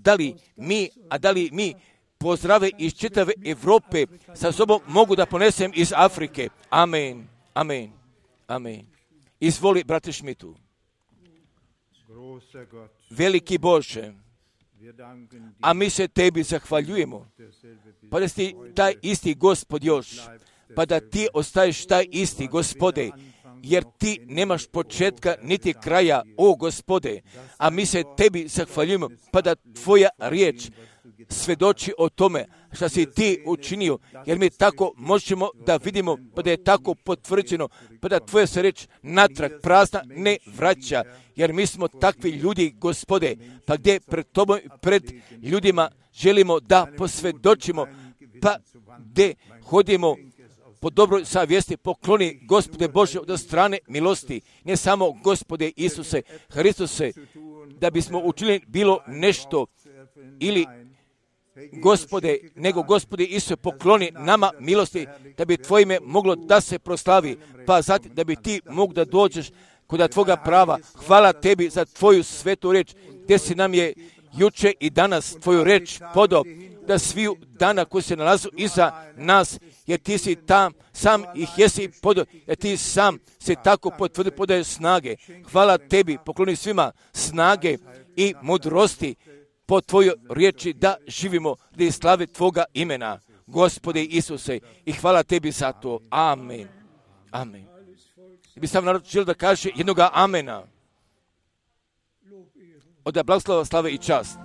da li mi pozdrave iz čitave Europe sa sobom mogu da ponesem iz Afrike. Amen, amen, amen. Izvoli, brate Šmitu. Veliki Bože, a mi se tebi zahvaljujemo, pa da si taj isti Gospod još, pa da ti ostaješ taj isti Gospode, jer ti nemaš početka niti kraja, o Gospode, a mi se tebi zahvaljujemo, pa da tvoja riječ svedoči o tome što si ti učinio, jer mi tako možemo da vidimo, pa da je tako potvrđeno, pa da tvoja se riječ natrag prazna ne vraća, jer mi smo takvi ljudi, Gospode, pa gdje pred tobom, pred ljudima želimo da posvjedočimo, pa gdje hodimo po dobroj savjesti, pokloni, Gospode Bože, od strane milosti, ne samo Gospode Isuse Hristuse, da bismo učinili bilo nešto ili Gospode, nego Gospode Isuse pokloni nama milosti, da bi tvoje ime moglo da se proslavi, pa zatim da bi ti mogu da dođeš kod tvoga prava. Hvala tebi za tvoju svetu reč, gdje si nam je juče i danas tvoju reč podao, da sviju dana koji se nalazu iza nas, jer ti si tam, sam ih jesi podao, jer ti sam se tako potvrdi, podaje snage. Hvala tebi, pokloni svima snage i mudrosti po tvojoj riječi da živimo, da slave tvoga imena, Gospode Isuse, i hvala tebi za to. Amen. Amen. I bi sam narod želio da kaže jednoga amena. Od blagoslova, slave i čast.